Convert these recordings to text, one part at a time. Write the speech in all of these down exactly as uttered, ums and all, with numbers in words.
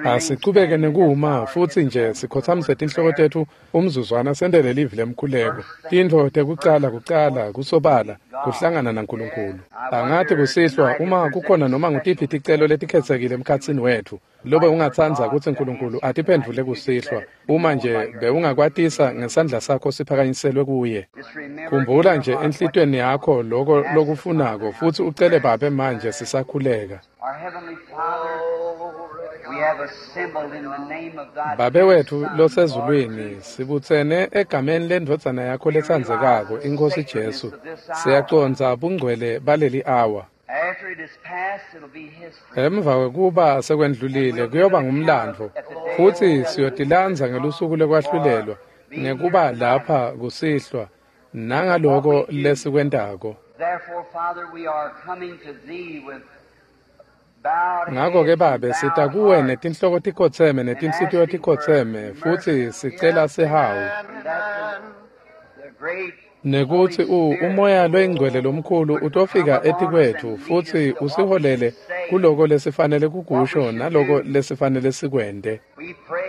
Asichubeke nekuma futsi nje sikhotsamise tinhloko tetfu umzuzwana sentele livi lemkhuleko. Tintfo tekucala kucala kusobala kuhlangana naNkulunkulu. Angathi kusihlwa uma kukhona noma ngutiphi ticelo letikhetsekile emkhatsini wetfu lobe ungatsandza kutsi Nkulunkulu atiphendvule kusihlwa, uma nje bewungakwatisa ngesandla sakho siphakanyiselwe kuye. Khumbula nje enhlitiyweni yakho loko lokufunako futsi ucele Babe manje sisakhuleka. Babe wetfu losezulwini, sibutsene egameni lendvodzana yakho letsandzekako, iNkhosi Jesu. Siyacondza bungcwele baleli awa. Emva kwekuba sekwendlulile kuyoba ngumlandvo, futsi siyotilandza ngelusuku lekwahlulelwa ngekuba lapha kusihlwa nangaloko lesikwentako. Ngako-ke Babe, sita kuwe netinhloko tikhotseme netinhlitiyo tikhotseme, futsi sicela sihawu nekutsi uMoya loyiNgcwele lomkhulu utofika etikwetfu futsi usiholele kuloko lesifanele kukusho naloko lesifanele sikwente.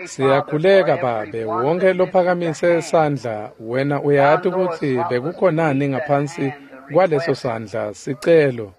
Siyakhuleka Babe, wonke lophakamise sandla, wena uyati kutsi bekukhonani ngaphansi kwaleso sandla sicelo.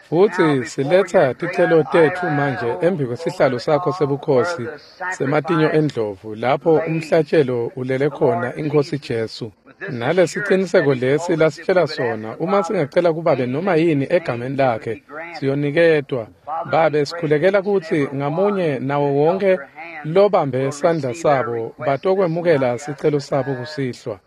Futsi siletsa ticelo tetfu manje embi kwesihlalo sakho sebukhosi sematinyo endlovu, lapho umhlatshelo ulele khona iNkhosi Jesu. Nalesiciniseko lesi lasitshela sona, uma singacela kuBabe noma yini egameni lakhe, siyoniketwa. Babe, sikhulekela kutsi ngamunye nawo wonke lobambe sandla sabo batokwemukela sicelo sabo kusihlwa.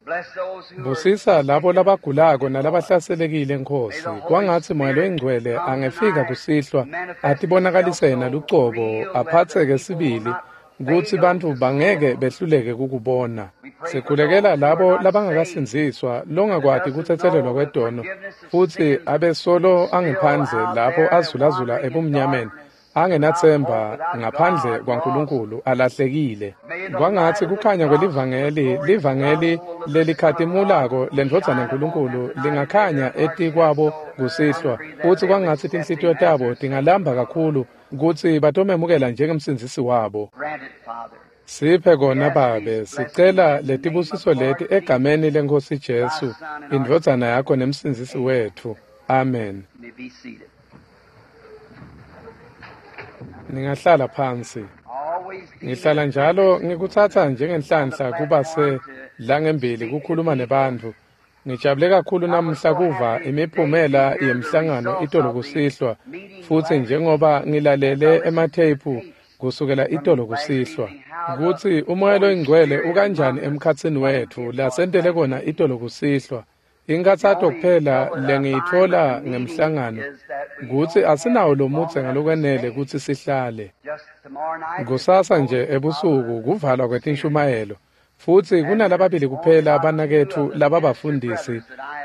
Busisa labo labagulako nalabahlaselekile, Nkhosi. Kwangatsi Moya loyiNgcwele angefika kusihlwa atibonakalise yena lucobo, aphatseke sibili kutsi bantfu bangeke behluleke kukubona. Sikhulekela labo labangakasindziswa, longakwati kutsetselelwa kwetono, futsi abesolo angephandle lapho azulazula ebumnyameni, angenatsemba ngaphandle kwaNkulunkulu, alahlekile. Kwangatsi kukhanya kwelivangeli, livangeli lelikhatimulako lendvodzana yaNkulunkulu lingakhanya etikwabo kusihlwa, futsi kwangatsi tinhlitiyo tabo tingalamba kakhulu kutsi batomemukela njengemsindzisi wabo. Siphe kona Babe, sicela letibusiso leti egameni leNkhosi Jesu, indvodzana yakho nemsindzisi wetfu. Amen. Ningahlala phansi. Ngihlala njalo ngikutsatsa njengenhlanhla kuba se langembili kukhuluma nebantfu. Ngijabule kakhulu namuhla kuva imiphumela yemhlangano itolo kusihlwa, futsi njengoba ngilalele ematheyiphu kusukela itolo kusihlwa, kutsi uMoya loyiNgcwele ukanjani emkhatsini wetfu lasentele kona itolo kusihlwa. Inkhatsato kuphela lengiyitfola ngemhlangano kutsi asinawo lomudze ngalokwenele kutsi sihlale. Kusasa nje ebusuku kuvalwa kwetinshumayelo, futsi kunalababili kuphela banaketfu lababafundisi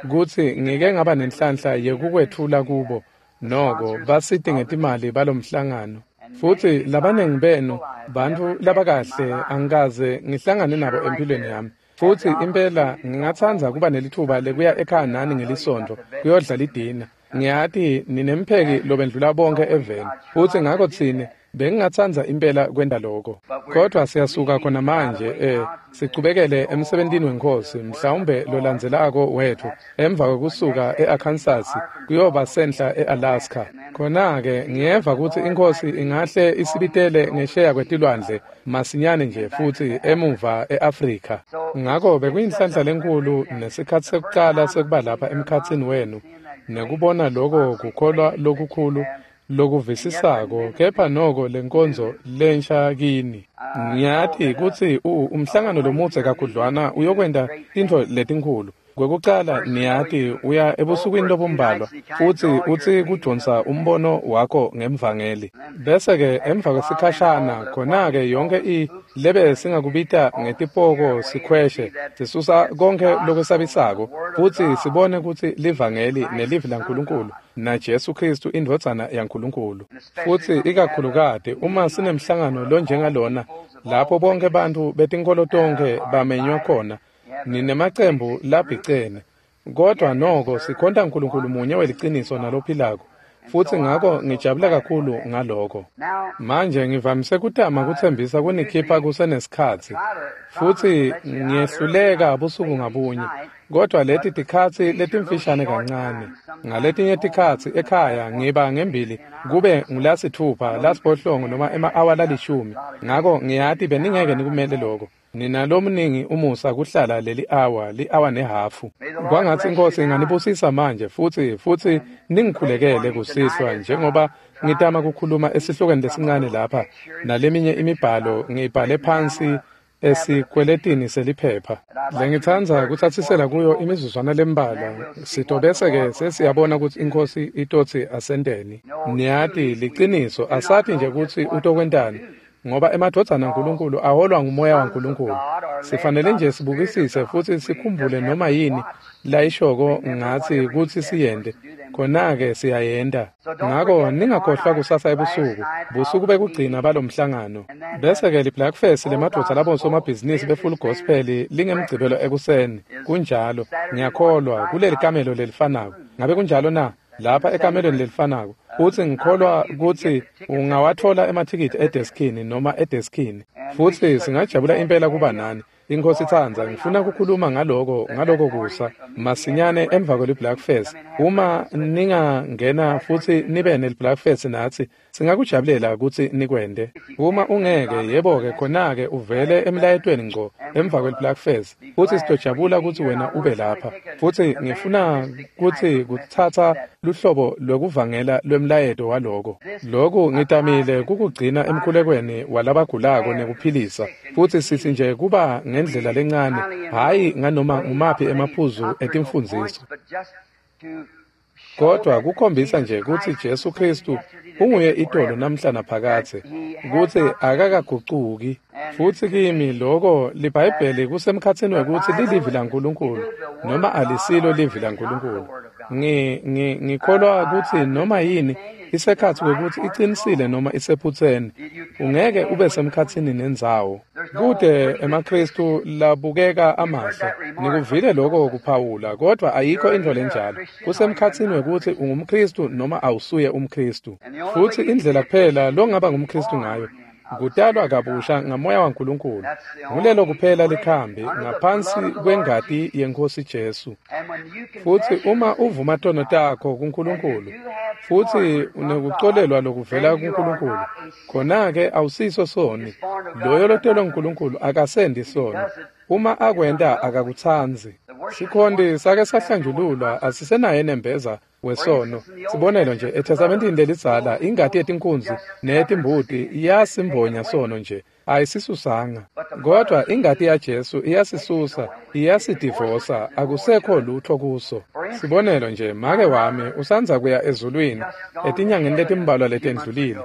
kutsi ngike ngaba nenhlanhla yekukwetfula kubo, noko basite ngetimali balomhlangano. Futsi labanengi benu bantfu labakahle angikaze ngihlangane nabo empilweni yami. Futsi impela ngingatsandza kuba nelitfuba lekuya ekhaya nani ngelisontfo kuyodla lidina. Ngiyati ninempheki lobendlula bonke eveni, futsi ngako tsine bengingatsandza impela kwenta loko. Kodwa siyasuka khona manje eh sichubekele emsebentini weNkhosi, mhlawumbe lolandzelako wetfu emva kwekusuka e-Arkansas kuyoba senhla e-Alaska. Khona-ke ngiyeva kutsi iNkhosi ingahle isibitele ngesheya kwetilwandle masinyane nje futsi emuva e-Afrika. Ngako bekuyinhlanhla lenkhulu nesikhatsi sekucala sekuba lapha emkhatsini wenu nekubona loko kukholwa lokukhulu lokuvisisako, kepha noko lenkonzo lensha kini. Ngiyati kutsi umhlangano lomudze kakhudlwana uyokwenta tintfo letinkhulu. Kwekucala niyati uya ebusukwini lobumbalwa futsi utsi kudonsa umbono wakho ngemvangeli. Bese-ke emva kwesikhashana khona-ke yonke i lebe singakubita ngetipoko sikhweshe sisusa konke lokwesabisako futsi sibone kutsi livangeli nelivi laNkulunkulu naJesu Kristu indvodzana yaNkulunkulu. Futsi ikakhulukati uma sinemhlangano lonjengalona lapho bonke bantfu betinkholo tonkhe bamenywa khona, ninemacembu labhicene, kodwa noko sikhonta uNkulunkulu munye weliciniso nalophilako, Futsi ngako ngijabula kakhulu ngaloko. Manje ngivamise kutama kutsembisa kunikhipha kusenesikhatsi, futsi ngiyehluleka busuku ngabunye, kodwa leti tikhatsi letimfishane kancane. Ngaletinye tikhatsi ekhaya ngiba ngembili kube ngulasitfupha, lasiphohlongo noma ema-awa lalishumi. Ngako ngiyati beningeke nikumele loko. Ninalomningi umusa kuhlala leli awa, li-awa nehhafu. Kwangatsi iNkhosi inganibusisa manje futsi futsi ningikhulekele kusihlwa njengoba ngitama kukhuluma esihlokweni lesincane lapha naleminye imibhalo ngiyibhale phansi esikweletini seliphepha. Lengitsandza kutsatsisela kuyo imizuzwana lembalwa, sitobese-ke sesiyabona kutsi iNkhosi itotsi asenteni. Niyati liciniso asati nje kutsi utokwentani, ngoba emadvodzana aNkulunkulu aholwa ngumoya waNkulunkulu. Sifanele nje sibukisise futsi sikhumbule noma yini layishoko ngatsi kutsi siyente, khona-ke siyayenta. Ngako ningakhohlwa kusasa ebusuku, busuku bekugcina balomhlangano. Bese-ke li-Blackfest lemadvodza labosomabhizinisi be-Full Gospel lingemgcibelo ekuseni. Kunjalo, ngiyakholwa kuleli kamelo lelifanako. Ngabe kunjalo na? Lapha ekamelweni lelifanako. Futsi ngikholwa kutsi ungawatfola emathikithi edeskini noma edeskini. Futsi singajabula impela kuba nani. INkhosi itsandza, ngifuna kukhuluma ngaloko ngaloko kusa masinyane emva kweli-Blackfest. Uma ningangena futsi nibe neli-Blackfest natsi, singakujabulela kutsi nikwente. Uma ungeke, yebo-ke khona-ke uvele emlayetweni ngco emva kweli-Blackfest, futsi sitojabula kutsi wena ube lapha. Futsi ngifuna kutsi kutsatsa luhlobo lwekuvangela lwemlayeto waloko. Loku ngitamile kukugcina emkhulekweni walabagulako nekuphilisa, futsi sitsi nje kuba ngendlela lencane, hhayi nganoma ngumaphi emaphuzu etimfundziso, kodwa kukhombisa nje kutsi Jesu Khristu unguye itolo namhla naphakadze, kutsi akakagucuki. Futsi kimi loko liBhayibheli kusemkhatsini wekutsi lilivi laNkulunkulu noma alisilo livi laNkulunkulu. Ngi ngi ngikholwa kutsi noma yini isekhatsi kwekutsi icinisile noma isephutseni, ungeke ube semkhatsini nendzawo. Kute emaKhristu labukeka amahle, nikuvile loko kuphawula, kodwa ayikho intfo lenjalo. Kusemkhatsini wekutsi ungumKhristu noma awusuye umKhristu. Futsi indlela kuphela longaba ngumKhristu ngayo kutalwa kabusha ngamoya waNkulunkulu. Ngulelo kuphela likhambi ngaphansi kwengati yeNkhosi Jesu. Futsi uma uvuma tono takho kuNkulunkulu futsi unekucolelwa lokuvela kuNkulunkulu, khona-ke awusiso soni. Loyo lotelwe nguNkulunkulu akasendi sono. Uma akwenta akakutsandzi. Sikhonti sake sahlanjululwa asisenaye nembeza wesono. Sibonelo nje, eTestamentini lelidzala ingati yetinkunzi neyetimbuti iyasimbonya sono nje, ayisisusanga. Kodwa ingati yaJesu iyasisusa, iyasidivosa, akusekho lutho kuso. Sibonelo nje, make wami usandza kuya ezulwini etinyangeni letimbalwa letendlulile.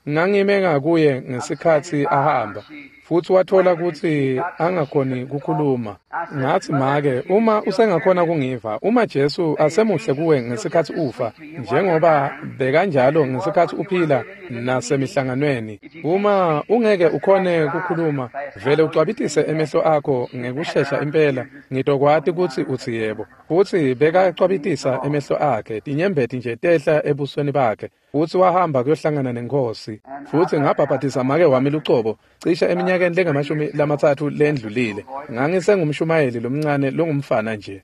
Ngangime ngakuye ngesikhatsi ahamba, futsi watfola kutsi angakhoni kukhuluma. Ngatsi, make, uma usengakhona kungiva, uma Jesu asemuhle kuwe ngesikhatsi ufa, njengoba bekanjalo ngesikhatsi uphila nasemihlanganweni, uma ungeke ukhone kukhuluma, vele ucwabitise emehlo akho ngekushesha impela, ngitokwati kutsi utsi yebo. Futsi bekacwabitisa emehlo akhe, tinyembeti nje tehla ebusweni bakhe, futsi wahamba kuyohlangana neNkhosi. Futsi ngabhabhatisa make wami lucobo cishe eminyakeni lengamashumi lamatsatfu lendlulile. Ngangisengumshumayeli lomncane longumfana nje.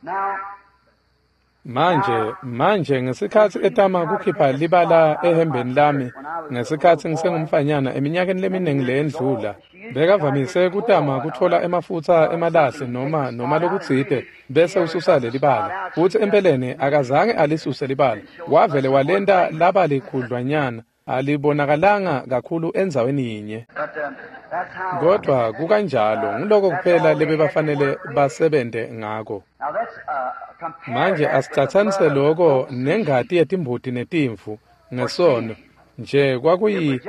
Manje, manje ngesikhatsi etama kukhipha libala ehembeni lami ngesikhatsi ngisengumfanyana eminyakeni leminingi leyendlula, bekavamise kutama kutfola emafutsa emalahle noma noma lokutsite bese ususa lelibala. Futsi empeleni akazange alisuse libala, wavele walenta laba likhudlwanyana, alibonakalanga kakhulu endzaweni yinye. Kodwa kukanjalo, nguloko kuphela lebebafanele basebente ngako. Manje asicatsanise loko nengati yetimbuti netimvu ngesono nje kwakuyi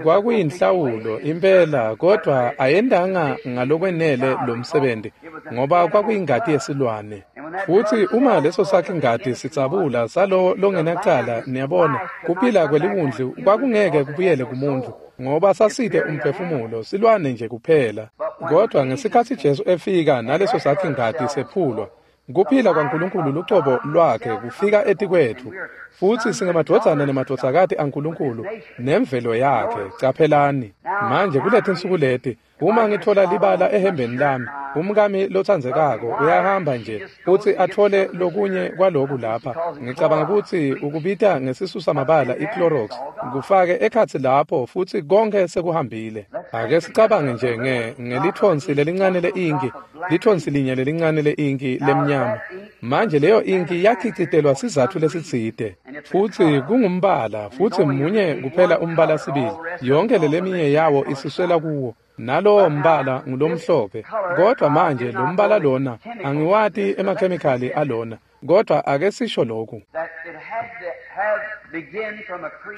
kwakuyinhlawulo impela, kodwa ayendanga ngalokwenele lomsebenzi ngoba kwakuyingati yesilwane. Futsi uma leso sakhe ingati sitsabula salo longenacala, niyabona, kuphila kweliwundlu kwakungeke kubuyele kumuntu ngoba saside umphefumulo, silwane nje kuphela. Kodwa ngesikhatsi Jesu efika naleso sakhe ingati sephulwa, Kuphila kwaNkulunkulu lucobo lwakhe kufika etikwetfu, futsi singemadvodzana nemadvodzakati aNkulunkulu nemvelo yakhe. Caphelani manje kuletinsuku leti, uma ngitfola libala ehembeni lami, umkami lotsandzekako uyahamba nje futsi atfole lokunye kwaloku lapha. Ngicabanga kutsi ukubita ngesisusa mabala iClorox, kufake ekhatsi lapho futsi konke sekuhambile. Ake sicabange nje nge ngelithonsi lelincane le-inki, lithonsi linye lelincane le-inki lemnyama. Manje leyo inki yakhicitelwa sizatfu lesitsite, futsi kungumbala, futsi munye kuphela umbala sibili. Yonke leleminye yawo isusela kuwo. Nalowo mbala ngulomhlophe, kodwa manje lo mbala lona angiwati emakhemikhali alona, kodwa ake sisho lokhu.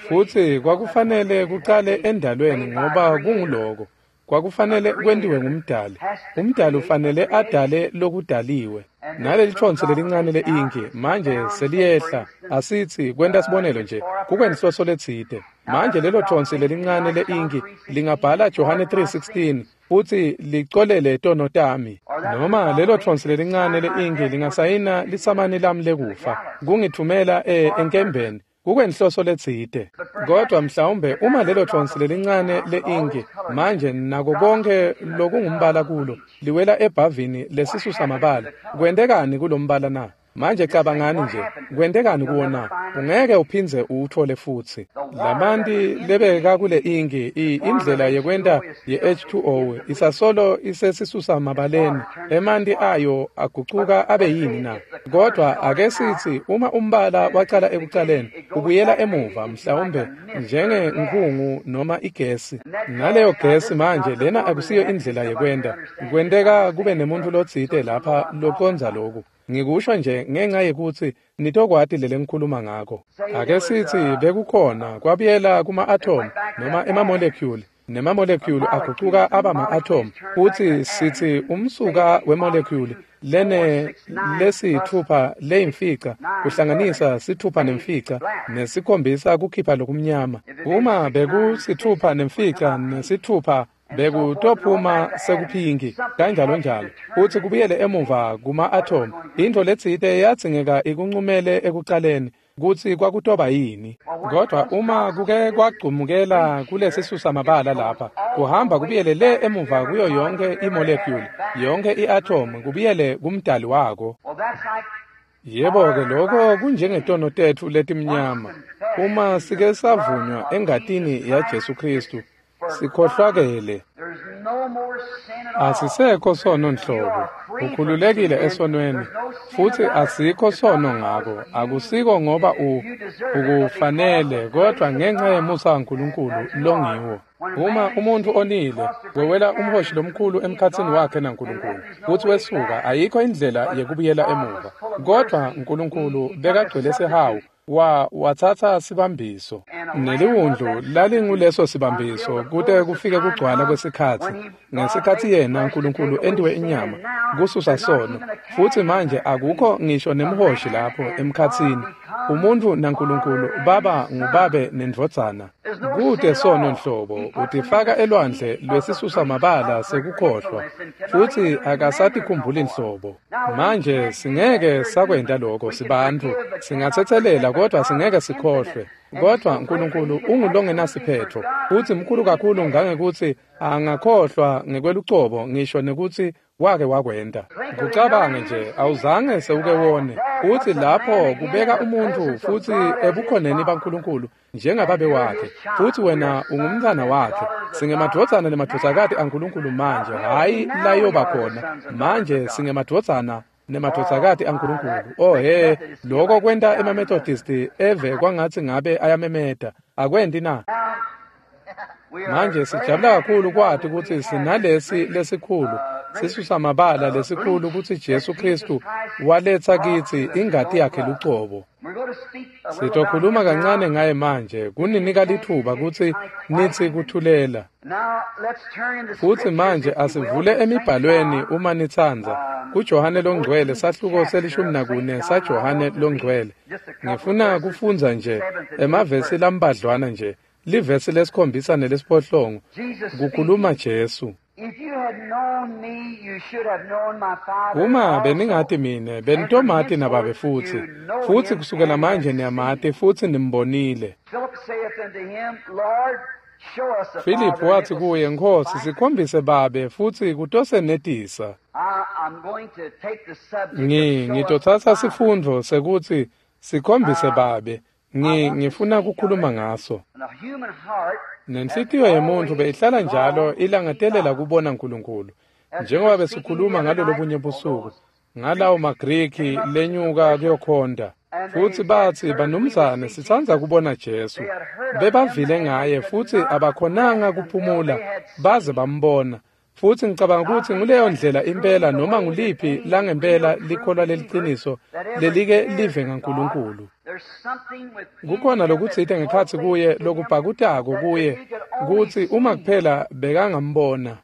Futsi kwakufanele kucale endalweni ngoba kunguloko. Kwakufanele kwentiwe ngumdali. Umdali ufanele adale lokudaliwe. Naleli thonsi lelincane le-inki manje seliyehla, asitsi kwenta sibonelo nje, kukwenhloso letsite. Manje lelo thonsi lelincane le-inki lingabhala Johane three sixteen futsi licolele tono tami. Noma lelo thonsi lelincane le-inki lingasayina lisamani lami lekufa, kungithumela e enkembeni, kukwenhloso letsite. Kodwa mhlawumbe uma lelo thonsi lelincane le-inki manje nako konke lokungumbala kulo liwela ebhavini lesisusa mabala, kwentekani kulombala na? Manje cabangani nje, kwentekani kuwo na? Ungeke uphindze uwuthole futsi. Lamanti lebeka kule inki, indlela yekwenta ye-H two O isasolo isesisusa mabaleni, emanti ayo agucuka abe yini na? Kodwa ake sithi uma umbala wacala ekucaleni, ubuyela emuva mhlawumbe njengenkhungu noma igesi. Naleyo gesi manje lena akusiyo indlela yekwenta. Kwenteka kube nemuntu lotsite lapha lokonza loku. Ngikusho nje ngenxa yekutsi nitokwati lele ngikhuluma ngako. Ake sithi bekukhona kwabuyela kuma-atom noma ema-molecule, nema-molecule agucuka aba ma-atom, futsi sithi umsuka we-molecule lene lesithupha leyimfica kuhlanganisa sithupha nemfica nesikhombisa kukhipha lokumnyama. Uma bekusithupha nemfica nesithupha bekutophuma sekuphinki kanjalo njalo, futsi kubuyele emuva kuma-atom. Intfo letsite yadzingeka ikuncumele ekucaleni kutsi kwakutoba yini. Kodwa uma kuke kwagcumukela kulesisusa mabala lapha, kuhamba kubuyele le emuva kuyo yonke i-molecule, yonke i-atom, kubuyele kumdali wako. Yebo-ke, lokho kunjengetono tetfu letimnyama. Uma sike savunywa engatini yaJesu Kristu, sikhohlwakele. Asisekho sono nhlobo. Ukhululekile esonweni, futsi asikho sono ngako. Akusiko ngoba u ukufanele, kodwa ngenxa yemusa waNkulunkulu longiwo. Uma umuntu onile, wewela umhoshi lomkhulu emkhatsini wakhe naNkulunkulu, futsi wesuka, ayikho indlela yekubuyela emuva. Kodwa uNkulunkulu bekagcwele sihawu, wa watsatsa sibambiso. Neliwundlu lalinguleso sibambiso kute kufike kugcwala kwesikhatsi, ngesikhatsi yena uNkulunkulu entiwe inyama kususa sono. Futsi manje akukho ngisho nemhoshi lapho emkhatsini. Umuntu naNkulunkulu baba ngubabe nendvodzana. Kute sono nhlobo, utifaka elwandle lwesisusa mabala sekukhohlwa, futsi akasatikhumbuli nhlobo. Manje singeke sakwenta lokho sibantfu, singatsetselela kodwa singeke sikhohlwe. Kodwa uNkulunkulu ungulongenasiphetho, futsi mkhulu kakhulu ngangekutsi angakhohlwa ngekwelucobo ngisho nekutsi wake wakwenta. Kucabange nje, awuzange sewuke wone. Futsi lapho kubeka umuntfu futsi ebukhoneni baNkulunkulu njengababe wakhe, futsi wena ungumntfwana wakhe. Singemadvodzana nemadvodzakati aNkulunkulu manje, hhayi layoba khona. Manje singemadvodzana nemadvodzakati aNkulunkulu. Oh he, lokho kwenta emaMethodist eve kwangatsi ngabe ayamemeta. Akwenti na? Manje sijabula kakhulu kwati kutsi sinalesi lesikhulu sisusa mabala lesikhulu kutsi Jesu Kristu waletsa kitsi ingati yakhe lucobo. Sitokhuluma kancane ngaye manje, kuninika lithuba kutsi nitsi kuthulela. Futsi manje asivule emibhalweni uma nitsandza, kuJohane loNgcwele sahluko selishumi nakune saJohane loNgcwele. Ngifuna kufundza nje emavesi lambadlwana nje, livesi lesikhombisa nelesiphohlongo, kukhuluma Jesu. Uma beningati mine, benitomati naBabe futsi, futsi kusukela manje niyamati futsi nimbonile. Filiphu watsi kuye, Nkhosi, sikhombise Babe futsi kutosenetisa. Ngi ngitotsatsa sifundvo sekutsi sikhombise Babe. Ngi ngifuna kukhuluma ngaso. Nenhlitiyo yemuntfu beyihlala njalo ilangatelela kubona Nkulunkulu. Njengoba besikhuluma ngalolobunye busuku, ngalawo maGriki lenyuka kuyokhonta. Futsi batsi, banumzane, sitsandza kubona Jesu. Bebavile ngaye futsi abakhonanga kuphumula baze bambona. Futsi ngicabanga kutsi nguleyo ndlela impela noma nguliphi langempela likholwa leliciniso lelike live ngaNkulunkulu. Kukhona lokutsite ngekhatsi kuye lokubhakutako kuye kutsi uma kuphela bekangambona.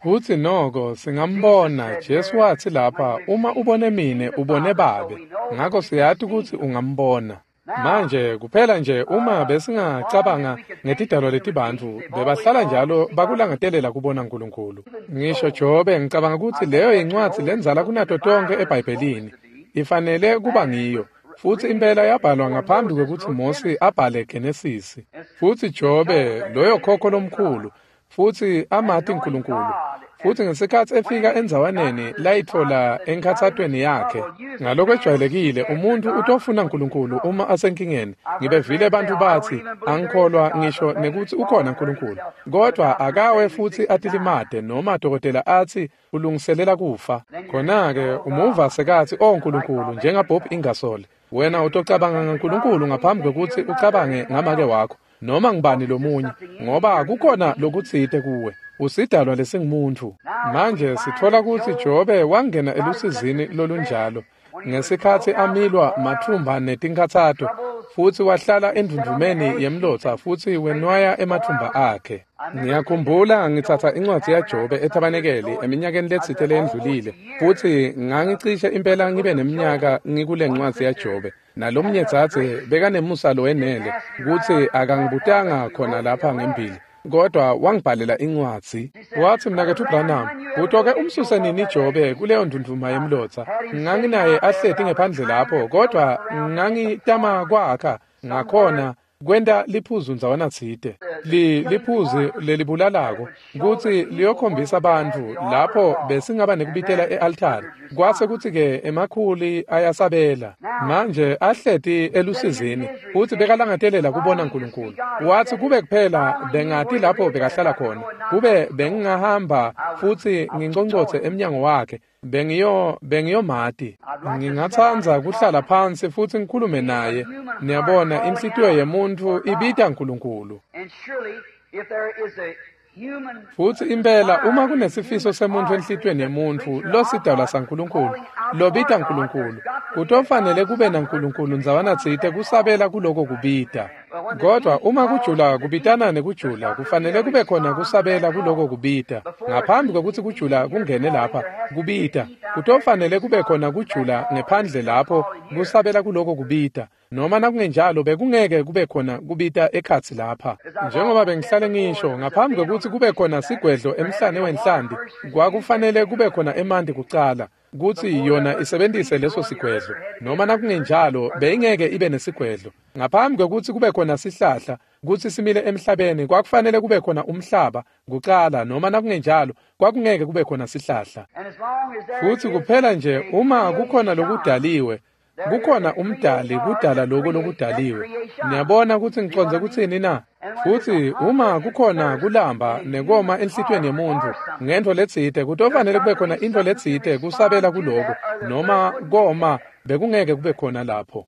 Futsi noko singambona. Jesu watsi lapha, uma ubone mine ubone Babe. Ngako siyati kutsi ungambona. Manje kuphela nje uma besingacabanga ngetidalwa letibantfu bebahlala njalo bakulangatelela kubona Nkulunkulu. Ngisho Jobe, ngicabanga kutsi leyo yincwadzi lendzala kunato tonkhe eBhayibhelini. Ifanele kuba ngiyo. Futsi impela yabhalwa ngaphambi kwekutsi Mosi abhale Genesisi. Futsi Jobe, loyo khokho lomkhulu, futsi amati Nkulunkulu. Futsi ngesikhatsi efika endzawaneni layitfola enkhatsatweni yakhe, ngalokwejwayelekile umuntfu utofuna Nkulunkulu uma asenkingeni. Ngibevile bantfu batsi, angikholwa ngisho nekutsi ukhona Nkulunkulu. Kodvwa akawe futsi atilimate noma dokotela atsi ulungiselela kufa. Khona-ke umuva sekatsi, "O Nkulunkulu," njengaBob Ingersoll, wena utocabanga ngaNkulunkulu ngaphambi kwekutsi ucabange ngamake wakho noma ngubani lomunye, ngoba kukhona lokutsite kuwe. Usidalwa lesingumuntfu. Manje sitfola kutsi Jobe wangena elusizini lolunjalo ngesikhatsi amilwa matfumba netinkhatsato, futsi wahlala endvundvumeni yemlotsa futsi wenwaya ematfumba akhe. Ngiyakhumbula ngitsatsa incwadzi yaJobe ethabanekeli eminyakeni letsite leyendlulile, futsi ngangicishe impela ngibe neminyaka ngikule ncwadzi yaJobe. Nalomnye dzadze bekanemusa lowenele kutsi akangibutanga khona lapha ngembili, kodwa wangibhalela incwadzi. Watsi, Mnaketfu Branham, utoke umsuse nini Jobe kuleyo ndvundvuma yemlotsa? Nganginaye ahleti ngephandle lapho, kodwa ngangitama kwakha ngakhona kwenta liphuzu ndzawana tsite, li liphuzu lelibulalako kutsi liyokhombisa bantfu lapho besingaba nekubitela e-altari. Kwase kutsi-ke emakhuli ayasabela. Manje ahleti elusizini futsi bekalangatelela kubona Nkulunkulu. Watsi kube kuphela bengati lapho bekahlala khona, kube bengingahamba futsi nginconcotse emnyango wakhe, bengiyo bengiyomati. Ngingatsandza kuhlala phansi futsi ngikhulume naye. Niyabona, inhlitiyo yemuntfu ibita Nkulunkulu. Futsi impela uma kunesifiso semuntfu enhlitiyweni yemuntfu losidalwa saNkulunkulu lobita Nkulunkulu, kutofanele kube naNkulunkulu ndzawana tsite kusabela kuloko kubita. Kodwa uma kujula kubitana nekujula, kufanele kube khona kusabela kuloko kubita. Ngaphambi kwekutsi kujula kungene lapha kubita, kutofanele kube khona kujula ngephandle lapho kusabela kuloko kubita. Noma nakungenjalo bekungeke kube khona kubita ekhatsi lapha. Njengoba bengihlale ngisho, ngaphambi kwekutsi kube khona sigwedlo emhlane wenhlanti, kwakufanele kube khona emanti kucala kutsi yona isebentise leso sigwedlo. Noma nakungenjalo beyingeke ibe nesigwedlo. Ngaphambi kwekutsi kube khona sihlahla kutsi simile emhlabeni, kwakufanele kube khona umhlaba kucala, noma nakungenjalo kwakungeke kube khona sihlahla. Futsi kuphela nje uma kukhona lokudaliwe, kukhona umdali kudala lokho lokudaliwe. Niyabona kutsi ngicondze kutsini na? Futsi uma kukhona kulamba nekoma enhlitiyweni yemuntfu ngentfo letsite, kutofanele kube khona intfo letsite kusabela kuloko, noma koma bekungeke kube khona lapho.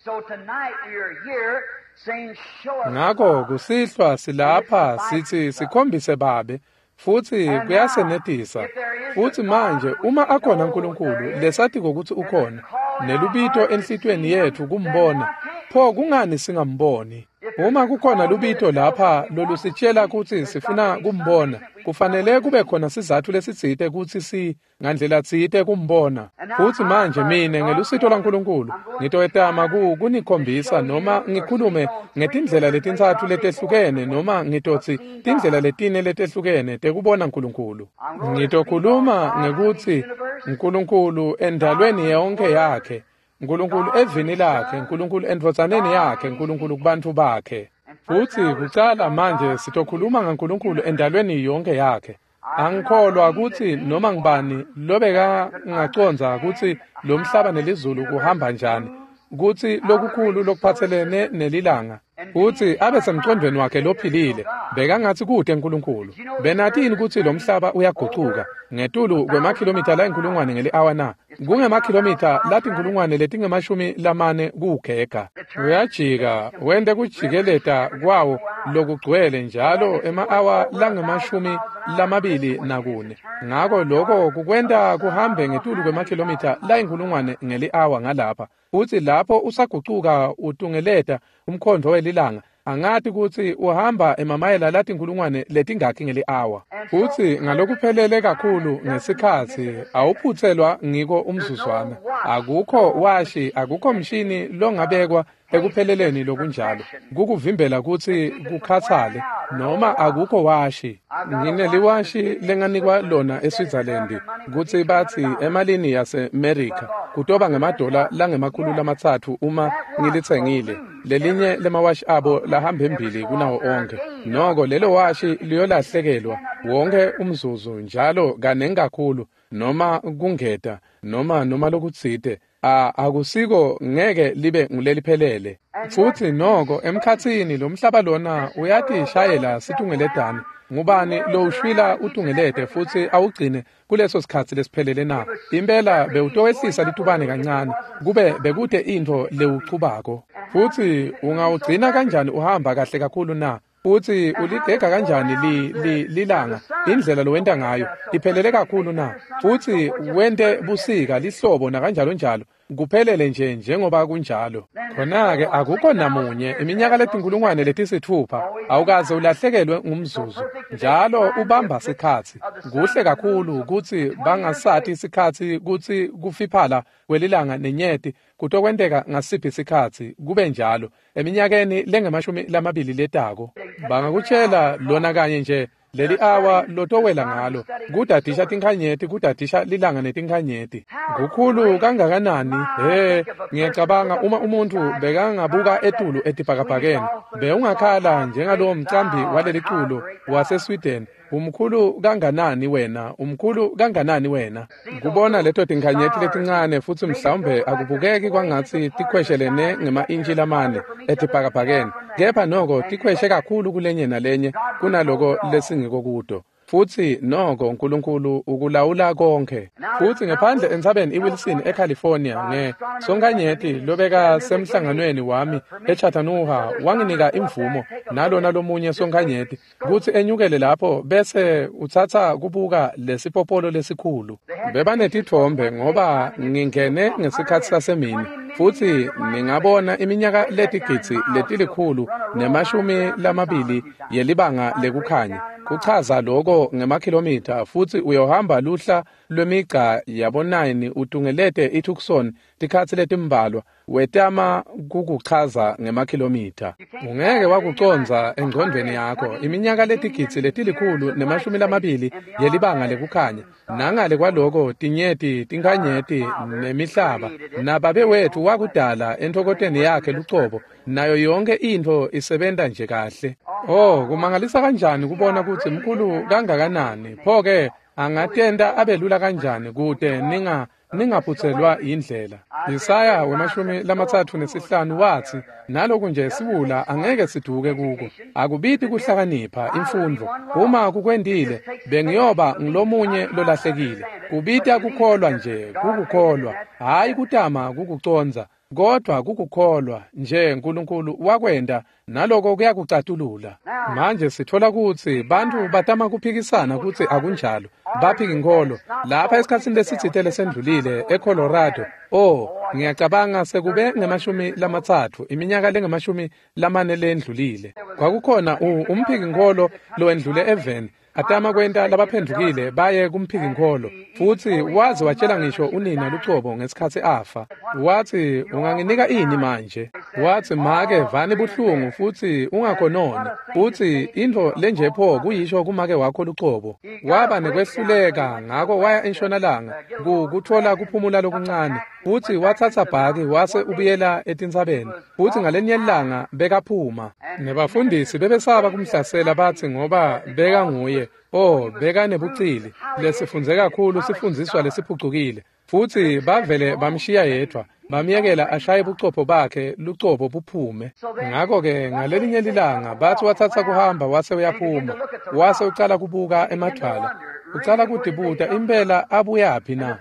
Ngako kusihlwa silapha sitsi sikhombise Babe, futsi kuyasenetisa. Futsi manje uma akhona Nkulunkulu lesatiko kutsi ukhona, nelubito enhlitiyweni yetfu kumbona, pho kungani singamboni? Uma kukhona lubito lapha lolusitshela kutsi sifuna kumbona, kufanele kube khona sizatfu lesitsite kutsi si ngandlela tsite kumbona. Futsi manje mine ngelusito lwaNkulunkulu ngitoyetama ku kunikhombisa noma ngikhulume ngetindlela letintsatfu letehlukene noma ngitotsi tindlela letine letehlukene tekubona Nkulunkulu. Ngitokhuluma ngekutsi Nkulunkulu endalweni yonke yakhe, Nkulunkulu evini lakhe, Nkulunkulu endvodzaneni yakhe, Nkulunkulu kubantfu bakhe. Futsi kucala manje sitokhuluma ngaNkulunkulu endalweni yonke yakhe. Angikholwa kutsi noma ngibani lobeka ngacondza kutsi lo mhlaba nelizulu kuhamba njani, kutsi lokukhulu lokuphatselene nelilanga, futsi abe semcondvweni wakhe lophilile, bekangatsi kute Nkulunkulu. Benatini kutsi lo mhlaba uyagucuka ngetulu kwemakhilomitha layinkulungwane ngeli-awa na? Kungemakhilomitha latinkulungwane letingemashumi lamane kuwugega. Uyajika wente kujikeleta kwawo lokugcwele njalo ema-awa langemashumi lamabili nakune. Ngako loko kukwenta kuhambe ngetulu kwemakhilomitha layinkulungwane ngeli-awa ngalapha. Futsi lapho usagucuka utungeleta umkhondvo welilanga, angati kutsi uhamba emamayela latinkulungwane letingakhi ngeli-awa. Futsi ngalokuphelele kakhulu ngesikhatsi awuphutselwa ngiko umzuzwana. Akukho washi, akukho mshini longabekwa ekupheleleni lokunjalo kukuvimbela kutsi kukhatsale, noma akukho washi. Ngineliwashi lenganikwa lona eSwitzerland kutsi batsi emalini yaseMerica kutoba ngemadola langemakhulu lamatsatfu uma ngilitsengile. Lelinye lemawashi abo lahamba embili kunawo onkhe. Noko lelo washi liyolahlekelwa wonke umzuzu njalo kanengi kakhulu noma kungeta noma noma lokutsite. A akusiko ngeke libe nguleliphelele. Futsi noko emkhatsini lo mhlaba lona uyatishayela situngeletane. Ngubani lowushwila utungelete futsi awugcine kuleso sikhatsi lesiphelele na? Impela bewutowehlisa litubane kancane kube bekute intfo lewuchubako. Futsi ungawugcina kanjani uhamba kahle kakhulu na? Futsi uligega kanjani li, li, lilanga indlela lowenta ngayo iphelele kakhulu na? Futsi wente busika lihlobo nakanjalo njalo kuphelele nje njengoba kunjalo. Khona-ke akukho namunye iminyaka letinkulungwane letisitfupha awukaze ulahlekelwe ngumzuzu, njalo ubamba sikhatsi. Kuhle kakhulu kutsi bangasati sikhatsi kutsi kufiphala kwelilanga nenyeti kutokwenteka ngasiphi sikhatsi kube njalo eminyakeni lengemashumi lamabili letako. Bangakutshela lona kanye nje leli awa lotowela ngalo kudadisha tinkhanyeti, kudadisha lilanga netinkhanyeti. Kukhulu kangakanani? He, ngiyacabanga uma umuntfu bekangabuka etulu etibhakabhakeni bewungakhala njengalowo mcambi waleli culo waseSweden, umkhulu kanganani wena, umkhulu kanganani wena. Kubona leto tinkhanyeti letincane futsi mhlawumbe akubukeki kwangatsi tikhweshelene ngema-intshi lamane etibhakabhakeni, kepha noko tikhweshe kakhulu kulenye nalenye kunaloko lesingiko kuto. Futsi noko Nkulunkulu ukulawula konke. Futsi ngephandle entsabeni iWilson eCalifornia nge sonkhanyeti lobeka semhlanganweni wami eChattanooga wanginika imvumo nalona lomunye sonkhanyeti kutsi enyukele lapho bese utsatsa kubuka lesipopolo lesikhulu. Bebanetitfombe ngoba ngingene ngesikhatsi sasemini, futsi ningabona iminyaka letigidzi letilikhulu nemashumi lamabili yelibanga lekukhanya. Kuchaza loko ngemakhilomitha, futsi uyohamba luhla lwemigca yabo-nine utungelete iTucson tikhatsi letimbalwa wetama kukuchaza ngemakhilomitha. Ungeke wakucondza engcondvweni yakho iminyaka letigidzi letilikhulu nemashumi lamabili yelibanga lekukhanya. Nangale kwaloko tinyeti, tinkhanyeti nemihlaba nababe wethu wakudala entfokoteni yakhe lucobo, nayo yonke intfo isebenta nje kahle. Oh, kumangalisa kanjani kubona kutsi mkhulu kangakanani. Pho-ke angatenta abelula kanjani kute ninga ningaphutselwa yindlela. Isaya wemashumi lamatsatfu nesihlanu watsi, naloku nje siwula angeke siduke kuko. Akubiti kuhlakanipha imfundvo. Uma kukwentile bengiyoba ngilomunye lolahlekile. Kubita kukholwa nje, kukukholwa, hhayi kutama kukucondza. Kodwa kukukholwa nje uNkulunkulu wakwenda naloko kuyakucatulula. Manje sithola kutsi bantfu batama kuphikisana kutsi akunjalo. Baphika inkholo lapha esikhatsini lesitsite lesendlulile eColorado. Oh, ngiyacabanga sekube ngemashumi lamatsatfu iminyaka lengemashumi lamane lendlulile. Kwakukhona umphiki-nkholo lowendlule eveni atama kwenta labaphendvukile baye kumphiki-nkholo, futsi waze watshela ngisho unina lucobo ngesikhatsi afa. Watsi, unganginika ini manje? Watsi, make vani buhlungu futsi ungakhononi, futsi intfo lenje pho kuyisho kumake wakho lucobo. Waba nekwehluleka, ngako waya entshonalanga kutfola kuphumula lokuncane, futsi watsatsa bhaki wase ubuyela etintsabeni, futsi ngalenye ilanga bekaphuma. Nebafundisi bebesaba kumhlasela batsi ngoba bekanguye, oh bekanebucili lesifundze kakhulu sifundziswa lesiphucukile, futsi bavele bamshiya yedvwa, bamyekela ashaye bucopho bakhe lucobo buphume. Ngako-ke ngalelinye lilanga bathi watsatsa kuhamba wase uyaphuma, wase ucala kubuka emadvwala, ucala kutibuta impela abuyaphi na.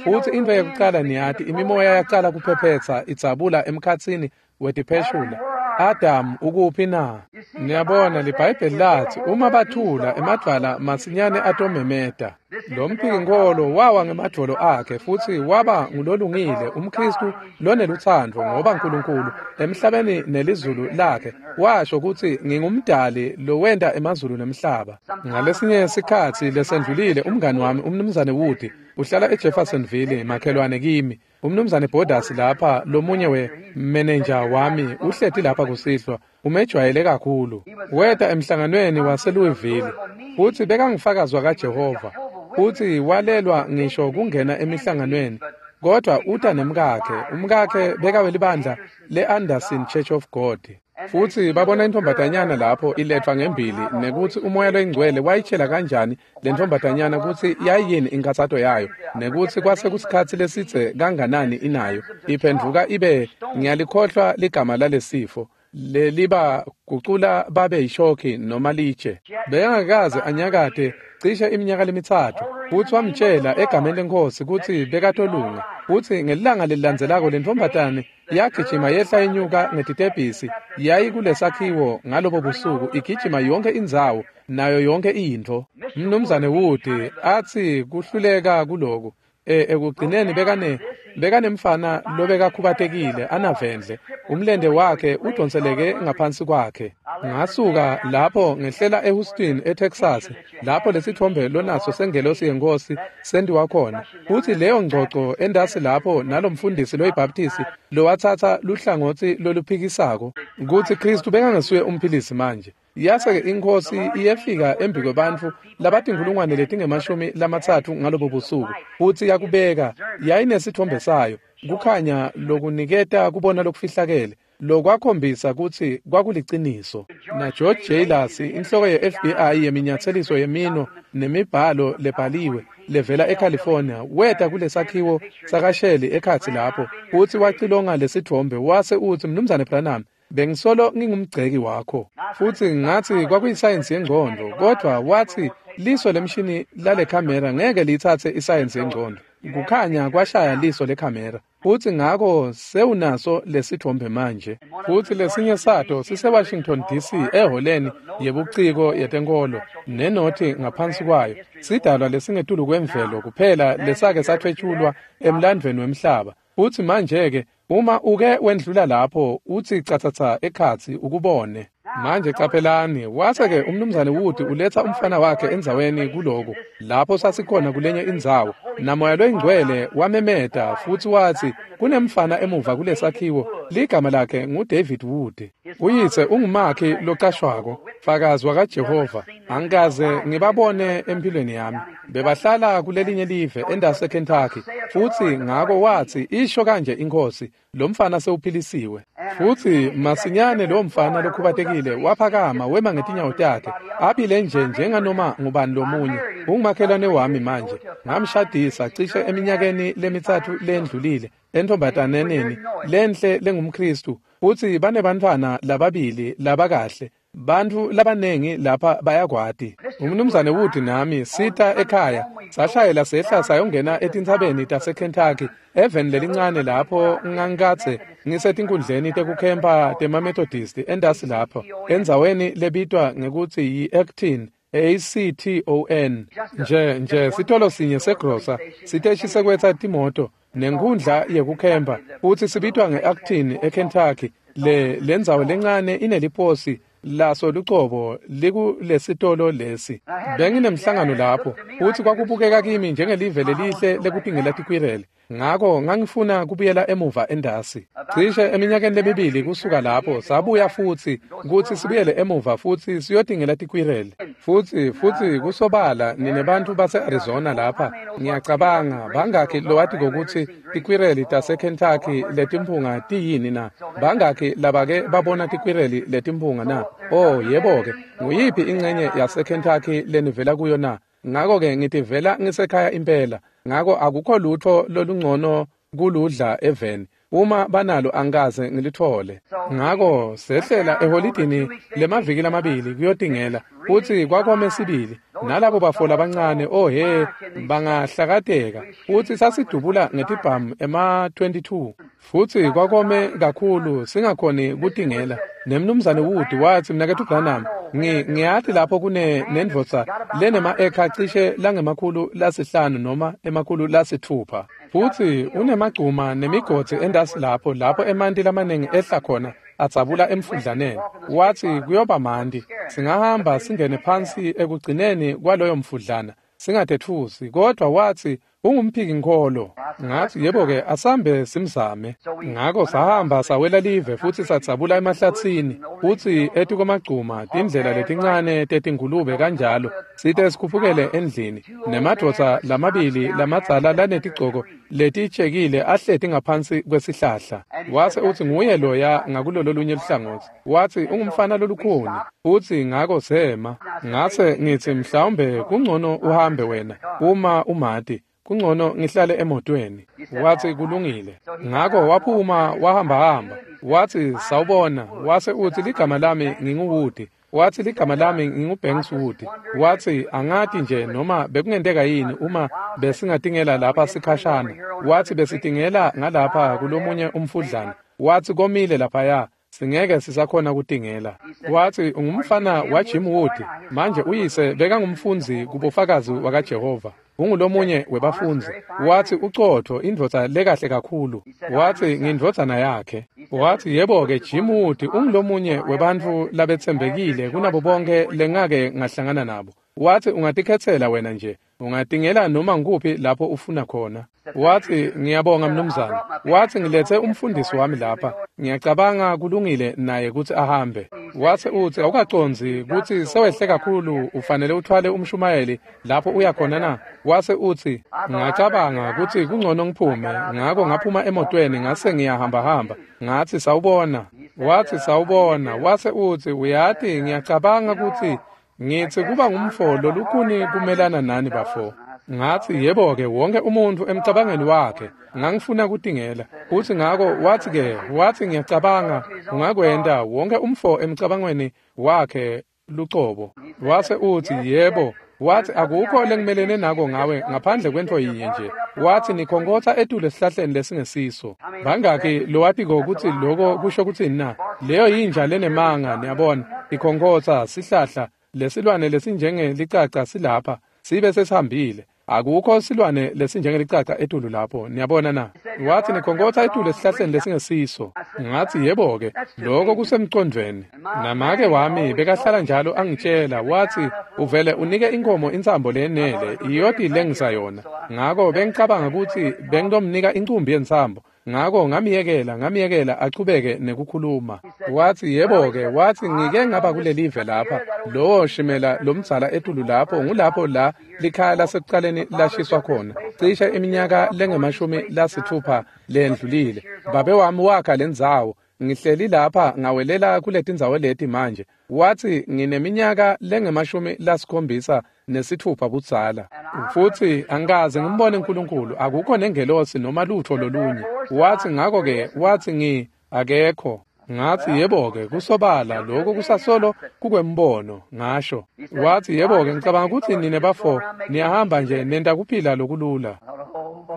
Futsi intfo yekucala niyati imimoya yacala kuphephetsa idzabula emkhatsini wetipheshula. Adam ukuphi na? Niyabona liBhayibheli lathi uma bathula emadvwala masinyane atomemeta. Lo mphiki-nkholo wawa ngemadvolo akhe futsi waba ngulolungile umKhristu lonelutsandvo, ngoba uNkulunkulu emhlabeni nelizulu lakhe washo kutsi ngingumdali lowenta emazulu nemhlaba. Ngalesinye sikhatsi lesendlulile umngani wami umnumzane Wood uhlala eJeffersonville makhelwane kimi. Umnumzane Borders lapha lomunye we-manager wami uhleti lapha kusihlwa, umejwayele kakhulu. Weta emhlanganweni waseLouisville futsi bekangufakazi kaJehova, futsi walelwa ngisho kungena emihlanganweni, kodwa uta nemkakhe. Umkakhe bekawelibandla le-Anderson Church of God. Futsi babona intombatanyana lapho iletfwa ngembili, nekutsi umoya loyingcwele wayitshela kanjani le ntombatanyana kutsi yayiyini inkhatsato yayo, nekutsi kwase kusikhatsi lesidze kanganani inayo. Iphendvuka ibe, ngiyalikhohlwa ligama lalesifo, leliba gucula babe yishokhi noma litshe. Bekangakaze anyakate cishe iminyaka lemitsatfu, futsi wamtshela egameni leNkhosi kutsi bekatolunga. Futsi ngelilanga lelilandzelako lentombatane yagijima yehla inyuka ngetitebhisi yayikulesakhiwo ngalobo busuku, igijima yonke indzawo nayo yonke intfo. Mnumzane Wood atsi kuhluleka kuloku. E ekugcineni bekane bekanemfana lobekakhubatekile anavendle, umlende wakhe udonseleke ngaphansi kwakhe. Ngasuka lapho ngehlela eHouston eTexas, lapho lesithombe lonaso sengelosi yenkosi sendiwa khona. Futsi leyo ngcoco endasi lapho nalomfundisi loyiBaptist lowatsatsa luhlangotsi loluphikisako kutsi Kristu bekangasuye umphilisi manje. Yase-ke inkhosi iyefika embi kwebantfu labatinkhulungwane letingemashumi lamatsatfu ngalobo busuku, futsi yakubeka yayinesithombe sayo, kukhanya lokuniketa kubona lokufihlakele lokwakhombisa kutsi kwakuliciniso. Na George Jailers, inhloko ye-F B I yeminyatseliso yemino nemibhalo lebhaliwe levela eCalifornia, weta kulesakhiwo sakasheli ekhatsi lapho, futsi wacilonga lesithombe wase utsi, Mnumzane Branham, bengisolo ngingumgceki wakho. Futsi ngatsi kwakuyisayensi yengcondvo, kodwa watsi liso lemshini lale khamera ngeke liyitsatse isayensi yengcondvo. Kukhanya kwashaya liso lekhamera, futsi ngako sewunaso lesithombe manje. Futsi lesinye sato siseWashington D C eholeni yebuciko yetenkolo nenothi ngaphansi kwayo, sidalwa lesingetulu kwemvelo kuphela lesake sathwetshulwa emlandvweni wemhlaba. Futsi manje-ke uma uke wendlula lapho utsi catsatsa ekhatsi ukubone. Manje caphelani, wase-ke umnumzane Wood uletsa umfana wakhe endzaweni kuloku lapho sasikhona kulenye indzawo, namoya loyingcwele wamemeta futsi watsi kunemfana emuva kulesakhiwo, ligama lakhe nguDavid Wood. Uyise ungumakhi locashwako, fakazi wakaJehova. Angikaze ngibabone empilweni yami. Bebahlala kulelinye live endase Kentucky, futsi ngako watsi isho kanje inkhosi, lo mfana sewuphilisiwe. Futsi masinyane lo mfana lokhubatekile waphakama wema ngetinyawo takhe, aphile nje njenganoma ngubani lomunye. Ungumakhelwane wami manje, ngamshadisa cishe eminyakeni lemitsatfu lendlulile entombataneneni lenhle lengumKhristu, futsi banebantfwana lababili labakahle. Bantfu labanengi lapha bayakwati. Umnumzane Wood nami sita ekhaya sashayela sehla sayongena etintsabeni taseKentucky eveni lelincane lapho ngangikadze ngisetinkundleni tekukhempa temaMethodist entasi lapho endzaweni lebitwa ngekutsi yi-Acton A C T O N nje nje sitolo sinye segrosa siteshi sekwetsa timoto nenkhundla yekukhempa futsi sibitwa nge-Acton eKentucky. Le lendzawo lencane ineliposi laso lucobo likulesitolo lesi. Benginemhlangano lapho futsi kwakubukeka kimi njengelive lelihle lekutingela tikwirele. Ngako ngangifuna kubuyela emuva endasi. Cishe eminyakeni lemibili kusuka lapho sabuya futsi kutsi sibuyele emuva futsi siyotingela tikwirele. Futsi futsi kusobala nine bantfu base-Arizona lapha ngiyacabanga bangakhi lowatiko kutsi tikwireli taseKentucky letimphunga tiyini na? Bangakhi labake babona tikwireli letimphunga na? Oh yebo-ke, nguyiphi incenye yaseKentucky lenivela kuyo na? Ngako-ke ngitivela ngisekhaya impela. Ngako akukho lutho lolungcono kuludla eveni. Uma banalo angikaze ngilithole. Ngako sehlela eholidini lemaviki lamabili kuyotingela futsi kwakome sibili. Nalabo bafo labancane oh he bangahlakateka futsi sasidubula ngetibhamu ema twenty-two futsi kwakome kakhulu singakhoni kutingela. Nemnumzane Wood watsi mnaketfu Branham ngi ngiyati lapho kune nendvodza lenema-ekha cishe langemakhulu lasihlanu noma emakhulu lasitfupha futsi unemagcuma nemigodzi endasi lapho lapho emanti lamaningi ehla khona adzabula emfudlaneni. Watsi kuyoba manti singahamba singene phansi ekugcineni kwaloyo mfudlana singatetfusi, kodwa watsi ungumphiki-nkholo. Ngatsi yebo-ke asambe simzame. Ngako sahamba sawela live futsi sadzabula emahlatsini futsi etikwemagcuma tindlela letincane tetingulube kanjalo site sikhuphukele endlini nemadvodza lamabili lamadzala lanetigcoko letitshekile ahleti ngaphansi kwesihlahla. Wase utsi nguye loya ngakulolo lunye luhlangotsi. Watsi ungumfana lolukhuni futsi ngako sema. Ngase ngitsi mhlawumbe kungcono uhambe wena uma umati. Kungcono ngihlale emotweni. Watsi kulungile. Ngako waphuma wahamba hamba. Watsi sawubona. Wase utsi ligama lami nginguWood. Watsi ligama lami nginguBanks Wood. Watsi angati nje noma bekungenteka yini uma besingatingela lapha sikhashana. Watsi besitingela ngalapha kulomunye umfudlana. Watsi komile laphaya. Singeke sisakhona kutingela. Watsi ungumfana waJim Wood. Manje uyise bekangumfundzi kubofakazi wakaJehova. Ungulomunye webafundzi. Watsi ucotho indvodza lekahle kakhulu. Watsi ngindvodzana yakhe. Watsi yebo-ke Jim Wood ungulomunye webantfu labetsembekile kunabo bonke lengake ngahlangana nabo. Watsi ungatikhetsela wena nje. Ungatingela noma ngikuphi lapho ufuna khona. Watsi ngiyabonga mnumzane. Watsi ngiletse umfundisi wami lapha. Ngiyacabanga kulungile naye kutsi ahambe. Watsi utsi awukacondzi kutsi sewehle kakhulu ufanele uthwale umshumayeli lapho uya khona na? Wase utsi ngacabanga kutsi kungcono ngiphume. Ngako ngaphuma emotweni ngase ngiyahambahamba. Ngatsi sawubona. Watsi sawubona. Wase utsi uyati ngiyacabanga kutsi ngitsi kuba ngumfo lolukhuni kumelana nani bafo. Ngatsi yebo-ke wonke umuntfu emcabangeni wakhe ngangifuna kutingela. Futsi ngako watsi-ke watsi ngiyacabanga ungakwenta wonke umfo emcabangweni wakhe lucobo. Wase utsi yebo. Watsi akukho lengimelene nako ngawe ngaphandle kwentfo yinye nje. Watsi nikhonkhotsa etulu esihlahleni lesingesiso. Bangakhi lowatiko kutsi loko kusho kutsini na? Leyo yinja lenemanga niyabona ikhonkhotsa sihlahla lesilwane lesinjengelicaca silapha sibe sesihambile. Akukho silwane lesinjengelicaca etulu lapho niyabona na? Watsi nikhonkhotsa etulu esihlahleni lesingesiso. Ngatsi yebo-ke loko kusemcondvweni. Namake wami bekahlala njalo angitshela watsi uvele unike inkomo intsambo lenele iyoti lengisa yona. Ngako bengicabanga kutsi bengitomnika incumbi yentsambo. Ngako ngamyekela ngamyekela achubeke nekukhuluma. Watsi yebo-ke watsi ngike ngaba kulelive lapha lowo shimela lomdzala etulu lapho ngulapho la likhaya lasekucaleni lashiswa khona cishe iminyaka lengemashumi lasitfupha lendlulile. Babe wami wakha lendzawo. Ngihleli lapha ngawelela kuletindzawo leti manje. Watsi ngineminyaka lengemashumi lasikhombisa nesitfupha budzala futsi angikaze ngimbone uNkulunkulu akukho nengelosi noma lutho lolunye. Watsi ngako-ke watsi ngi akekho. Ngathi, yebo-ke, kusobala lokho kusasolo kukwembono, ngasho. Wathi, yebo-ke, ngicabanga ukuthi nine bafo niyahamba nje nenta kuphila lokulula.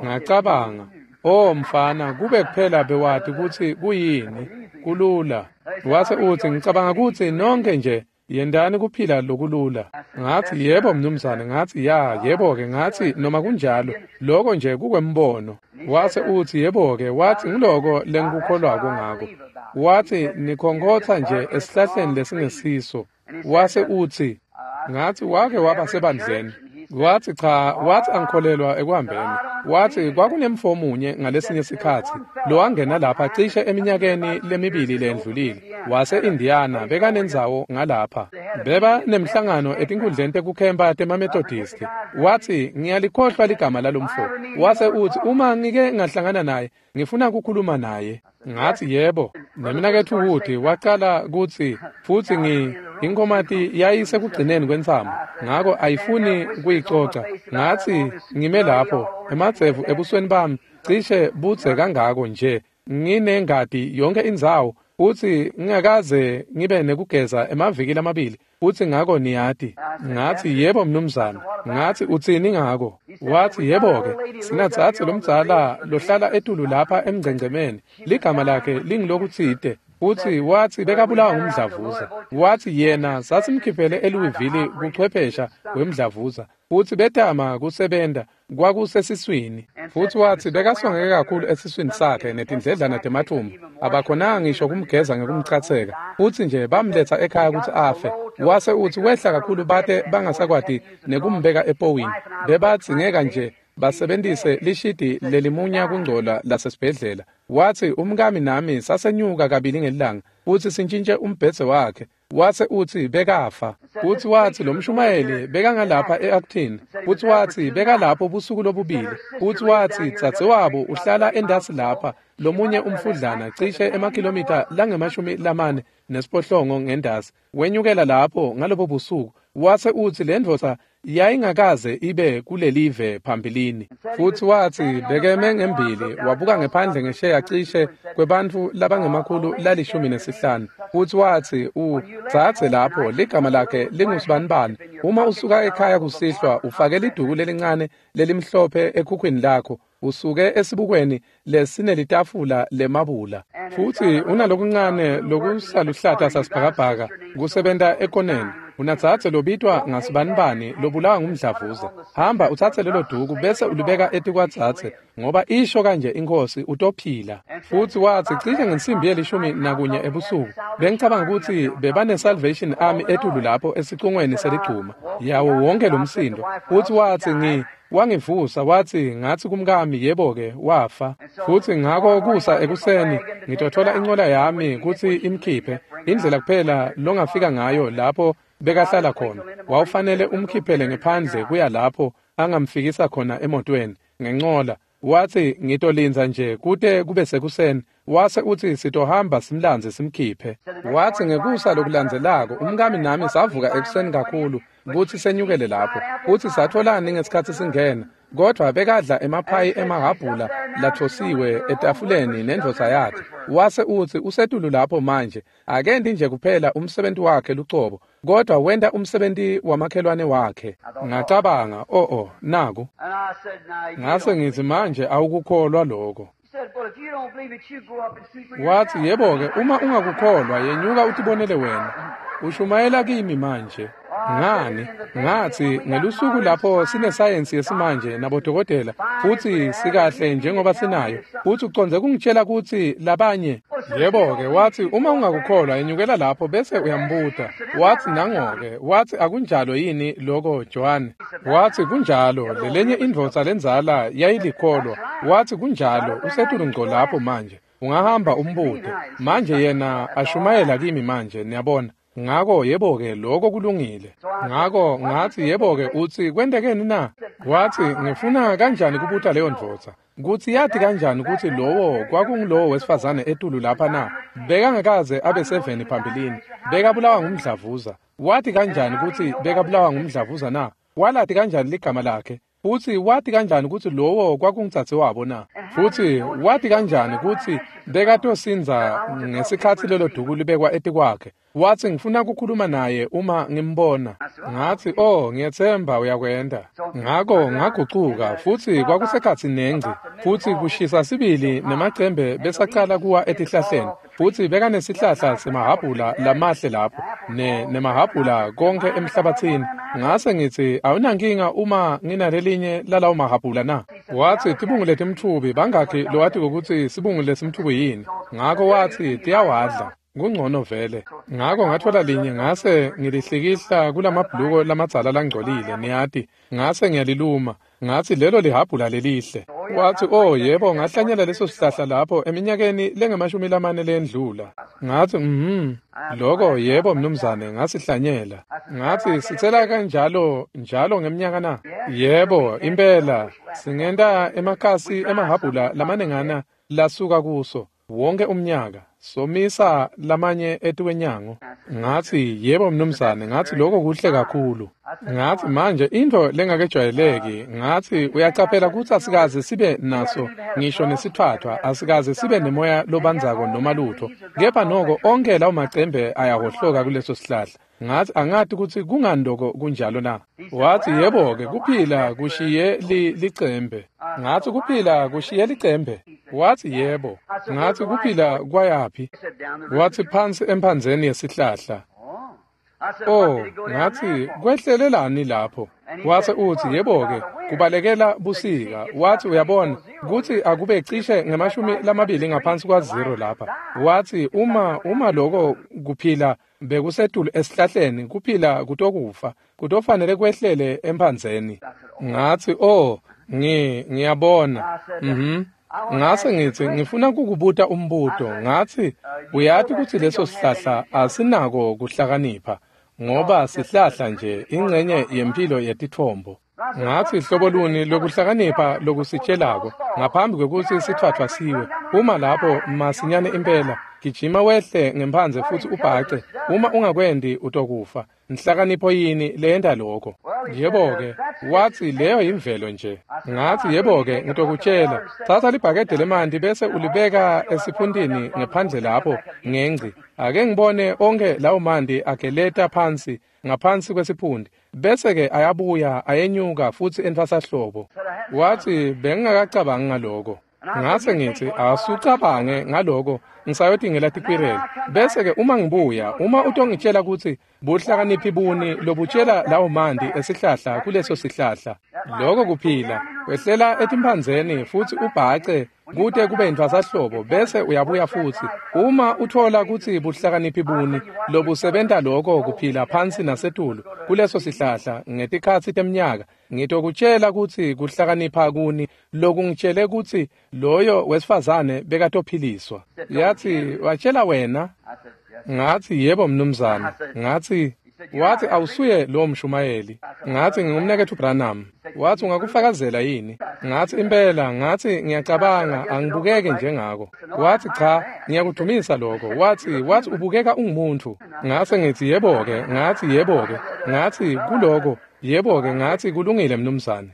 Ngacabanga, oh mfana, kube kuphela bewati kutsi kuyini, kulula. Wase uthi, ngicabanga ukuthi nonke nje yendani kuphila lokulula. Ngathi, yebo mnumzane. Ngathi, ya, yebo-ke. Ngathi, noma kunjalo, lokho nje kukwembono. Wase uthi, yebo-ke, wathi ngiloko lengikukholwako ngako. Wathi, nikhonkhotha nje esihlahleni lesingesiso. Wase uthi, ngathi, wake waba sebandleni. Wathi, cha, wathi angikholelwa ekuhambeni. Wathi kwakunemfo munye ngalesinye sikhatsi lowangena lapha cishe eminyakeni lemibili lendlulile, wase-Indiana, bekanendzawo ngalapha. Beba nemhlangano etinkundleni tekukhempa temaMethodisti. Wathi, ngiyalikhohlwa ligama lalomfo. Wase uthi, uma ngike ngahlangana naye, ngifuna ukukhuluma naye. Ngathi, yebo. Nemnaketfu Wood wacala kutsi, futsi ngi inkomati yayisekugcineni kwentsamo, ngako ayifuni kuyicoca. Ngathi, ngime lapho, emadzevu ebusweni bami cishe budze kangako nje, nginengati yonke indzawo, futsi ngingakaze ngibe nekugeza emaviki lamabili, futsi ngako niyati. Ngathi, yebo mnumzane. Ngathi, utsini ngako? Wathi, yebo-ke, sinatsatsi lomdzala lohlala etulu lapha emngcengcemeni, ligama lakhe lingilokutsite. Futsi wathi bekabulawa ngumdlavuza. Wathi yena sasimkhiphele eLouisville kuchwephesha wemdlavuza, futsi betama kusebenta kwakusesiswini. Futsi wathi bekasongeke kakhulu esiswini sakhe netindledlana temathumbu, abakhonanga ngisho kumgeza ngekumchatseka, futsi nje bamletha ekhaya kutsi afe. Wase uthi wehla kakhulu bate bangasakwati nekumbeka epowini, bebadzingeka nje basebentise lishidi lelimunya kungcola lasesibhedlela. Wathi umkami nami sasenyuka kabili ngelilanga futsi sintshintshe umbhedze wakhe. Wase uthi bekafa. Futsi wathi lo mshumayeli bekangalapha e-Acton. Futsi wathi bekalapho busuku lobubili. Futsi wathi dzadzewabo uhlala endasi lapha, lomunye umfudlana cishe emakhilomitha langemashumi lamane nesiphohlongo ngendasi. Wenyukela lapho ngalobo busuku. Wase uthi le ndvodza yayingakaze ibe kulelive phambilini. Futsi wathi bekeme ngembili wabuka ngephandle ngesheya cishe kwebantfu labangemakhulu lalishumi nesihlanu. Futsi wathi udzadze lapho ligama lakhe lingusibanibani, uma usuka ekhaya kusihlwa ufake liduku lelincane lelimhlophe ekhukhwini lakho, usuke esibukweni lesinelitafula lemabula, futsi unalokuncane lokusaluhlata sasibhakabhaka kusebenta ekoneni. Unatsatse lobitwa ngasibanibani lobulawa ngumdlavuza. Hamba utsatse lelo duku bese ulibeka etikwadzadze, ngoba isho kanje inkosi, utophila. Futsi wathi cishe ngensimbi yelishumi nakunye ebusuku, bengicabanga kutsi bebane Salvation Army etulu lapho esicungweni seligcuma yawo wonke lo msindo. Futsi wathi ngi wangivusa, wathi ngathi kumkami, yebo-ke, wafa. Futsi ngako kusa ekuseni ngitothola incola yami kutsi imkhiphe. Indlela kuphela longafika ngayo lapho bekahlala khona, wawufanele umkhiphele ngephandle kuya lapho angamfikisa khona emotweni ngencola. Wathi ngitolindza nje kute kube sekuseni. Wase uthi sitohamba simlandze simkhiphe. Wathi ngekusa lokulandzelako umkami nami savuka ekuseni kakhulu kutsi senyukele lapho. Futsi satholani ngesikhatsi singena, kodvwa bekadla emaphayi emahhabhula lathosiwe etafuleni nendvodza yakhe. Wase uthi usetulu lapho manje, akenti nje kuphela umsebenti wakhe lucobo, kodwa wenta umsebenti wamakhelwane wakhe. Ngacabanga, oh oh, naku. Ngase ngithi, manje awukukholwa lokho. Wathi, yebo-ke, uma ungakukholwa, yenyuka utibonele wena. Ushumayela kimi manje. Ngani? Ngathi ngelusuku lapho sinesayensi yesimanje nabodokotela, futsi sikahle njengoba sinayo, futsi ucondze kungitshela kutsi labanye. Yebo-ke, wathi uma ungakukholwa, yenyukela lapho bese uyambuta. Wathi nango-ke, wathi akunjalo yini loko, John? Wathi kunjalo, lelenye indvodza lendzala yayilikholwa. Wathi kunjalo, usetulu ngco lapho manje. Ungahamba umbute. Manje yena ashumayela kimi manje, niyabona. Ngako yebo-ke, lokho kulungile. Ngako ngathi, yebo-ke, utsi kwentekeni na? Wathi, ngifuna kanjani kubuta leyo ndvodza kutsi yati kanjani kutsi lowo kwakungulowo wesifazane etulu lapha na? Bekangakaze abe seveni phambilini. Bekabulawa ngumdlavuza. Wathi kanjani kutsi bekabulawa ngumdlavuza na? Walati kanjani ligama lakhe? Futsi wati kanjani kutsi lowo kwakungudzadzewabo na? Futsi wati kanjani kutsi bekatosindza ngesikhatsi lelo duku libekwa etikwakhe? Watsi ngifuna kukhuluma naye uma ngimbona. Ngatsi, oh, ngiyetsemba uyakwenta. Ngako ngagucuka futsi kwakusekhatsi nengci, futsi kushisa sibili nemacembe besacala kuwa etihlahleni. Futsi bekanesihlahla semahhabhula lamahle lapho, ne nemahhabhula konke emhlabatsini. Ngase ngitsi, awunankinga uma nginalelinye lalawo mahhabhula na? Watsi, tibungu letimtfubi bangakhi lowati kutsi sibungu lesimtfubi yini? Ngako watsi, tiyawadla. Kungcono vele. Ngako ngatfola linye ngase ngilihlikihla kulamabhuluko lamadzala langcolile, niyati. Ngase ngiyaliluma. Ngatsi lelo lihhabhula lelihle. Watsi, oh yebo, ngahlanyela leso sihlahla lapho eminyakeni lengemashumi lamane lendlula. Ngatsi, mhm, loko yebo mnumzane, ngasihlanyela. Ngatsi, sitsela kanjalo njalo ngemnyaka na? Yebo, impela, singenta emakhasi emahhabhula lamanengana lasuka kuso wonke umnyaka. Somisa lamanye etikwenyango. Ngatsi, yebo mnumzane, ngatsi lokho kuhle kakhulu. Ngatsi manje intfo lengakejwayeleki, ngatsi uyacaphela kutsi asikaze sibe naso ngisho nesitfwatfwa, asikaze sibe nemoya lobandzako noma lutho. Kepha noko onke lawo macembe ayahohloka kuleso sihlahla. Ngatsi angati kutsi kungani loko kunjalo na? Watsi yebo-ke kuphila kushiye li licembe. Ngatsi kuphila kushiye licembe. Watsi yebo. Ngatsi kuphila kwayaphi? Watsi phansi emphandzeni yesihlahla. Oh, ngatsi kwehlelelani lapho? Wase utsi yebo-ke kubalekela busika. Watsi uyabona kutsi akube cishe ngemashumi lamabili ngaphansi kwa zero lapha. Watsi uma uma loko kuphila bekusetulu esihlahleni, kuphila kutokufa, kutofanele kwehlele emphandzeni. Ngatsi oh, ngi ngiyabona. Mhm. Ngase ngitsi ngifuna kukubuta umbuto. Ngatsi uyati kutsi leso sihlahla asinako kuhlakanipha, ngoba sihlahla nje ingcenye yempilo yetitfombo. Ngatsi hlobo luni lokuhlakanipha lokusitshelako ngaphambi kwekutsi sitfwatfwa siwe? Uma lapho masinyane impela, gijima wehle ngemphandze futsi ubhace. Uma ungakwendi utokufa. Nhlakanipho yini leyenta lokho? Yebo-ke, watsi leyo yimvelo nje. Ngatsi yebo-ke, ngitokutshela. Tsatsa libhakede lemanti bese ulibeka esiphuntini ngephandle lapho ngengci. Ake ngibone onke lawo manti ageleta phansi ngaphansi kwesiphundi, bese-ke ayabuya ayenyuka futsi entfwasahlobo. Watsi bengingakacabangi ngaloko. Ngase ngitsi asucabange ngaloko, ngisayotingela tikwireli. Bese-ke uma ngibuya, uma utongitshela kutsi buhlakaniphi buni lobutshela lawo manti esihlahla kuleso sihlahla, loko kuphila wehlela etimphandzeni futsi ubhace kute kube yintfwasahlobo, bese uyabuya futsi. Uma uthola kutsi buhlakaniphi buni lobusebenta loko kuphila phansi nasetulu kuleso sihlahla ngetikhatsi temnyaka, ngitokutshela kutsi kuhlakanipha kuni lokungitshele kutsi loyo wesifazane bekatophiliswa. Yatsi watshela wena? Ngatsi yebo mnumzane. Ngatsi watsi awusuye lowo mshumayeli. Ngatsi ngingumnaketfu Branham. Watsi ungakufakazela yini? Ngatsi impela. Ngatsi ngiyacabanga angibukeke njengako. Watsi cha, ngiyakudumisa lokho. Watsi watsi ubukeka ungumuntu. Ngase ngitsi yebo-ke. Ngatsi yebo-ke. Ngatsi kuloko yebo-ke. Ngatsi kulungile mnumzane.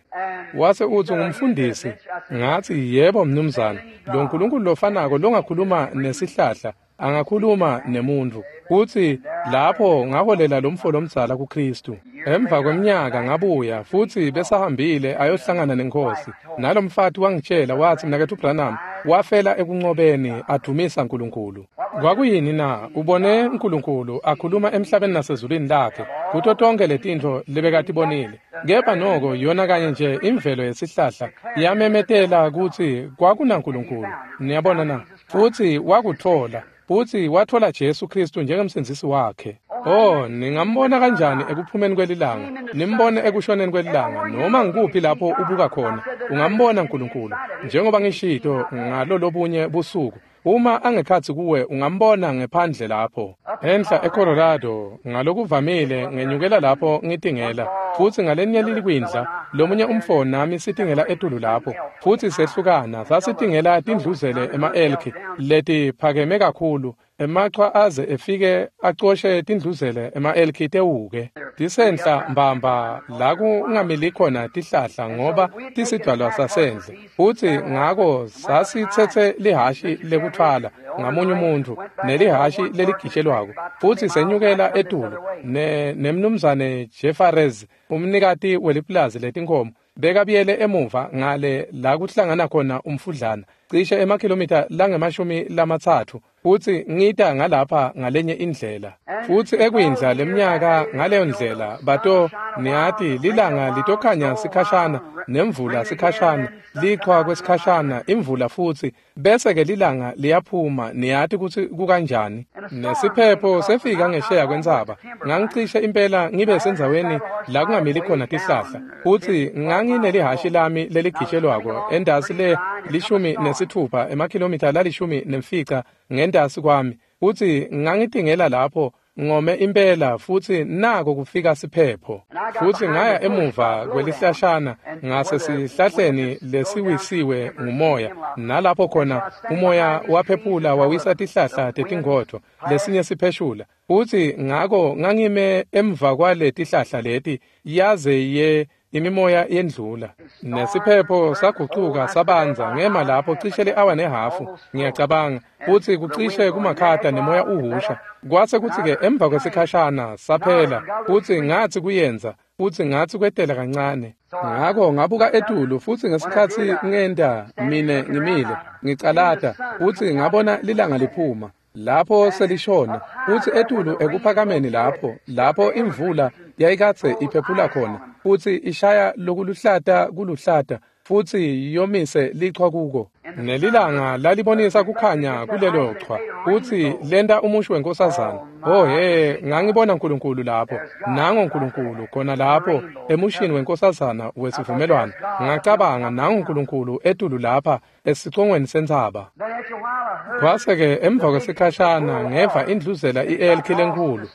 Wase utsi ngumfundisi. Ngatsi yebo mnumzane. Lo Nkulunkulu lofanako longakhuluma nesihlahla angakhuluma nemuntfu. Kutsi lapho ngaholela lomfo lomdzala kuKristu. Emva kweminyaka ngabuya futsi besahambile ayohlangana nenkosi. Nalomfati wangitshela watsi mnaketfu Branham wafela ekunqobeni adumisa Nkulunkulu. Kwakuyini na? Ubone Nkulunkulu akhuluma emhlabeni nasezulwini lakhe kuto tonke letintfo lebekatibonile. Kepha noko yona kanye nje imvelo yesihlahla yamemetela kutsi kwakunaNkulunkulu. Niyabona na? Futsi wakutfola. Futsi watfola Jesu Kristu njengemsindzisi wakhe. Oh, ningambona kanjani ekuphumeni kwelilanga, nimbone ekushoneni kwelilanga, noma ngikuphi lapho ubuka khona, ungambona Nkulunkulu. Njengoba ngishito ngalo lobunye busuku, uma angekhatsi kuwe ungambona ngephandle lapho. Enhla eColorado, ngalokuvamile ngenyukela lapho ngitingela, futsi ngalenye lilikwindla, lomunye umfo nami sitingela etulu lapho, futsi sehlukana, sasitingela tindluzele ema-elki letiphakeme kakhulu. Emachwa aze efike acoshe tindluzele ema-elki tewuke. Tisenhla mbamba la kungamili khona tihlahla ngoba tisidalwa sasendle. Futsi ngako sasitsetse lihashi lekuthwala ngamunye umuntu nelihashi leligitshelwako. Futsi senyukela etulu ne nemnumzane Jeffreys umnikati welipulazi letinkhomo bekabuyele emuva ngale la kuhlangana khona umfudlana cishe emakhilomitha langemashumi lamatsatfu futsi ngita ngalapha ngalenye indlela. Futsi ekwindla leminyaka ngaleyo ndlela bato niyati lilanga litokhanya sikhashana nemvula sikhashana lichwa kwesikhashana imvula futsi bese ke lilanga liyaphuma niyati kutsi kukanjani. Nesiphepho sefika ngesheya kwentsaba ngangicishe impela ngibe sendzaweni la kungamili khona tihlahla futsi nganginelihashi lami leligitshelwako endasi le lishumi nesitfupha emakhilomitha lalishumi nemfica ngentasi kwami futsi ngangitingela lapho ngome impela futsi nako kufika siphepho. Futsi ngaya emuva kwelihlashana ngase sihlahleni lesiwisiwe ngumoya nalapho khona umoya waphephula wawisa tihlahla tetingodvo lesinye sipheshula. Futsi ngako ngangime emva kwale tihlahla leti yaze ye imimoya yendlula. Nesiphepho sagucuka sabanza ngema lapho cishe le-awa nehafu ngiyacabanga futsi kucishe kumakhata nemoya uhusha. Kwase kutsi-ke emva kwesikhashana saphela futsi ngatsi kuyenza futsi ngatsi kwetela kancane. Ngako ngabuka etulu futsi ngesikhatsi ngenta mine ngimile ngicalata futsi ngabona lilanga liphuma lapho selishona futsi etulu ekuphakameni lapho lapho imvula yayikadze iphephula khona futsi ishaya lokuluhlata kuluhlata futsi yomise lichwa kuko. Nelilanga lalibonisa kukhanya kulelo chwa futsi lenta umusho wenkosazana. Oh he, ngangibona uNkulunkulu lapho, nango uNkulunkulu khona lapho emushini wenkosazana wesivumelwano. Ngacabanga nango uNkulunkulu etulu lapha esicongweni sentsaba. Kwase-ke emva kwesikhashana ngeva indluzela i-elki lenkulu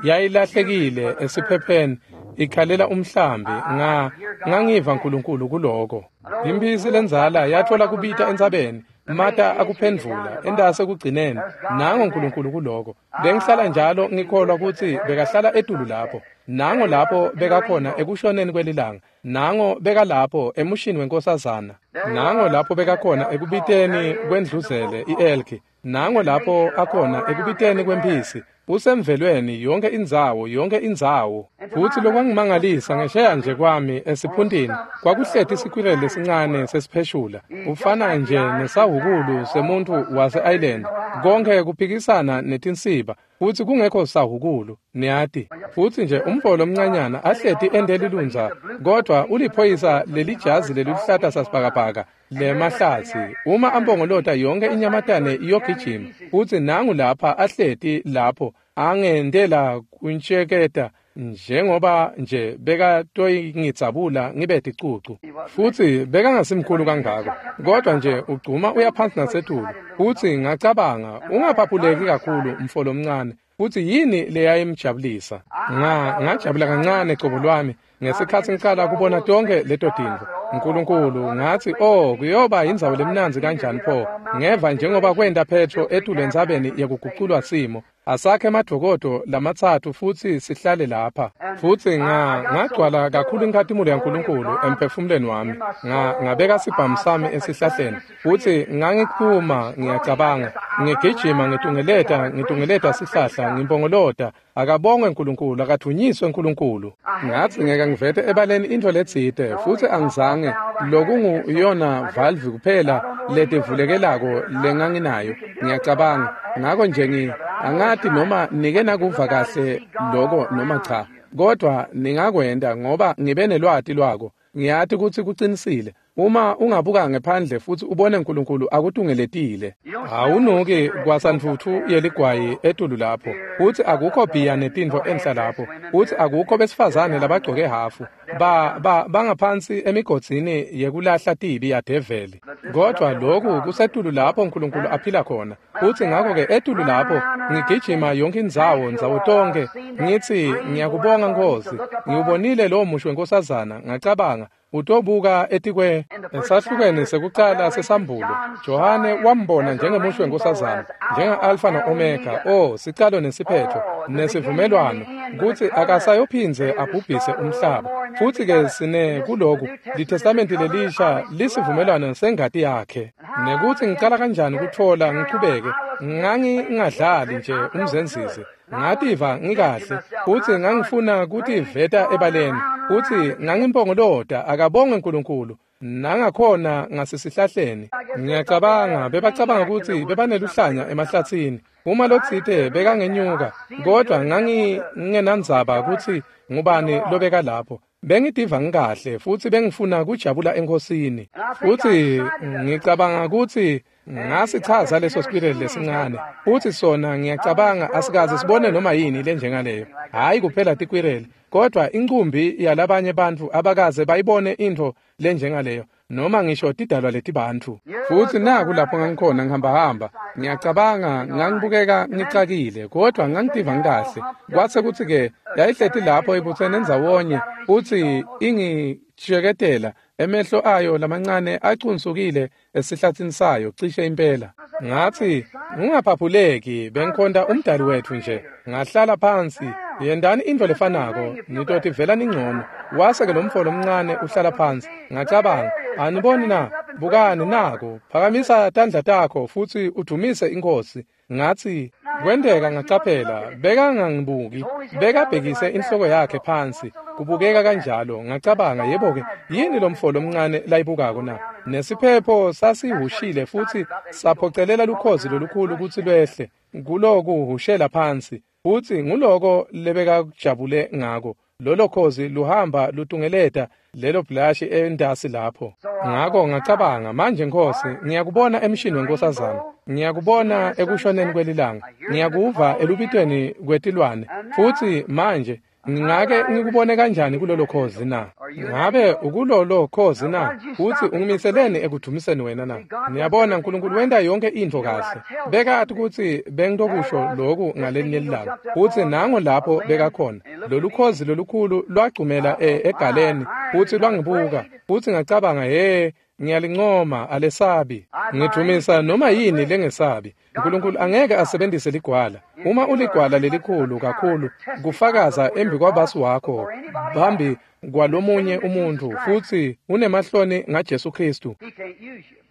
yayilahlekile esiphepheni ikhalela umhlambi. Nga ngangiva uNkulunkulu kuloko. Imphisi lendzala yatfola kubita entsabeni mata akuphendvula entase kugcineni nango uNkulunkulu kuloko. Bengihlala njalo ngikholwa kutsi bekahlala etulu lapho. Nango lapho bekakhona ekushoneni kwelilanga, nango bekalapho emushini wenkosazana, nango lapho bekakhona ekubiteni kwendluzele i-elki, nango lapho akhona ekubiteni kwemphisi. Usemvelweni yonke indzawo yonke indzawo. Futsi lokwangimangalisa ngesheya nje kwami esiphuntini kwakuhleti isikwireli lesincane sesipheshula ufana nje nesahukulu semuntu wase-Ireland konke kuphikisana netinsiba futsi kungekho sahukulu niyati. Futsi nje umfo lomncanyana ahleti endelilunza kodwa uliphoyisa lelijazi leliluhlata sasibhakabhaka lemahlatsi uma ambongolota yonke inyamatane iyogijima futsi nangu lapha ahleti lapho angendela kuntsheketa njengoba nje bekatoyingitsabula ngibe ticucu. Futsi bekangasimkhulu kangako kodwa nje ugcuma uyaphansi nasetulu. Futsi ngacabanga ungaphaphuleki kakhulu mfo lomncane. Futsi yini leyayimjabulisa? Nga ngajabula kancane cobo lwami ngesikhatsi ngicala kubona tonke leto tintfo. uNkulunkulu ngathi oh kuyoba indzawo lemnandzi kanjani pho. Ngeva njengoba kwenta Petro etulu entsabeni yekuguculwa simo. Asakhe emadokodo lamatsatfu futsi sihlale lapha. Futsi nga ngagcwala kakhulu inkhatimulo yaNkulunkulu emphefumulweni wami. Nga ngabeka sibhamu sami esihlahleni futsi ngangiphuma ngiyacabanga ngigijima ngitungeleta ngitungeleta sihlahla ngimpongolota akabongwe uNkulunkulu akathunyiswe uNkulunkulu. Ngathi ngeke ngivete ebaleni intfo letsite futsi angizange lokunguyona valve kuphela letivulekelako lenganginayo ngiyacabanga. Ngako nje ngi angati noma nike nakuva kahle loko noma cha kodwa ningakwenta ngoba ngibe nelwati lwako. Ngiyati kutsi kucinisile. Uma ungabuka ngephandle futsi ubone uNkulunkulu akutungeletile awunuki kwasantfutfu yeligwayi etulu lapho futsi akukho bhiya netintfo enhla lapho futsi akukho besifazane labagcoke hafu ba ba bangaphansi emigodzini yekulahla tibi yadeveli. Kodwa lokhu kusetulu lapho uNkulunkulu aphila khona. Futsi ngakho-ke etulu lapho ngigijima yonke indzawo ndzawo tonke ngithi ngiyakubonga Nkosi ngiwubonile lowo musho wenkosazana. Ngacabanga Utobuka etikwe esahlukweni sekucala sesambulo. Johane wambona njengemusho wenkosazana, njenga-Alfa no-Omega, o sicalo nesiphetho, nesivumelwano, kutsi akasayophindze abhubhise umhlaba. Futsi-ke sine kuloku, liTestamenti lelisha lisivumelwano sengati yakhe. Nekutsi ngicala kanjani kutfola ngichubeke, ngangingadlali nje umzenzisi. Ngativa ngikahle, futsi ngangifuna kutiveta ebaleni, futsi ngangimpongolota akabongwe uNkulunkulu, nangakhona ngasesihlahleni. Ngiyacabanga bebacabanga kutsi bebaneluhlanya emahlatsini. Uma lotsite bekangenyuka, kodwa ngangingenandzaba kutsi ngubani lobeka lapho. Bengitiva ngikahle futsi bengifuna kujabula enkosini. Futsi ngicabanga kutsi ngasichaza leso squirrel lesincane. Futsi sona ngiyacabanga asikaze sibone noma yini lenjengaleyo. Hayi kuphela tikwireli, kodwa incumbi yalabanye bantfu abakaze bayibone intfo lenjengaleyo, noma ngisho tidalwa letibantfu. Futsi naku lapho ngangikhona ngihambahamba, ngiyacabanga ngangibukeka ngicakile, kodwa ngangitiva ngikahle. Kwase kutsi-ke yayihleti lapho ibutsene ndzawonye, futsi ingijeketela, emehlo ayo lamancane acunsukile esihlatsini sayo cishe impela. Ngatsi, ungaphaphuleki, bengikhonta umdali wetfu nje. Ngahlala phansi, yendani intfo lefanako, nitotivela ningcono. Wase-ke lo mfo lomncane uhlala phansi. Ngacabanga, aniboni na? Bukani nako, phakamisa tandla takho futsi udumise iNkhosi. Ngatsi, kwenteka ngacaphela, bekangangibuki, bekabhekise inhloko yakhe phansi, kubukeka kanjalo. Ngacabanga, yebo-ke, yini lo mfo lomncane layibukako na? Nesiphepho sasihushile futsi saphocelela lukhozi lolukhulu kutsi lwehle, kulokuhushela phansi, futsi nguloko lebekajabule ngako. Lolo khozi luhamba lutungeleta lelo bhlashi entasi lapho. Ngako ngacabanga, manje Nkosi, ngiyakubona emshini wenkosazana, ngiyakubona ekushoneni kwelilanga, ngiyakuva elubitweni kwetilwane, futsi manje ngingake ngikubone kanjani kulolo khozi na? Ngabe ukulolo khozi na? Futsi ungimiseleni ekudvumiseni wena na? Niyabona, uNkulunkulu wenta yonke intfo kahle. Bekati kutsi bengitokusho loku ngalelinye lilanga. Futsi nango lapho bekakhona. Lolu khozi lolukhulu lwagcumela egaleni, futsi lwangibuka. Futsi ngacabanga, he, ngiyalincoma, alesabi. Ngidvumisa noma yini lengesabi. uNkulunkulu angeke asebenzise ligwala. Uma uligwala lelikhulu kakhulu, kufakaza embi kwabasi wakho, phambi kwalomunye umuntfu, futsi unemahloni ngaJesu Kristu.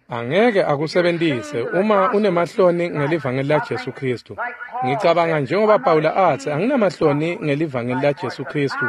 Angeke akusebentise uma unemahloni ngelivangeli laJesu Kristu. Ngicabanga njengoba Pawula atsi, anginamahloni ngelivangeli laJesu Kristu,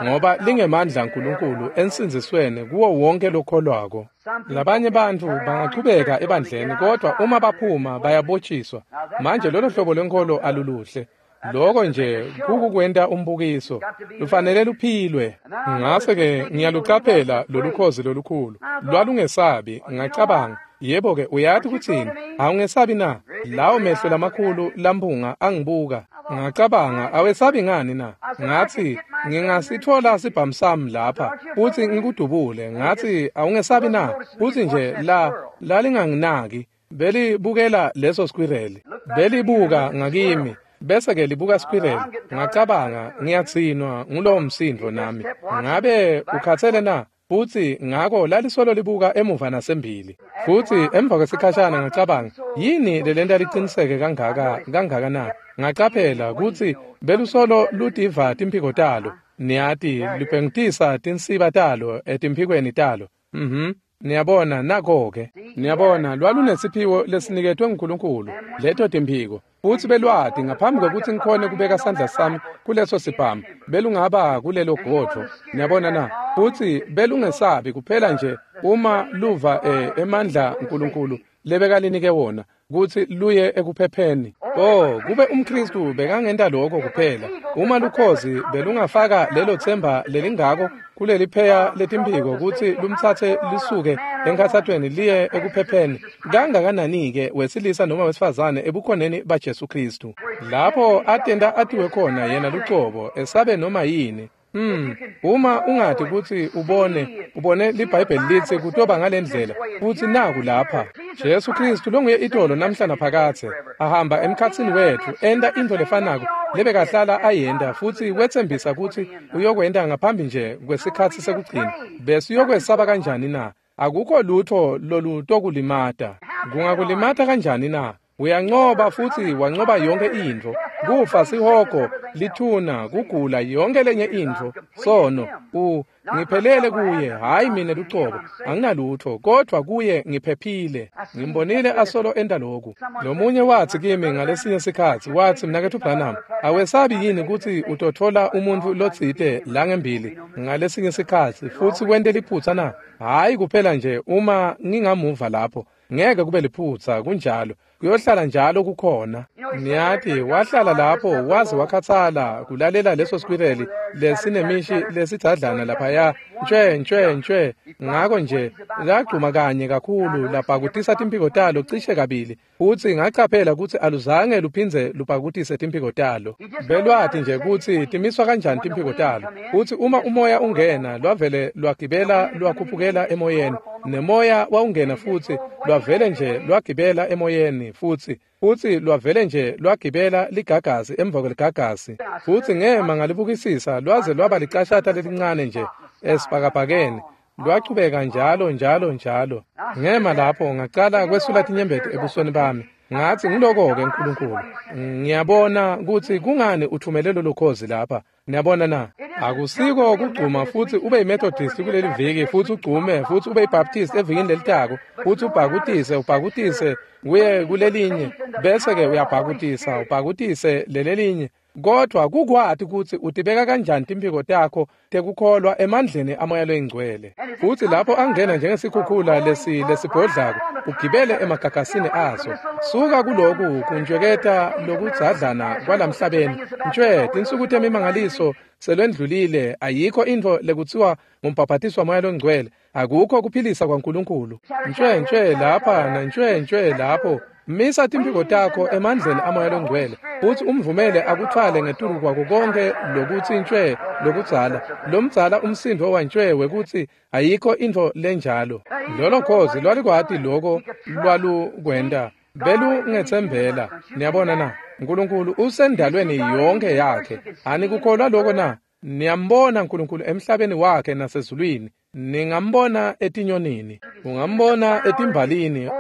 ngoba lingemandla aNkulunkulu ensindzisweni kuwo wonke lokholwako. Labanye bantfu bangachubeka ebandleni, kodwa uma baphuma bayabotshiswa. Manje lolo hlobo lwenkholo aluluhle. Loko nje kukukwenta umbukiso, lufanele luphilwe. Ngase-ke ngiyalucaphela lolukhozi lolukhulu, lwalungesabi. Ngacabanga, yebo-ke, uyati kutsini? Awungesabi na? Lawo mehlo lamakhulu lamphunga angibuka. Ngacabanga, awesabi ngani na? Ngatsi, ngingasitfola sibhamu sami lapha, futsi ngikudubule. Ngatsi, awungesabi na? Futsi nje la lalinganginaki, belibukela leso squirrel, belibuka ngakimi. Bese-ke libuka squirrel. Ngacabanga, ngiyatsinwa ngulowo msindvo nami. Ngabe ukhatsele na? Futsi ngako lalisolo libuka emuva nasembili. Futsi emva kwesikhashana ngacabanga, yini lelenta liqiniseke kangaka kangaka na? Ngacaphela kutsi belusolo lutiva timphiko talo. Niyati, lubhengitisa tinsiba talo etimphikweni talo. Mhm. Niyabona nako-ke. Niyabona, lwalunesiphiwo lesiniketwe nguNkulunkulu, leto timphiko. Futsi belwati ngaphambi kwekutsi ngikhone kubeka sandla sami kuleso sibhamu, belungaba kulelo godvo. Niyabona na? Futsi belungesabi kuphela nje uma luva eh, emandla uNkulunkulu lebekalinike wona kutsi luye ekuphepheni. Oh, kube umKristu bekangenta lokho kuphela. Uma lukhozi belungafaka lelo themba lelingako kulelipheya letimphiko kutsi lumtsatse lisuke enkhatsatweni liye ekuphepheni, kangakanani-ke wesilisa noma wesifazane ebukhoneni baJesu Kristu, lapho atenta atiwe khona yena lucobo, esabe noma yini. Hmm, uma ungathi kutsi ubone, ubone liBhayibheli litsi kutoba ngalendlela, futsi naku lapha. Jesu Kristu longuye itolo namhla naphakadze, ahamba emkhatsini wetfu, enta intfo lefanako lebekahlala ayenta futsi wetsembisa kutsi uyokwenta ngaphambi nje kwesikhatsi sekugcina. Besiyokwesaba kanjani na? Akukho lutho lolutokulimata. Kungakulimata kanjani na? Uyancoba futsi wancoba yonke intfo. Kufa, sihogo, lithuna, kugula, yonke lenye intfo, sono. U ngiphelele kuye, hayi mina lucobo, anginalutho, kodvwa kuye ngiphephile. Ngimbonile asolo enta loku. Lomunye watsi kimi ngalesinye sikhatsi, watsi, Mnaketfu Branham, awesabi yini kutsi utotfola umuntfu lotsite la ngembili ngalesinye sikhatsi futsi wente liphutsa na? Hhayi kuphela nje uma ngingamuva lapho, ngeke kube liphutsa, kunjalo. Kuyohlala njalo kukhona. Niyati, wahlala lapho waze wakhatsala kulalela leso squirrel lesinemishi lesidzadlana laphaya, ntshwe ntshwe ntshwe. Ngako nje lagcuma kanye kakhulu labhakutisa timphiko talo cishe kabili, futsi ngacaphela kutsi aluzange luphindze lubhakutise timphiko talo. Belwati nje kutsi timiswa kanjani timphiko talo, futsi uma umoya ungena lwavele lwagibela lwakhuphukela emoyeni, nemoya wawungena futsi lwavele nje lwagibela emoyeni futsi futsi lwavele nje lwagibela ligagasi emva kweligagasi. Futsi ngema ngalibukisisa lwaze lwaba licashata lelincane nje esibhakabhakeni, lwachubeka njalo njalo njalo. Ngema lapho ngacala kwesula tinyembeti ebusweni bami. Ngathi ngiloko-ke Nkulunkulu, ngiyabona kutsi kungani uthumele lolo khozi lapha. Niyabona na? Akusiko kugcuma futsi ube yiMethodist kuleli viki, futsi ugcume futsi ube yiBaptist evikini lelitako, futsi ubhakutise ubhakutise kuye kulelinye, bese-ke uyabhakutisa ubhakutise lelelinye. Kodvwa kukwati kutsi utibeka kanjani timphiko takho tekukholwa emandleni amoya loyingcwele. Futsi lapho angena njengesikhukhula lesi lesibhodlako, ugibele emagagasini aso. Suka kuloku kuntjweketa lokudzadlana kwalamhlabeni. Ntshwe, tinsuku temimangaliso selwendlulile, ayikho intfo lekutsiwa ngumbhabhatiswa moya longcwele, akukho kuphilisa kwaNkulunkulu. Ntshwe ntshwe lapha na ntshwe ntshwe lapho. Misa timphiko takho emandleni amoya longcwele, futsi umvumele akuthwale ngetulu kwako konke lokutsi ntshwe lokudzala. Lomdzala umsindvo wantshwe wekutsi ayikho intfo lenjalo. Lolo khozi lwalikwati loko lwalukwenta, belungetsembela. Niyabona na? Nkulunkulu usendalweni yonke yakhe. Anikukholwa loko na? Niyambona Nkulunkulu emhlabeni wakhe nasezulwini. Ningambona etinyonini, ungambona etimbalini.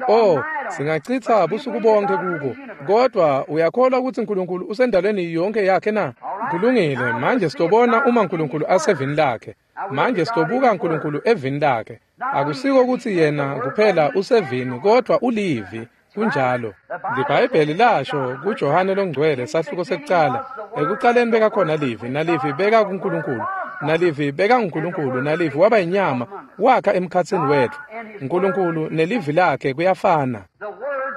Oh, singachitsa busuku bonke kuko. Kodwa uyakholwa ukuthi Nkulunkulu usendalweni yonke yakhe na? Kulungile, manje sitobona uma Nkulunkulu asevini lakhe. Manje sitobuka Nkulunkulu evini lakhe. Akusiko ukuthi yena kuphela usevini, kodwa ulivi. Kunjalo. LiBhayibheli lasho kuJohane longcwele sahluko sekucala, ekucaleni bekakhona livi, nalivi beka kuNkulunkulu, nalivi beka nguNkulunkulu, nalivi waba inyama wakha emkhatsini wetfu. Nkulunkulu nelivi lakhe kuyafana.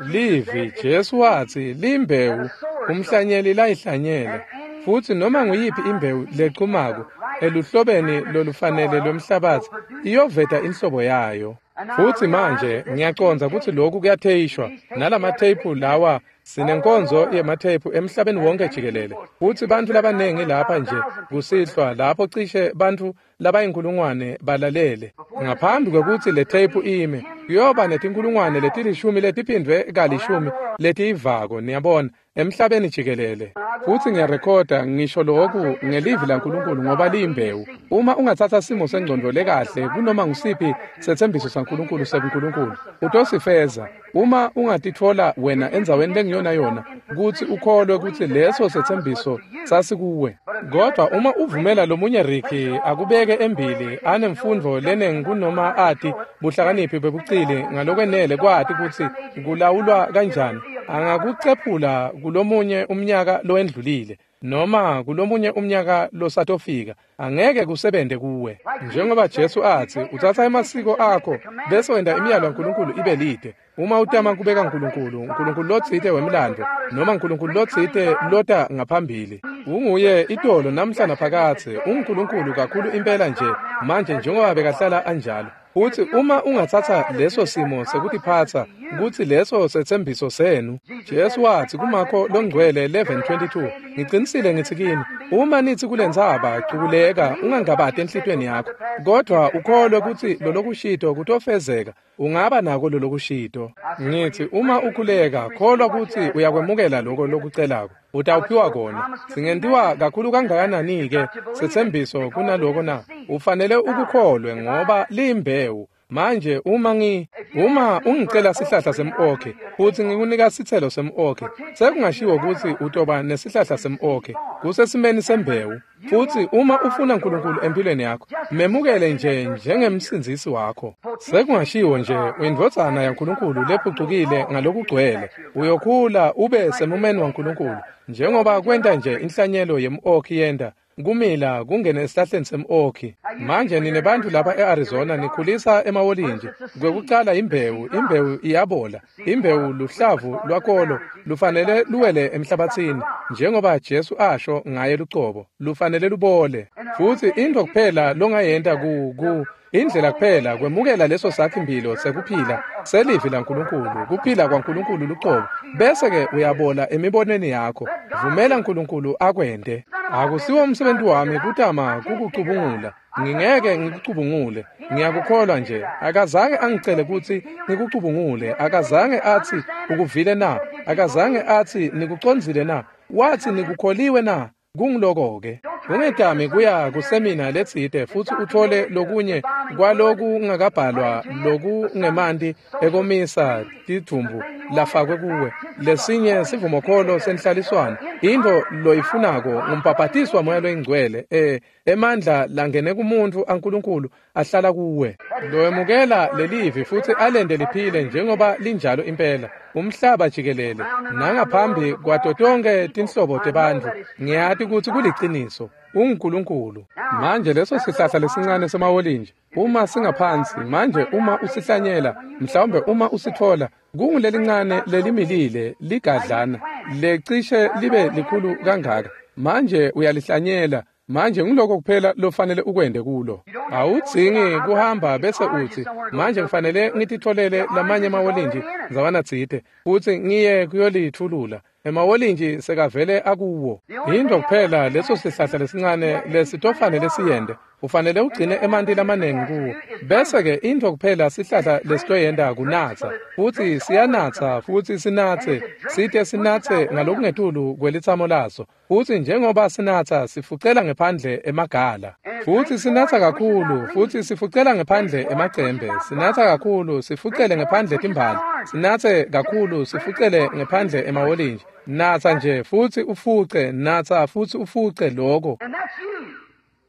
Livi, Jesu watsi, limbewu umhlanyeli layihlanyela, futsi noma nguyiphi imbewu lechumako eluhlobeni lolufanele lwemhlabatsi iyoveta inhlobo yayo. Futsi manje ngiyacondza kutsi lokhu kuyatheyishwa nalamatheyiphu lawa. Sinenkonzo yematheyiphu emhlabeni wonke jikelele, futsi bantfu labanengi lapha nje kusihlwa lapho cishe bantfu labayinkulungwane balalele. Ngaphambi kwekutsi le theyiphu ime, kuyoba netinkulungwane letilishumi letiphindvwe kalishumi letiyivako, niyabona, emhlabeni jikelele. Futsi ngiyarekhoda ngisho loku ngelivi laNkulunkulu ngoba liyimbewu. Uma ungatsatsa simo sengcondvo lekahle kunoma ngusiphi setsembiso saNkulunkulu sekuNkulunkulu, utosifeza. Uma ungatitfola wena endzaweni lengiyona yona kutsi ukholwe kutsi leso setsembiso sasikuwe. Kodwa uma uvumela lomunye Ricky akubeke embili anemfundvo lenengi kunoma ati buhlakaniphi bebucili ngalokwenele kwati kutsi kulawulwa kanjani, angakucephula kulomunye umnyaka lowendlulile noma kulomunye umnyaka losatofika, angeke kusebente kuwe. Njengoba Jesu atsi, utsatsa emasiko akho bese wenta imiyalo yaNkulunkulu ibe lide. Uma utama kubeka Nkulunkulu, Nkulunkulu lotsite wemlando noma Nkulunkulu lotsite lota ngaphambili, unguye itolo namhla naphakadze, unguNkulunkulu kakhulu impela nje manje njengoba bekahlala anjalo. Futsi uma ungatsatsa leso simo sekutiphatsa kutsi leso setsembiso senu. Jesu watsi kuMakho longcwele eleven twenty-two, ngicinisile ngitsi kini, uma nitsi kulentsaba cukuleka ungangabati enhlitiyweni yakho, kodvwa ukholwe kutsi lolokushito kutofezeka, ungaba nako lolokushito. Ngitsi uma ukhuleka kholwa kutsi uyakwemukela loko lokucelako, utawuphiwa kona. Singentiwa kakhulu kangakanani-ke setsembiso kunaloko na? Ufanele ukukholwe ngoba liyimbewu. Manje uma ngi uma ungicela sihlahla sem-okhi futsi ngikunika sitselo sem-okhi, sekungashiwo kutsi utoba nesihlahla sem-okhi kusesimeni sembewu. Futsi uma ufuna uNkulunkulu empilweni yakho, memukele nje njengemsindzisi wakho. Sekungashiwo nje uyindvodzana yaNkulunkulu lephucukile ngalokugcwele, uyokhula ube semumeni waNkulunkulu njengoba kwenta nje inhlanyelo yem-okhi yenta kumila kungene esihlahleni sem-okhi. Manje nine bantfu lapha e-Arizona nikhulisa emawolinji. Kwekucala imbewu, imbewu iyabola. Imbewu luhlavu lwakolo lufanele luwele emhlabatsini njengoba Jesu asho ngaye lucobo, lufanele lubole. Futsi intfo kuphela longayenta ku ku indlela kuphela kwemukela leso sakhi-mphilo sekuphila selivi laNkulunkulu, kuphila kwaNkulunkulu lucobo, bese-ke uyabola emibonweni yakho. Vumela uNkulunkulu akwente. Akusiwo umsebenzi wami kutama kukucubungula. Ngingeke ngikucubungule. Ngiyakukholwa nje. Akazange angicele kutsi ngikucubungule. Akazange atsi ukuvile na? Akazange atsi nikucondzile na? Watsi nikukholiwe na? Kungiloko-ke. Ungetami kuya kusemina letsite futsi utfole lokunye kwalokungakabhalwa lokungemanti ekomisa tidvumbu lafakwe kuwe. Lesinye sivumokholo senhlaliswano. Intfo loyifunako ngumbhabhatiswa Moya loyiNgcwele, eh emandla langene kumuntu aNkulunkulu ahlala kuwe. Loyemukela lelivi futsi alente liphile njengoba linjalo impela umhlaba jikelele nangaphambi kwato tonkhe tinhlobo tebantfu. Ngiyati kutsi kuliciniso. UnguNkulunkulu. Manje leso sihlahla lesincane semawolinji uma singaphansi, manje uma usihlanyela, mhlawumbe uma usitfola kungulelincane lelimilile ligadlana lecishe libe likhulu kangaka. Manje uyalihlanyela. Manje ngiloko kuphela lofanele ukwende kulo. Awudzingi kuhamba bese utsi manje ngifanele ngititfolele lamanye emawolinji ndzawana tsite futsi ngiye kuyolitfulula. Emawolinji sekavele akuwo. Yintfo kuphela leso sihlahla lesincane lesitofanele siyende, ufanele ugcine emanti lamanengi kuwo. Bese-ke intfo kuphela sihlahla lesitoyenta kunatsa, futsi siyanatsa futsi sinatse site sinatse ngalokungetulu kwelitsamo laso. Futsi njengoba sinatsa sifucela ngephandle emagala, futsi sinatsa kakhulu futsi sifucela ngephandle emacembe, sinatsa kakhulu sifucele ngephandle timbali, sinatse kakhulu sifucele ngephandle emawolinji. Natsa nje futsi ufuce, natsa futsi ufuce loko.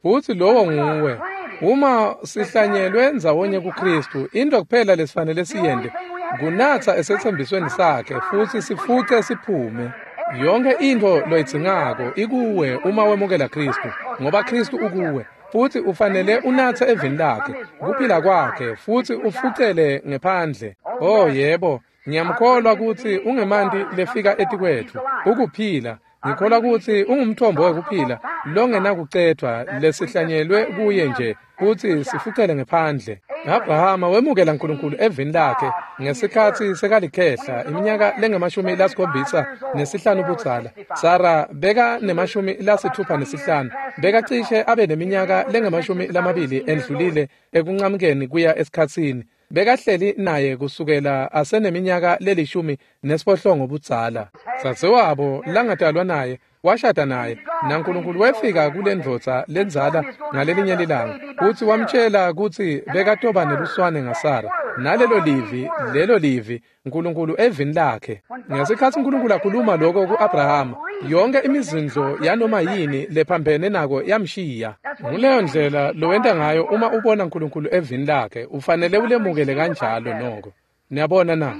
Futsi lowo nguwe. Uma sihlanyelwe ndzawonye kuKristu, intfo kuphela lesifanele siyente kunatsa esetsembisweni sakhe futsi sifuce siphume. Yonke intfo loyidzingako ikuwe uma wemukela Kristu, ngoba Kristu ukuwe. Futsi ufanele unatse evini lakhe, kuphila kwakhe, futsi ufucele ngephandle. Oh yebo, ngiyamkholwa kutsi ungemanti lefika etikwetfu, ukuphila. Ngikholwa kutsi ungumthombo wekuphila longenakucedvwa lesihlanyelwe kuye nje kutsi sifucele ngephandle. Abrahama wemukela uNkulunkulu evini lakhe ngesikhatsi sekalikhehla iminyaka lengemashumi lasikhombisa nesihlanu budzala. Sara beka nemashumi lasithupha nesihlanu, bekacishe abe neminyaka lengemashumi lamabili endlulile ekuncamukeni kuya esikhatsini. Bekahleli naye kusukela aseneminyaka lelishumi nesiphohlongo budzala. Dzadzewabo langatalwa naye washada naye, naNkulunkulu wefika kule ndvodza lendzala ngalelinye lilanga futsi wamtjela kutsi bekatoba neluswane ngaSara. Nalelo livi, lelo livi uNkulunkulu evini lakhe. Ngesikhatsi uNkulunkulu akhuluma lokho ku-Abrahama, yonke imizindlo yanoma yini lephambene nako yamshiya. Nguleyo ndlela lowenta ngayo uma ubona uNkulunkulu evini lakhe, ufanele ulemukele kanjalo noko. Niyabona na?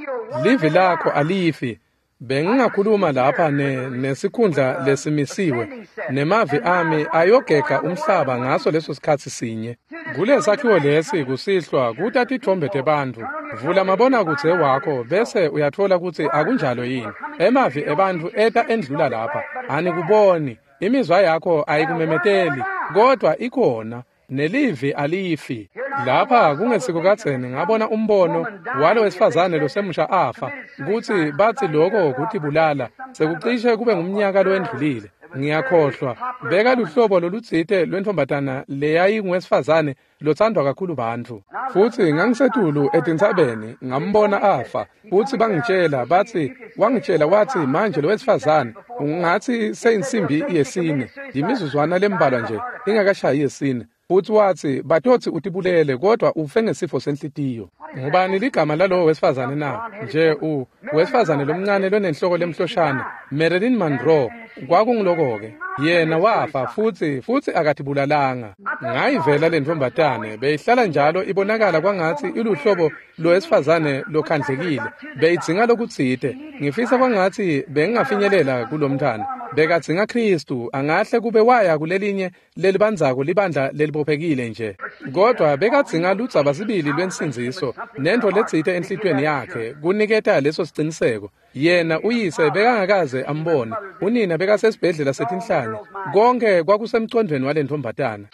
Livi lakho alifi. Bengingakhuluma lapha ne nesikhundla lesimisiwe, nemavi ami ayogega umhlaba ngaso leso sikhatsi sinye. Kulesakhiwo lesi kusihlwa kuta titfombe tebantfu. Vula mabonakudze wakho bese uyatfola kutsi akunjalo yini. Emavi ebantfu eta endlula lapha, anikuboni. Imizwa yakho ayikumemeteli, kodwa ikhona. Nelivi alifi. Lapha kungesiko kadzeni ngabona umbono walo wesifazane losemusha afa, kutsi batsi loko kutibulala, sekucishe kube ngumnyaka lowendlulile. Ngiyakhohlwa, beka luhlobo lolutsite lwentfombatana leyayinguwesifazane lothandwa kakhulu bantfu. Futsi ngangisetulu etintsabeni ngambona afa, futsi bangitshela batsi, wangitshela watsi manje lo wesifazane ungatsi seyinsimbi yesine, yimizuzwana lembalwa nje ingakashayi yesine. Futsi watsi batotsi utibulele kodwa ufe ngesifo senhlitiyo. Ngubani ligama lalowo wesifazane na? Nje u wesifazane lomncane lonenhloko lemhloshana, Marilyn Monroe. Kwakungiloko-ke. Yena wafa futsi futsi akatibulalanga. Ngayivela lentfombatane beyihlala njalo ibonakala kwangatsi iluhlobo lowesifazane lokhandlekile. Beyidzinga lokutsite. Ngifisa kwangatsi bengingafinyelela kulomntfwana. Bekadzinga Khristu, angahle kube waya kulelinye lelibandzako libandla lelibophekile nje. Kodwa bekadzinga ludzaba sibili lwensindziso nentfo letsite enhlitiyweni yakhe kuniketa leso siciniseko. Yena uyise bekangakaze ambone, unina bekasesibhedlela setinhlanya. Konke kwakusemcondvweni walentfombatana.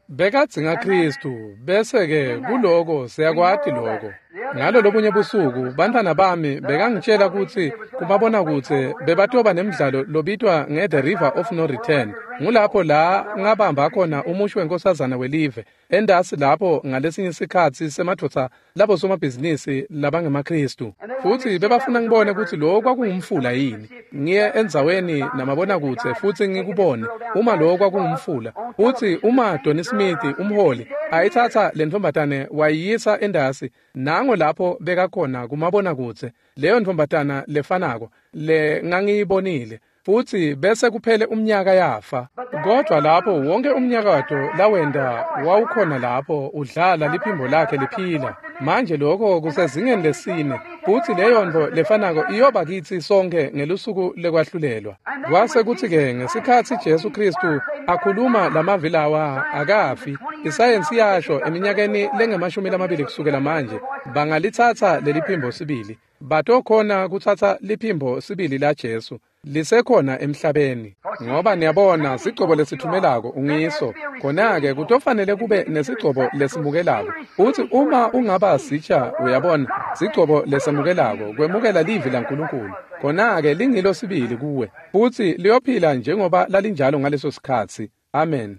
Bekadzinga Khristu, bese-ke kuloko siyakwati loko. Ngalo lobunye busuku bantfwana bami bekangitshela kutsi kumabonakudze bebatoba nemdlalo lobitwa nge-The River of No Return. Ngulapho la ngabamba khona umusho wenkosazana welive endasi lapho ngalesinye sikhatsi semadvodza labo somabhizinisi labangemaKhristu. Futsi bebafuna ngibone kutsi lo kwakungumfula yini. Ngiye endzaweni namabonakudze futsi ngikubone uma lo kwakungumfula. Futsi uma Donny Smith umholi ayithatha lentfombatane wayiyisa endasi, nango lapho bekakhona kumabonakudze leyo ntfombatana lefanako le ngangiyibonile. Futsi bese kuphele umnyaka yafa. Kodwa lapho wonke umnyakato lawenda wawukhona lapho udlala liphimbo lakhe liphila. Manje lokho kusezingeni lesine, futsi leyo ntfo lefanako iyoba kitsi sonke ngelusuku lekwahlulelwa. Kwase kutsi-ke ngesikhatsi Jesu Khristu akhuluma lamavi lawa akafi, isayensi yasho eminyakeni lengemashumi lamabili kusukela manje bangalitsatsa leliphimbo sibili. Batokhona kutsatsa liphimbo sibili la Jesu lisekhona emhlabeni. Ngoba niyabona sigcobo lesithumelako ungiso, khona-ke kutofanele kube nesigcobo lesimukelako. Futsi uma ungaba sitsha, uyabona, sigcobo lesemukelako kwemukela livi laNkulunkulu, khona-ke lingilo sibili kuwe, futsi liyophila njengoba lalinjalo ngaleso sikhatsi. Amen.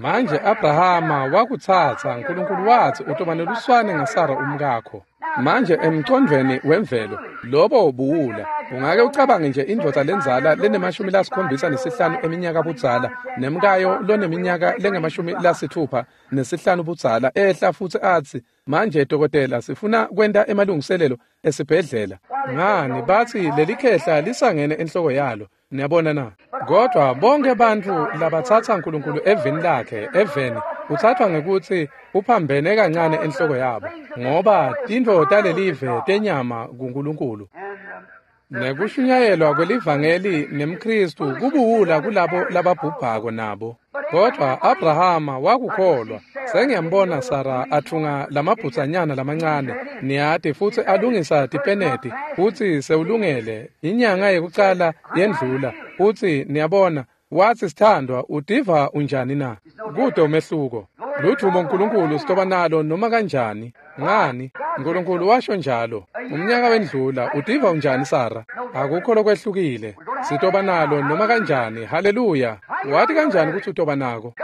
Manje Abrahama wakutsatsa, Nkulunkulu watsi utoba neluswane ngaSara umkakho. Manje emcondvweni wemvelo lobo buwula. Ungake ucabange nje indvodza lendzala lenemashumi lasikhombisa nesihlanu eminyaka budzala nemkayo loneminyaka lengemashumi lasithupha nesihlanu budzala ehla futsi atsi, manje dokotela sifuna kwenta emalungiselelo esibhedlela. Ngani batsi lelikhehla lisangene enhloko yalo. Niyabona na? Kodwa bonke bantfu labatsatsa Nkulunkulu eveni lakhe, eveni, uthathwa ngekutsi uphambene kancane enhloko yabo, ngoba tintfo talelive tenyama kuNkulunkulu. Nekushunyayelwa kwelivangeli nemKhristu kubuwula kulabo lababhubhako nabo. Kodwa Abrahama wakukholwa. Sengiyambona Sara atfunga lamabhutsanyana lamancane, niyati, futsi alungisa tipeneti, futsi sewulungele. Inyanga yekucala yendlula, futsi niyabona, watsi sithandwa, utiva unjani na? Kude umehluko. Ludvumo Nkulunkulu sitoba nalo noma kanjani. Ngani? Nkulunkulu washo njalo. Umnyaka wendlula, utiva unjani Sara? Akukho lokwehlukile. Sitoba nalo noma kanjani. Haleluya. Wathi kanjani kutsi utoba nako?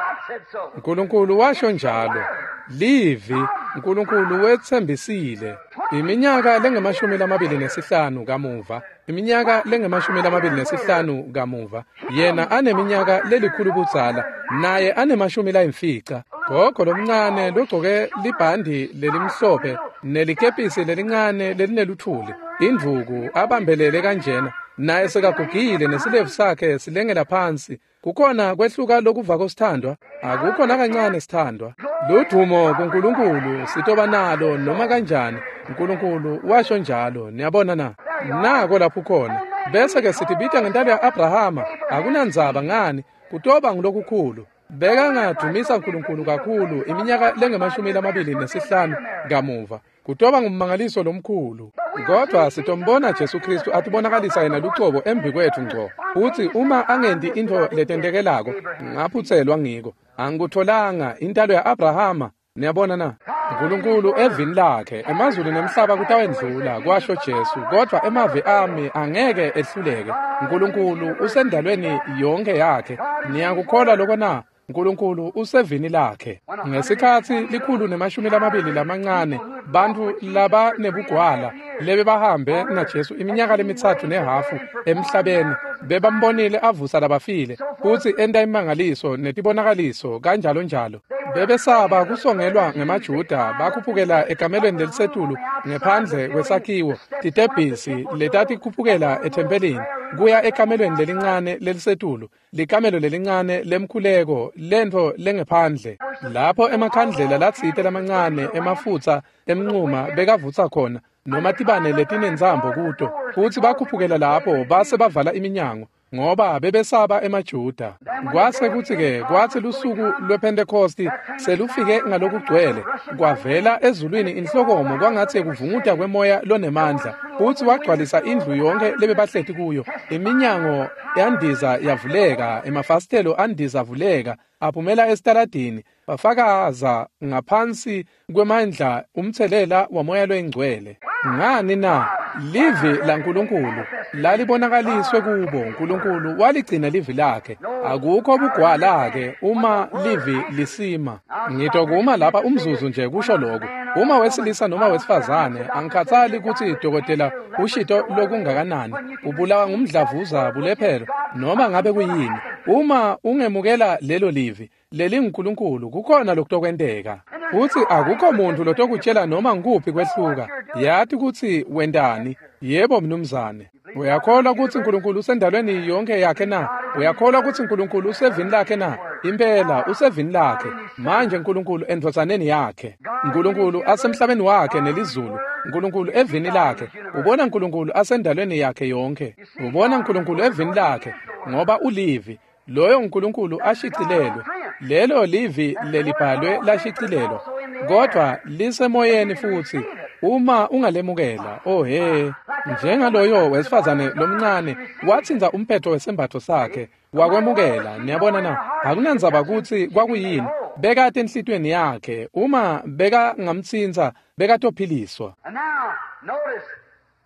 Nkulunkulu washo njalo. Livi, Nkulunkulu wetsembisile. Iminyaka lengemashumi lamabili nesihlanu kamuva, iminyaka lengemashumi lamabili nesihlanu kamuva, yena aneminyaka lelikhulu budzala, naye anemashumi layimfica. Gogo lomncane logcoke libhandi lelimhlophe nelikepisi lelincane lelineluthuli, indvuku abambelele kanjena, naye sekagugile nesilevu sakhe silengela phansi. Kukhona kwehluka lokuvako sithandwa? Akukho nakancane sithandwa. Ludvumo kuNkulunkulu sitoba nalo noma kanjani. Nkulunkulu washo njalo. Niyabona na? Nako lapho khona. Bese ke sitibita ngentalo ya-Abrahama, akunandzaba ngani, kutoba ngulokukhulu. Bekangadumisa Nkulunkulu kakhulu iminyaka lengemashumi lamabili nesihlanu kamuva. Kutoba ngummangaliso lomkhulu. Kodwa sitombona Jesu Khristu atibonakalisa yena lucobo embikwetfu ngco. Futsi uma angenti intfo letentekelako, ngaphutselwa ngiko. Angikutholanga intalo ya-Abrahama. Niyabona na? Nkulunkulu evini lakhe, emazulu nemhlaba kutawendlula, kwasho Jesu, kodwa emavi ami angeke ehluleke. Nkulunkulu usendalweni yonke yakhe. Niyakukholwa lokho na? Nkulunkulu usevini lakhe. Ngesikhatsi likhulu nemashumi lamabili lamancane bantfu labanebugwala lebebahambe naJesu iminyaka lemitsatfu nehhafu emhlabeni bebambonile avusa labafile futsi enta imangaliso netibonakaliso kanjalo njalo. Bebesaba kusongelwa ngemaJuda bakhuphukela ekamelweni lelisetulu ngephandle kwesakhiwo titebhisi letatikhuphukela ethempelini kuya ekamelweni lelincane lelisetulu, likamelo lelincane lemkhuleko lentfo lengephandle lapho emakhandlela latsite lamancane emafutsa emnquma bekavutsa khona noma tibane letinentsambo kuto, futsi bakhuphukela lapho base bavala iminyango ngoba bebesaba emaJuda. Kwase kutsi-ke kwatsi lusuku lwePhentekhosti selufike ngalokugcwele, kwavela ezulwini inhlokomo kwangatsi kuvunguta kwemoya lonemandla, futsi wagcwalisa indlu yonke lebebahleti kuyo. Iminyango yandiza yavuleka, emafasitelo andiza avuleka, aphumela esitaladini, bafakaza ngaphansi kwemandla umtselela wamoya loyingcwele. Ngani na? Livi laNkulunkulu lalibonakaliswe kubo. Nkulunkulu waligcina livi lakhe. Akukho bugwala-ke uma livi lisima. Ngitokuma lapha umzuzu nje kusho lokhu. Uma wesilisa noma wesifazane, angikhathali kutsi dokotela ushito lokungakanani, ubulawa ngumdlavuza bulephelo noma ngabe kuyini, uma ungemukela lelo livi lelinguNkulunkulu, kukhona lokutokwenteka. Futsi akukho muntu lotokutshela noma ngukuphi kwehluka. Yati kutsi wentani. Yebo mnumzane. Uyakholwa kutsi Nkulunkulu usendalweni yonke yakhe na? Uyakholwa kutsi Nkulunkulu usevini lakhe na? Impela usevini lakhe. Manje Nkulunkulu endvodzaneni yakhe. Nkulunkulu asemhlabeni wakhe nelizulu. Nkulunkulu evini lakhe. Ubona Nkulunkulu asendalweni yakhe yonke. Ubona Nkulunkulu evini lakhe ngoba ulivi. Loyo Nkulunkulu ashicilelwe. Lelo livi lelibhalwe lashicilelwa, kodwa lisemoyeni futsi uma ungalemukela. Oh he, njengaloyo wesifazane lomncane watsintsa umphetho wesembatfo sakhe wakwemukela. Niyabona na? Akunandzaba kutsi kwakuyini, bekate enhlitiyweni yakhe, uma bekangamtsintsa bekatophiliswa.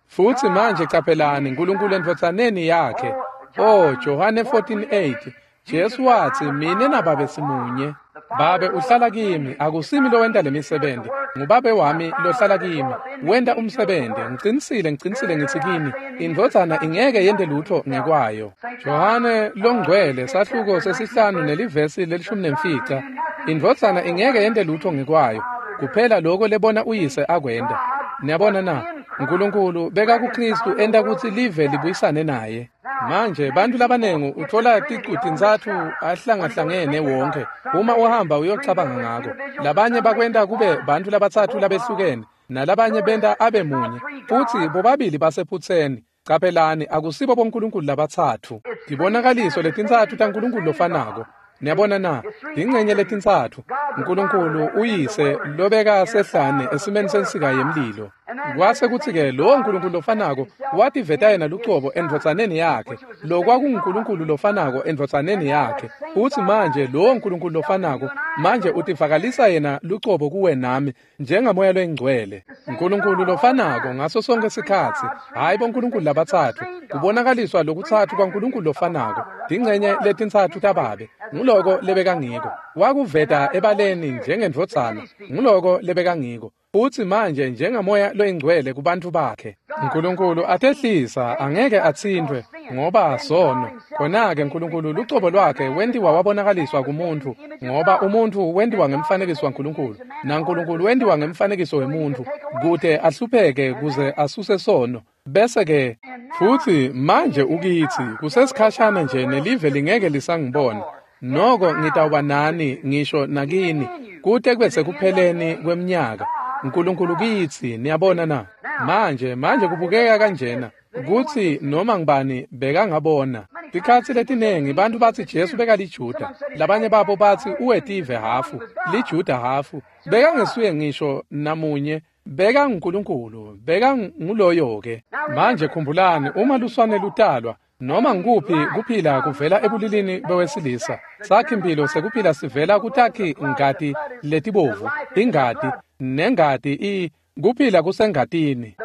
Futsi manje caphelani, Nkulunkulu endvodzaneni yakhe. Oh, Johane fourteen eight, Jesu watsi, mine naBabe simunye. Babe uhlala kimi, akusimi lowenta lemisebenti, nguBabe wami lohlala kimi, wenta umsebenzi. Ngicinisile, ngicinisile ngitsi kini, indvodzana ingeke yente lutho ngekwayo. Johane longcwele sahluko sesihlanu nelivesi lelishumi nemfica, indvodzana ingeke yente lutho ngekwayo, kuphela lokho lebona uyise akwenta. Niyabona na? Nkulunkulu beka kuKristu enta kutsi live libuyisane naye. Manje bantu labanengi uthola ticu tintsatfu ahlangahlangene wonke uma uhamba uyocabanga ngako. Labanye bakwenta kube bantu labatsatfu labehlukene, nalabanye benta abe munye, futsi bobabili basephutseni. Caphelani, akusibo boNkulunkulu labatsatfu. Tibonakaliso letintsatfu taNkulunkulu lofanako. Niyabona na? Tincenye letintsatfu. Nkulunkulu uyise lobeka sehlane esimeni sensika yemlilo. Kwase kutsi-ke lowo Nkulunkulu lofanako wativeta yena lucobo endvodzaneni yakhe, lokwakunguNkulunkulu lofanako endvodzaneni yakhe. Futsi manje lowo Nkulunkulu lofanako manje utivakalisa yena lucobo kuwe nami njengamoya loyingcwele. Nkulunkulu lofanako ngaso sonke sikhatsi, hhayi boNkulunkulu labatsatfu, kubonakaliswa lokutsatfu kwaNkulunkulu lofanako, tincenye letintsatfu taBabe. Nguloko lebekangiko. Wakuveta ebaleni njengendvodzana, nguloko lebekangiko. Futsi manje njengamoya loyingcwele kubantfu bakhe. Nkulunkulu atehlisa, angeke atsintfwe ngoba sono. Khona-ke Nkulunkulu lucobo lwakhe wentiwa wabonakaliswa kumuntfu, ngoba umuntfu wentiwa ngemfanekiso waNkulunkulu, naNkulunkulu wentiwa ngemfanekiso wemuntfu, kute ahlupheke kuze asuse sono. Bese-ke futsi manje ukitsi kusesikhashana nje nelive lingeke lisangibona. Noko ngitawuba nani ngisho nakini kute kube sekupheleni kweminyaka. Nkulunkulu kitsi, niyabona na? Manje manje kubukeka kanjena kutsi noma ngibani bekangabona. Tikhatsi letinengi bantu batsi Jesu bekaliJuda, labanye babo batsi uwetive hafu, liJuda hafu. Bekangesuye ngisho namunye, bekanguNkulunkulu, bekanguloyo-ke. Manje khumbulani, uma luswane lutalwa, Noma ngikuphi kuphila kuvela ebulilini bewesilisa. Sakhi-mphilo sekuphila sivela kutakhi ngati letibovu, ingati, nengati i kuphila kusengatini.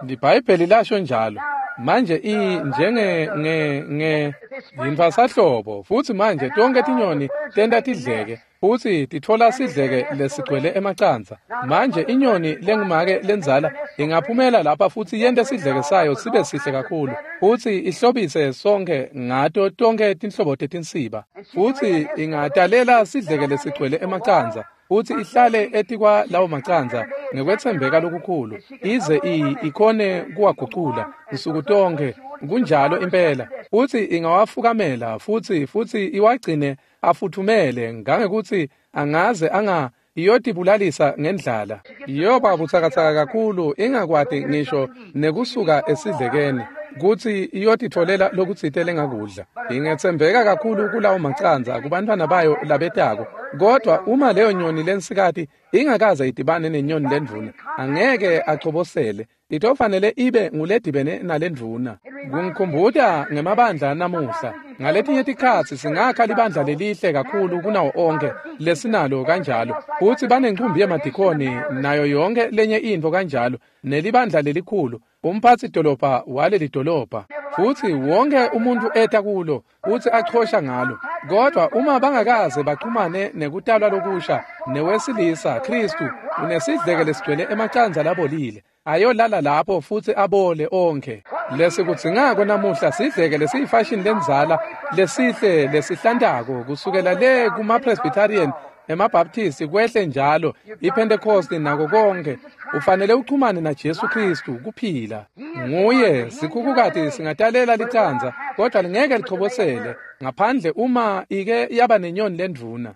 LiBhayibheli lasho njalo. Manje i njenge nge nge yintfwasahlobo futsi manje tonkhe tinyoni tenta tidleke futsi titfola sidleke lesigcwele emacandza. Manje inyoni lengumake lendzala ingaphumela lapha futsi yente sidleke sayo sibe sihle kakhulu futsi ihlobise sonkhe ngato tonkhe tinhlobo tetinsiba futsi ingatalela sidleke lesigcwele emacandza futsi ihlale etikwa lawo macandza ngekwetsembeka lokukhulu ize ikhone kuwagucula nsuku tonkhe. Kunjalo impela. Futsi ingawafukamela futsi futsi iwagcine afuthumele ngangekuthi angaze anga iyotibulalisa ngendlala. Iyoba butsakatsaka kakhulu ingakwati ngisho nekusuka esidlekeni kutsi iyotitfolela lokutsite lengakudla. Ingetsembeka kakhulu kulawo macandza kubantfwana bayo labetako. Kodwa uma leyo nyoni lensikati ingakaze idibane nenyoni lendvuna, angeke achobosele. Itofanele ibe nguledibene nalendvuna. Kungikhumbuta ngemabandla namuhla. Ngaletinye tikhatsi singakha libandla lelihle kakhulu kunawo onkhe lesinalo kanjalo. Futsi banencumbi yemadikoni nayo yonke lenye intfo kanjalo nelibandla lelikhulu, umphatsi dolobha waleli dolobha. Futsi wonke umuntu eta kulo futsi achosha ngalo. Kodwa uma bangakaze baxhumane nekutalwa lokusha newesilisa Kristu unesidleke lesigcwele emacandza labolile, ayolala lapho futsi abole onkhe. Lesikudzingako namuhla sidleke lesiyifashini lendzala lesihle lesihlantako kusukela le kuma-Presbyterian, emaBaptist kwehle njalo, iPentecost nako konke. Ufanele uchumane na Jesu Kristu kuphila. Nguye sikhukhukati singatalela licandza kodwa lingeke lichobosele ngaphandle uma ike yaba nenyoni lendvuna.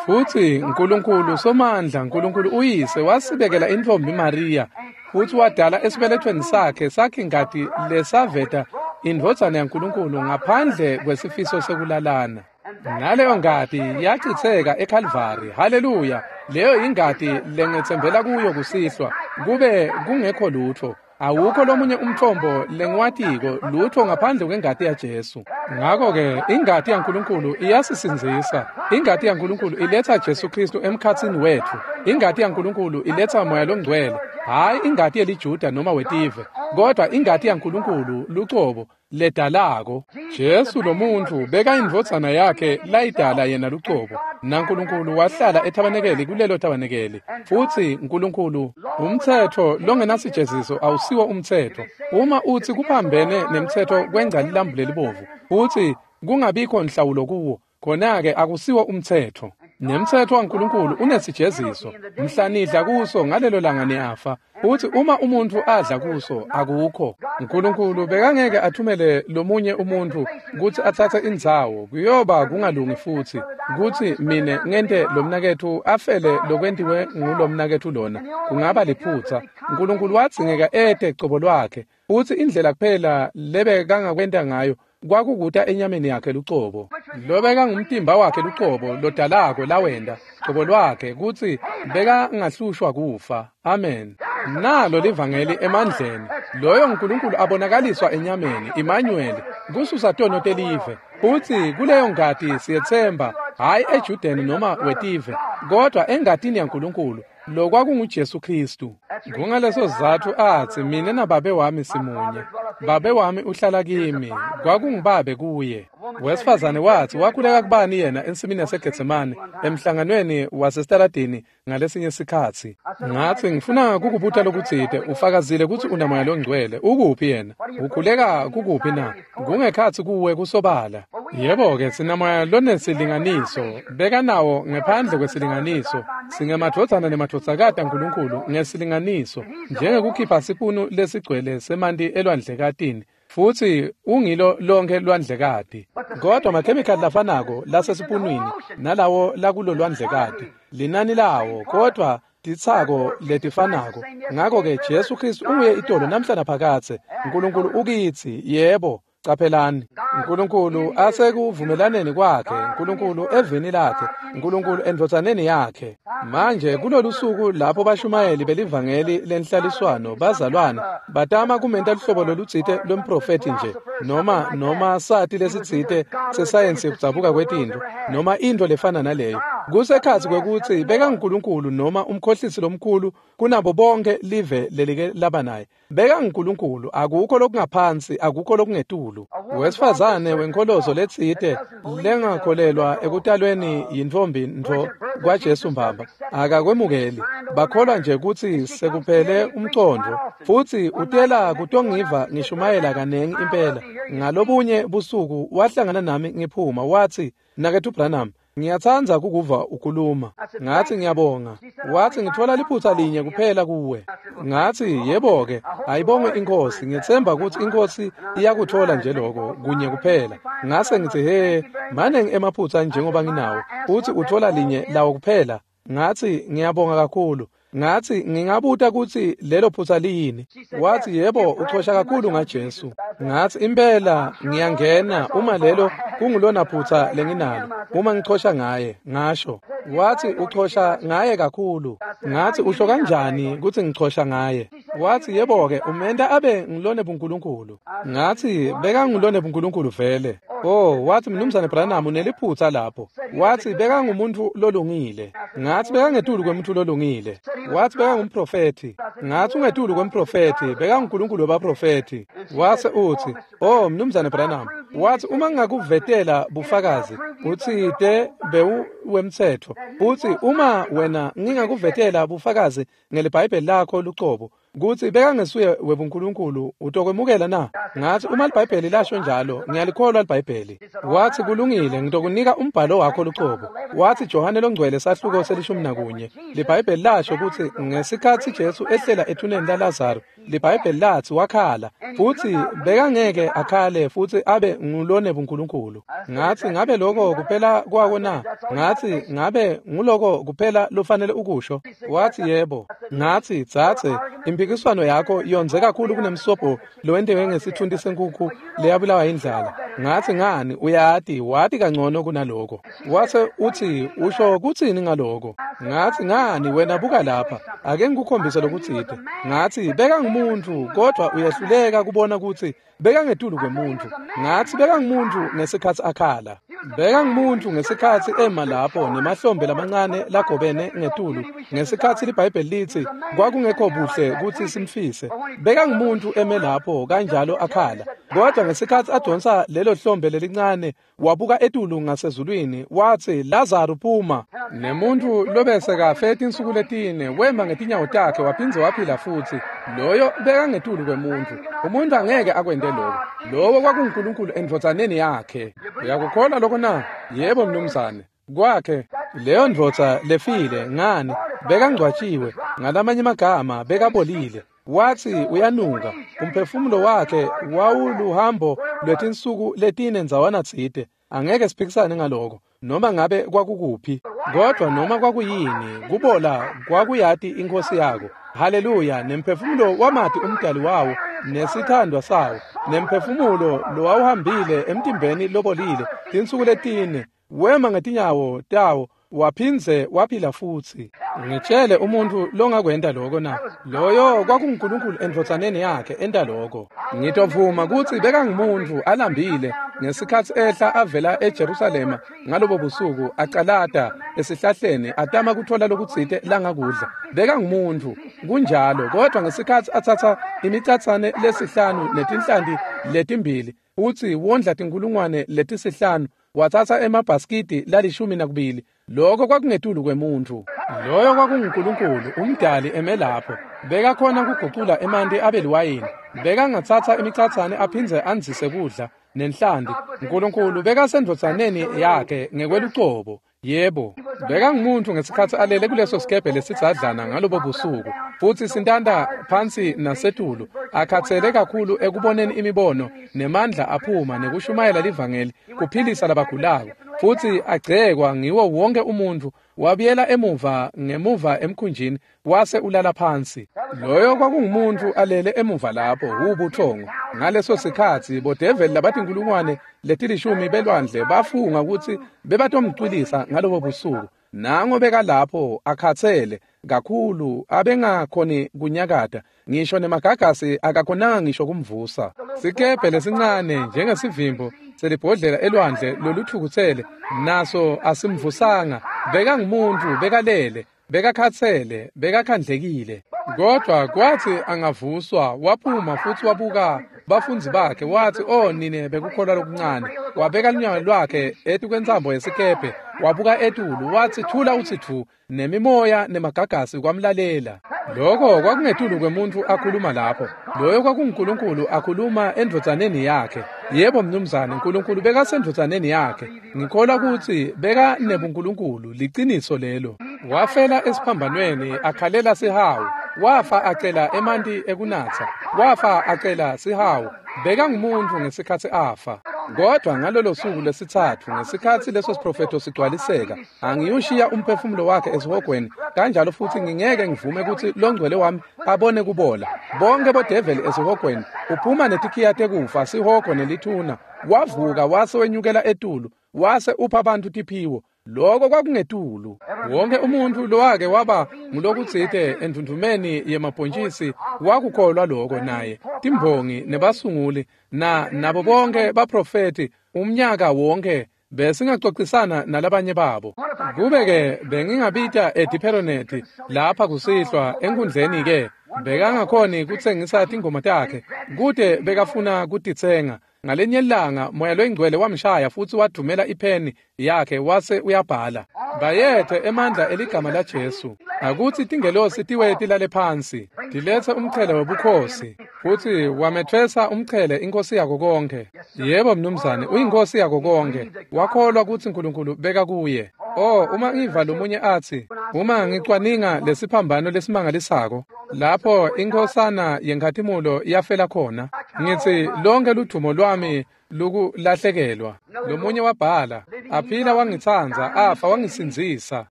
Futsi Nkulunkulu Somandla, Nkulunkulu uyise wasibekela intfombi Maria futsi wadala esibelethweni sakhe sakhe ingati lesaveta indvodzana yaNkulunkulu ngaphandle kwesifiso sekulalana. Naleyo ngati yachitseka eKalvari. Haleluya! Leyo ingati lengetsembela kuyo kusihlwa kube kungekho lutho. Awukho lomunye umthombo lengiwatiko lutho ngaphandle kwengati yaJesu. Ngakho-ke ingati yaNkulunkulu iyasisindzisa. Ingati yaNkulunkulu iletha Jesu Kristu emkhatsini wetfu. Ingati yaNkulunkulu iletha Moya loNgcwele, hhayi ingati yeliJuda noma wetive, kodwa ingati yaNkulunkulu lucobo ledalako. Jesu lomuntfu bekayindvodzana yakhe layidala yena lucobo, naNkulunkulu wahlala ethabanekeli kulelo thabanekeli. Futsi Nkulunkulu, umtsetfo longenasijeziso awusiwo umtsetfo. Uma utsi kuphambene nemtsetfo kwengca lilambu lelibovu futsi kungabikho nhlawulo kuwo, khona-ke akusiwo umtsetfo. Nemtsetfo waNkulunkulu unesijeziso. Mhla nidla kuso ngalelo langa niyafa. Futsi uma umuntfu adla kuso akukho. Nkulunkulu bekangeke athumele lomunye umuntfu kutsi atsatse indzawo. Kuyoba kungalungi futsi kutsi mine ngente lomnaketfu afele lokwentiwe ngulomnaketfu lona. Kungaba liphutsa. Nkulunkulu wadzingeka ete cobo lwakhe. Futsi indlela kuphela lebekangakwenta ngayo kwakukuta enyameni yakhe lucobo. Lobeka ngumtimba wakhe lucobo lodalako lawenda cobo lwakhe kutsi bekangahlushwa kufa. Amen. Nalo livangeli emandleni. Loyo Nkulunkulu abonakaliswa enyameni, Emmanuel, kususa tono telive. Futsi kuleyo ngati siyetsemba, hhayi eJudeni noma wetive, kodwa engatini yaNkulunkulu lokwakunguJesu Kristu. Kungaleso sizatfu atsi mine nababe wami simunye. Babe wami uhlala kimi, kwakungubabe kuye. Wesifazane watsi wakhuleka kubani yena ensimini yaseGetsemane emhlanganweni wasesitaladini ngalesinye sikhatsi. Ngatsi ngifuna kukubuta lokutsite, ufakazile kutsi unamoya longcwele, ukuphi yena? Ukhuleka kukuphi na? Kungekhatsi kuwe kusobala. Yebo-ke sinamoya lonesilinganiso, bekanawo ngephandle kwesilinganiso. Singemadvodzana nemadvodzakati aNkulunkulu ngesilinganiso, njengekukhipha sipunu lesigcwele semanti elwandlekatini. Futsi ungilo lonke lwandlekati. Kodwa amakhemikhali lafanako lasesipunwini nalawo lakulo lwandlekati, linani lawo kodwa titsako letifanako. Ngakho-ke Jesu Kristu unguye itolo namhla naphakadze. Nkulunkulu ukitsi, yebo. Caphelani, Nkulunkulu asekuvumelaneni kwakhe, Nkulunkulu evini lakhe, Nkulunkulu endvodzaneni yakhe. Manje kulolu suku lapho bashumayeli belivangeli lenhlaliswano bazalwane batama kumenta luhlobo lolutsite lwemprofethi nje, noma noma sati lesitsite sesayensi yekudzabuka kwetintfo, noma intfo lefana naleyo. Kusekhatsi kwekutsi bekanguNkulunkulu noma umkhohlisi lomkhulu kunabo bonke live lelike laba naye. BekanguNkulunkulu, akukho lokungaphansi, akukho lokungetulu. Wesifazane wenkolozo letsite lengakholelwa ekutalweni yintfombi ntfo kwaJesu mbamba akakwemukeli. Bakholwa nje kutsi sekuphele umcondvo, futsi utela kutongiva ngishumayela kanengi impela. Ngalobunye busuku wahlangana nami ngiphuma, watsi, "Mnaketfu Branham, ngiyatsandza kukuva ukhuluma." Ngathi, "Ngiyabonga." Wathi, "Ngithola liphutsa linye kuphela kuwe." Ngathi, "Yebo-ke, ayibongwe iNkhosi, ngitsemba kutsi iNkhosi iyakuthola nje lokho kunye kuphela." Ngase ngitsi, "He, maningi emaphutsa njengoba nginawo, uthi uthola linye lawo kuphela." Ngathi, "Ngiyabonga kakhulu." Ngathi, "Ngingabuta kutsi lelo phutsa liyini?" Wathi, "Yebo, uchosha kakhulu ngaJesu." Ngathi, "Impela ngiyangena uma lelo kungulona phutsa lenginalo, uma ngichosha ngaye." Ngasho. Wathi, "Uchosha ngaye kakhulu." Ngathi, "Usho kanjani kutsi ngichosha ngaye?" Wathi, "Yebo-ke, umenta abe ngilone buNkulunkulu." Ngathi, "Bekangulone buNkulunkulu vele." Oh, wathi, "Mnumzane Branham, uneliphutsa lapho." Wathi, "Bekangumuntu lolungile." Ngathi, "Bekangetulu kwemuntu lolungile." Wathi, "Bekangumprofethi." Ngathi, "Ungetulu kwemprofethi, bekanguNkulunkulu webaprofethi." Wase uthi, "Oh, Mnumzane Branham," wathi, "uma ngingakuvetela bufakazi, utsite bewuwemtsetfo. Uthi uma wena ngingakuvetela bufakazi ngeliBhayibheli lakho lucobo, kutsi bekangesuye webuNkulunkulu, utokwemukela na?" Ngathi, "Uma liBhayibheli lasho njalo, ngiyalikholwa liBhayibheli." Wathi, "Kulungile, ngitokunika umbhalo wakho lucobo." Wathi, "Johane longcwele sahluko selishumi nakunye, liBhayibheli lasho kutsi ngesikhatsi Jesu ehlela ethuneni laLazaro, liBhayibheli latsi wakhala, futsi bekangeke akhale futsi abe ngulone buNkulunkulu." Ngathi, "Ngabe lokho kuphela kwako na?" Ngathi, "Ngabe nguloko kuphela lofanele ukusho?" Wathi, "Yebo." Ngathi, "Dzadze, impikiswano yakho yondze kakhulu kunemsobho lowentiwe ngesithunti senkukhu leyabulawa indlala." Ngathi, "Ngani, uyati, wati kangcono kunaloko." Wase uthi, "Usho kutsini ngaloko?" Ngathi, "Ngani, wena buka lapha, ake ngikukhombise lokutsite." Ngathi, "Bekangumuntu, kodwa uyehluleka kubona kutsi bekangetulu kwemuntu." Ngathi, "Bekangumuntu ngesikhatsi akhala. Bekangumuntu ngesikhatsi ema lapho nemahlombe lamancane lagobene ngetulu, ngesikhatsi liBhayibheli litsi kwakungekho buhle kutsi simfise. Bekangumuntu eme lapho kanjalo akhala. Kodwa ngesikhatsi adonsa lelo hlombe lelincane, wabuka etulu ngasezulwini, watsi, 'Lazaro, phuma.' Nemuntu lobesekafe tinsuku letine wema ngetinyawo takhe waphindze waphila futsi. Loyo bekangetulu kwemuntu. Umuntu angeke akwente lokho. Lowo kwakunguNkulunkulu endvodzaneni yakhe. Uyakukholwa lokho na? Yebo, mnumzane. Kwakhe leyo ndvodza lefile, ngani, bekangcwatshiwe, ngalamanye amagama bekabolile. Wathi, "Uyanuka." Umphefumulo wakhe wawuluhambo lwetinsuku letine ndzawana tsite. Angeke siphikisane ngaloko, noma ngabe kwakukuphi, kodwa noma kwakuyini, kubola kwakuyati iNkhosi yako. Haleluya! Nemphefumulo wamati umdali wawo nesithandwa sawo, nemphefumulo lowawuhambile emtimbeni lobolile tinsuku letine, wema ngetinyawo tawo waphindze waphila futsi. Ngitshele umuntu longakwenta lokho na? Loyo kwakunguNkulunkulu endvodzaneni yakhe enta lokho. Ngitovuma kutsi bekangumuntu alambile ngesikhatsi ehla avela eJerusalema ngalobo busuku, acalata esihlahleni atama kuthola lokutsite langakudla. Bekangumuntu kunjalo, kodwa ngesikhatsi atsatsa imicatsane lesihlanu netinhlanti letimbili utsi wondla tinkulungwane letisihlanu, watsatsa emabhaskidi lalishumi nakubili. Lokho kwakungetulu kwemuntu. Loyo kwakunguNkulunkulu umdali eme lapho. Bekakhona kugucula emanti abe liwayini. Bekangatsatsa imicatsane aphindze andzise kudla nenhlanti. Nkulunkulu bekasendvodzaneni yakhe ngekwelucobo. Yebo, bekangumuntu ngesikhatsi alele kuleso sikebhe lesidzadlana ngalobo busuku, futsi sintanta phansi nasetulu, akhatsele kakhulu ekuboneni imibono nemandla aphuma nekushumayela livangeli, kuphilisa labagulako. Futsi agcekwa ngiwo wonke umuntfu, wabuyela emuva ngemuva emkhunjini wase ulala phansi. Loyo kwakungumuntfu alele emuva lapho ubuthongo. Ngaleso sikhatsi bodeveli labatinkulungwane letilishumi belwandle bafunga kutsi bebatomcwilisa ngalobo busuku. Nango bekalapho akhatsele kakhulu abengakhoni kunyakata, ngisho nemagagasi akakhonanga ngisho kumvusa. Sikebhe lesincane njengesivimbo selibhodlela elwandle lolutfukutsele naso asimvusanga. Bekangumuntu, bekalele, bekakhatsele, bekakhandlekile. Kodwa kwathi angavuswa waphuma futsi wabuka bafundzi bakhe wathi, "Oh nine bekukholwa lokuncane." Wabeka lunyawo lwakhe etukwentsambo yesikebhe, wabuka etulu wathi, "Thula uthi thu." Nemimoya nemagagasi kwamlalela. Lokho kwakungetulu kwemuntu akhuluma lapho. Loyo kwakunguNkulunkulu akhuluma endvodzaneni yakhe. Yebo mnumzane, uNkulunkulu bekasendvodzaneni yakhe. Ngikholwa ukuthi beka nebuNkulunkulu, liciniso lelo. Wafela esiphambanweni akhalela sihawu. Wafa acela emanti ekunatsa. Wafa acela sihawu. Bekangumuntu ngesikhatsi afa. Kodwa ngalolo suku lesitsatfu, ngesikhatsi leso siprofetho sigcwaliseka, angiyushiya umphefumulo wakhe esihogweni, kanjalo futhi ngingeke ngivume kutsi longcwele wami abone kubola. Bonke bodeveli esihogweni, uphuma netikhiya tekufa, sihogo nelithuna. Wavuka wase wenyukela etulu, wase upha abantu tiphiwo. Lokho kwakungetulu. Wonke umuntu lowake waba ngulokutsite endvundvumeni yemabhontjisi wakukholwa lokho naye. Timbongi nebasunguli na nabo bonke baprofeti umnyaka wonke besingacocisana nalabanye babo. Kube-ke bengingabita eDiperonethi lapha kusihlwa enkundleni-ke, bekangakhoni kutsengisa tingoma takhe, kute bekafuna kutitsenga. Ngalenye ilanga Moya loyingcwele wamshaya futsi wadvumela ipheni yakhe wase uyabhala. Bayethe emandla eligama laJesu. Akutsi tingelosi tiwe tilale phansi, tiletse umchele webukhosi. Futsi wametfwesa umchele inkosi yako konke. Yebo mnumzane, uyinkosi yako konke. Wakholwa kutsi uNkulunkulu beka kuye. Oh, uma ngiva lomunye atsi, uma ngicwaninga lesiphambano lesimangalisako, lapho inkhosana yenkhatimulo yafela khona, ngitsi lonke ludvumo lwami lukulahlekelwa. Lomunye wabhala, aphila wangitsandza, afa wangisindzisa,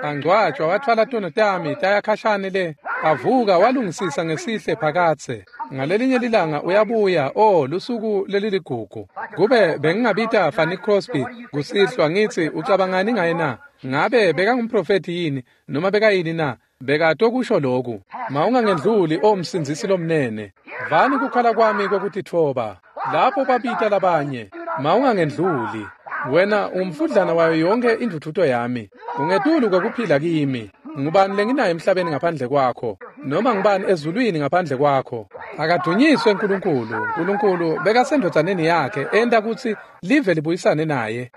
angcwatshwa wathwala tono tami taya khashane le, avuka walungisisa ngesihle phakatse. Ngalelinye lilanga uyabuya, oh lusuku leliligugu. Kube bengingabita Fanny Crosby kusihlwa ngitsi ucabangani ngaye na? Ngabe bekangumprofethi yini noma bekayini na? Bekatokusho lokhu, mawungangendluli o msindzisi lomnene. Vani kukhala kwami kwekutitfoba. Lapho babita labanye, mawungangendluli. Wena umfudlana wayo yonke indvudvuto yami. Ungetulu kwekuphila kimi. Ngubani lenginayo emhlabeni ngaphandle kwakho? Noma ngubani ezulwini ngaphandle kwakho? Akadunyiswe uNkulunkulu. uNkulunkulu bekasendvodzaneni yakhe enta kutsi live libuyisane naye.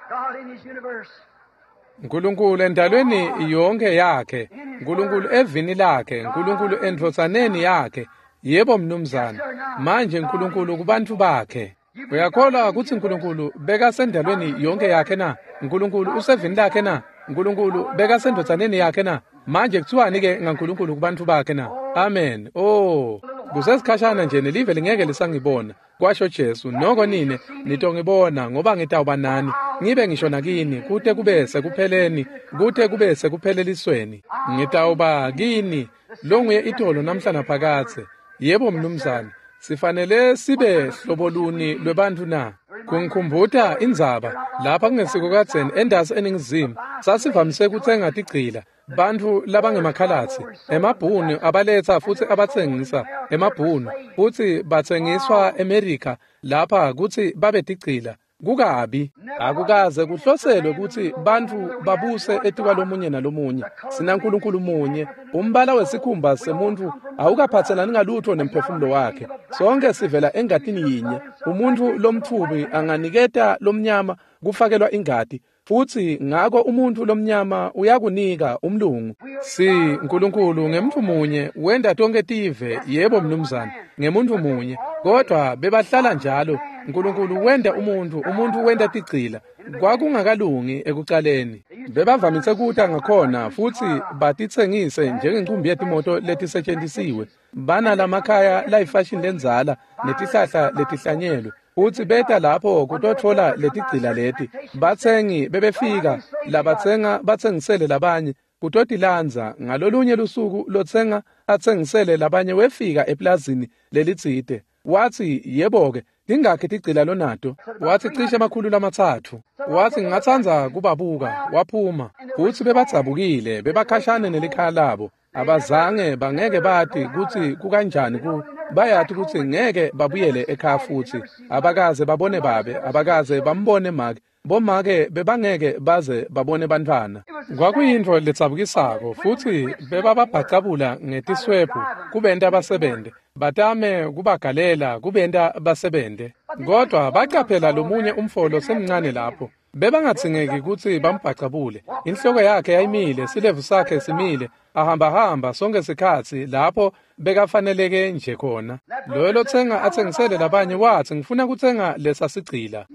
uNkulunkulu endalweni yonke yakhe, uNkulunkulu evini lakhe, uNkulunkulu endvodzaneni yakhe. Yebo mnumzane. Manje uNkulunkulu kubantu bakhe. Uyakholwa kutsi uNkulunkulu bekasendalweni yonke yakhe na? uNkulunkulu usevini lakhe na? uNkulunkulu bekasendvodzaneni yakhe na? Manje kuthiwani ke ngaNkulunkulu kubantu bakhe na? Amen. Oh, kusesikhashana nje nelive lingeke lisangibona, kwasho Jesu. Noko nine nitongibona, ngoba ngitawuba nani, ngibe ngisho nakini kute kube sekupheleni, kute kube sekuphelelisweni. Ngitawuba kini longuye itolo namhla naphakatse. Yebo mnumzane, sifanele sibe hloboluni lwebantfu na? Kungikhumbuta indzaba lapha kungesiko kadzeni endasi eNingizimu sasivamise kutsenga tigcila bantfu labangemakhalatsi emabhunu abaletsa futsi abatsengisa emabhunu futsi batsengiswa eMerika lapha kutsi babe tigcila. Kukabi akukaze kuhloselwe kutsi bantfu babuse etikwalomunye nalomunye. SinaNkulunkulu munye. Umbala wesikhumba semuntfu awukaphatselani ngalutho nemphefumulo wakhe. Sonke sivela engatini yinye. Umuntfu lomtfubi anganiketa lomnyama kufakelwa ingati, futsi ngako umuntfu lomnyama uyakunika umlungu. Si uNkulunkulu ngemuntfu munye wenta tonke tive. Yebo mnumzane, ngemuntfu munye. Kodwa bebahlala njalo. uNkulunkulu wenta umuntfu, umuntfu wenta tigcila. Kwakungakalungi ekucaleni. Bebavamise kuta ngakhona futsi batitsengise njengencumbi yetimoto letisetjentisiwe. Banalamakhaya layifashini lendzala netihlahla letihlanyelwe. Futsi beta lapho kutotfola letigcila leti. Batsengi bebefika labatsenga batsengisele labanye kutotilandza. Ngalolunye lusuku lotsenga atsengisele labanye wefika eplazini lelitsite. Watsi, yebo-ke, tingakhi tigcila lonato? Watsi, cishe emakhulu lamatsatfu. Watsi, ngingatsandza kubabuka. Waphuma. Futsi bebadzabukile, bebakhashane nelikhaya labo. Abazange bangeke bati kutsi kukanjani ku bayati kutsi ngeke babuyele ekhaya futsi. Abakaze babone babe, abakaze bambone make. Bomake bebangeke baze babone bantfwana. Kwakuyintfo letsabukisako futsi bebababhacabula ngetiswebhu kubenta basebente. Batame kubagalela kubenta basebente. Kodwa bacaphela lomunye umfo losemncane lapho. Bebangadzingeki kutsi bambhacabule. Inhloko yakhe yayimile, silevu sakhe simile, ahambahamba sonke sikhatsi lapho bekafaneleke nje khona. Loyo lotsenga atsengisele labanye watsi, ngifuna kutsenga lesa sigcila.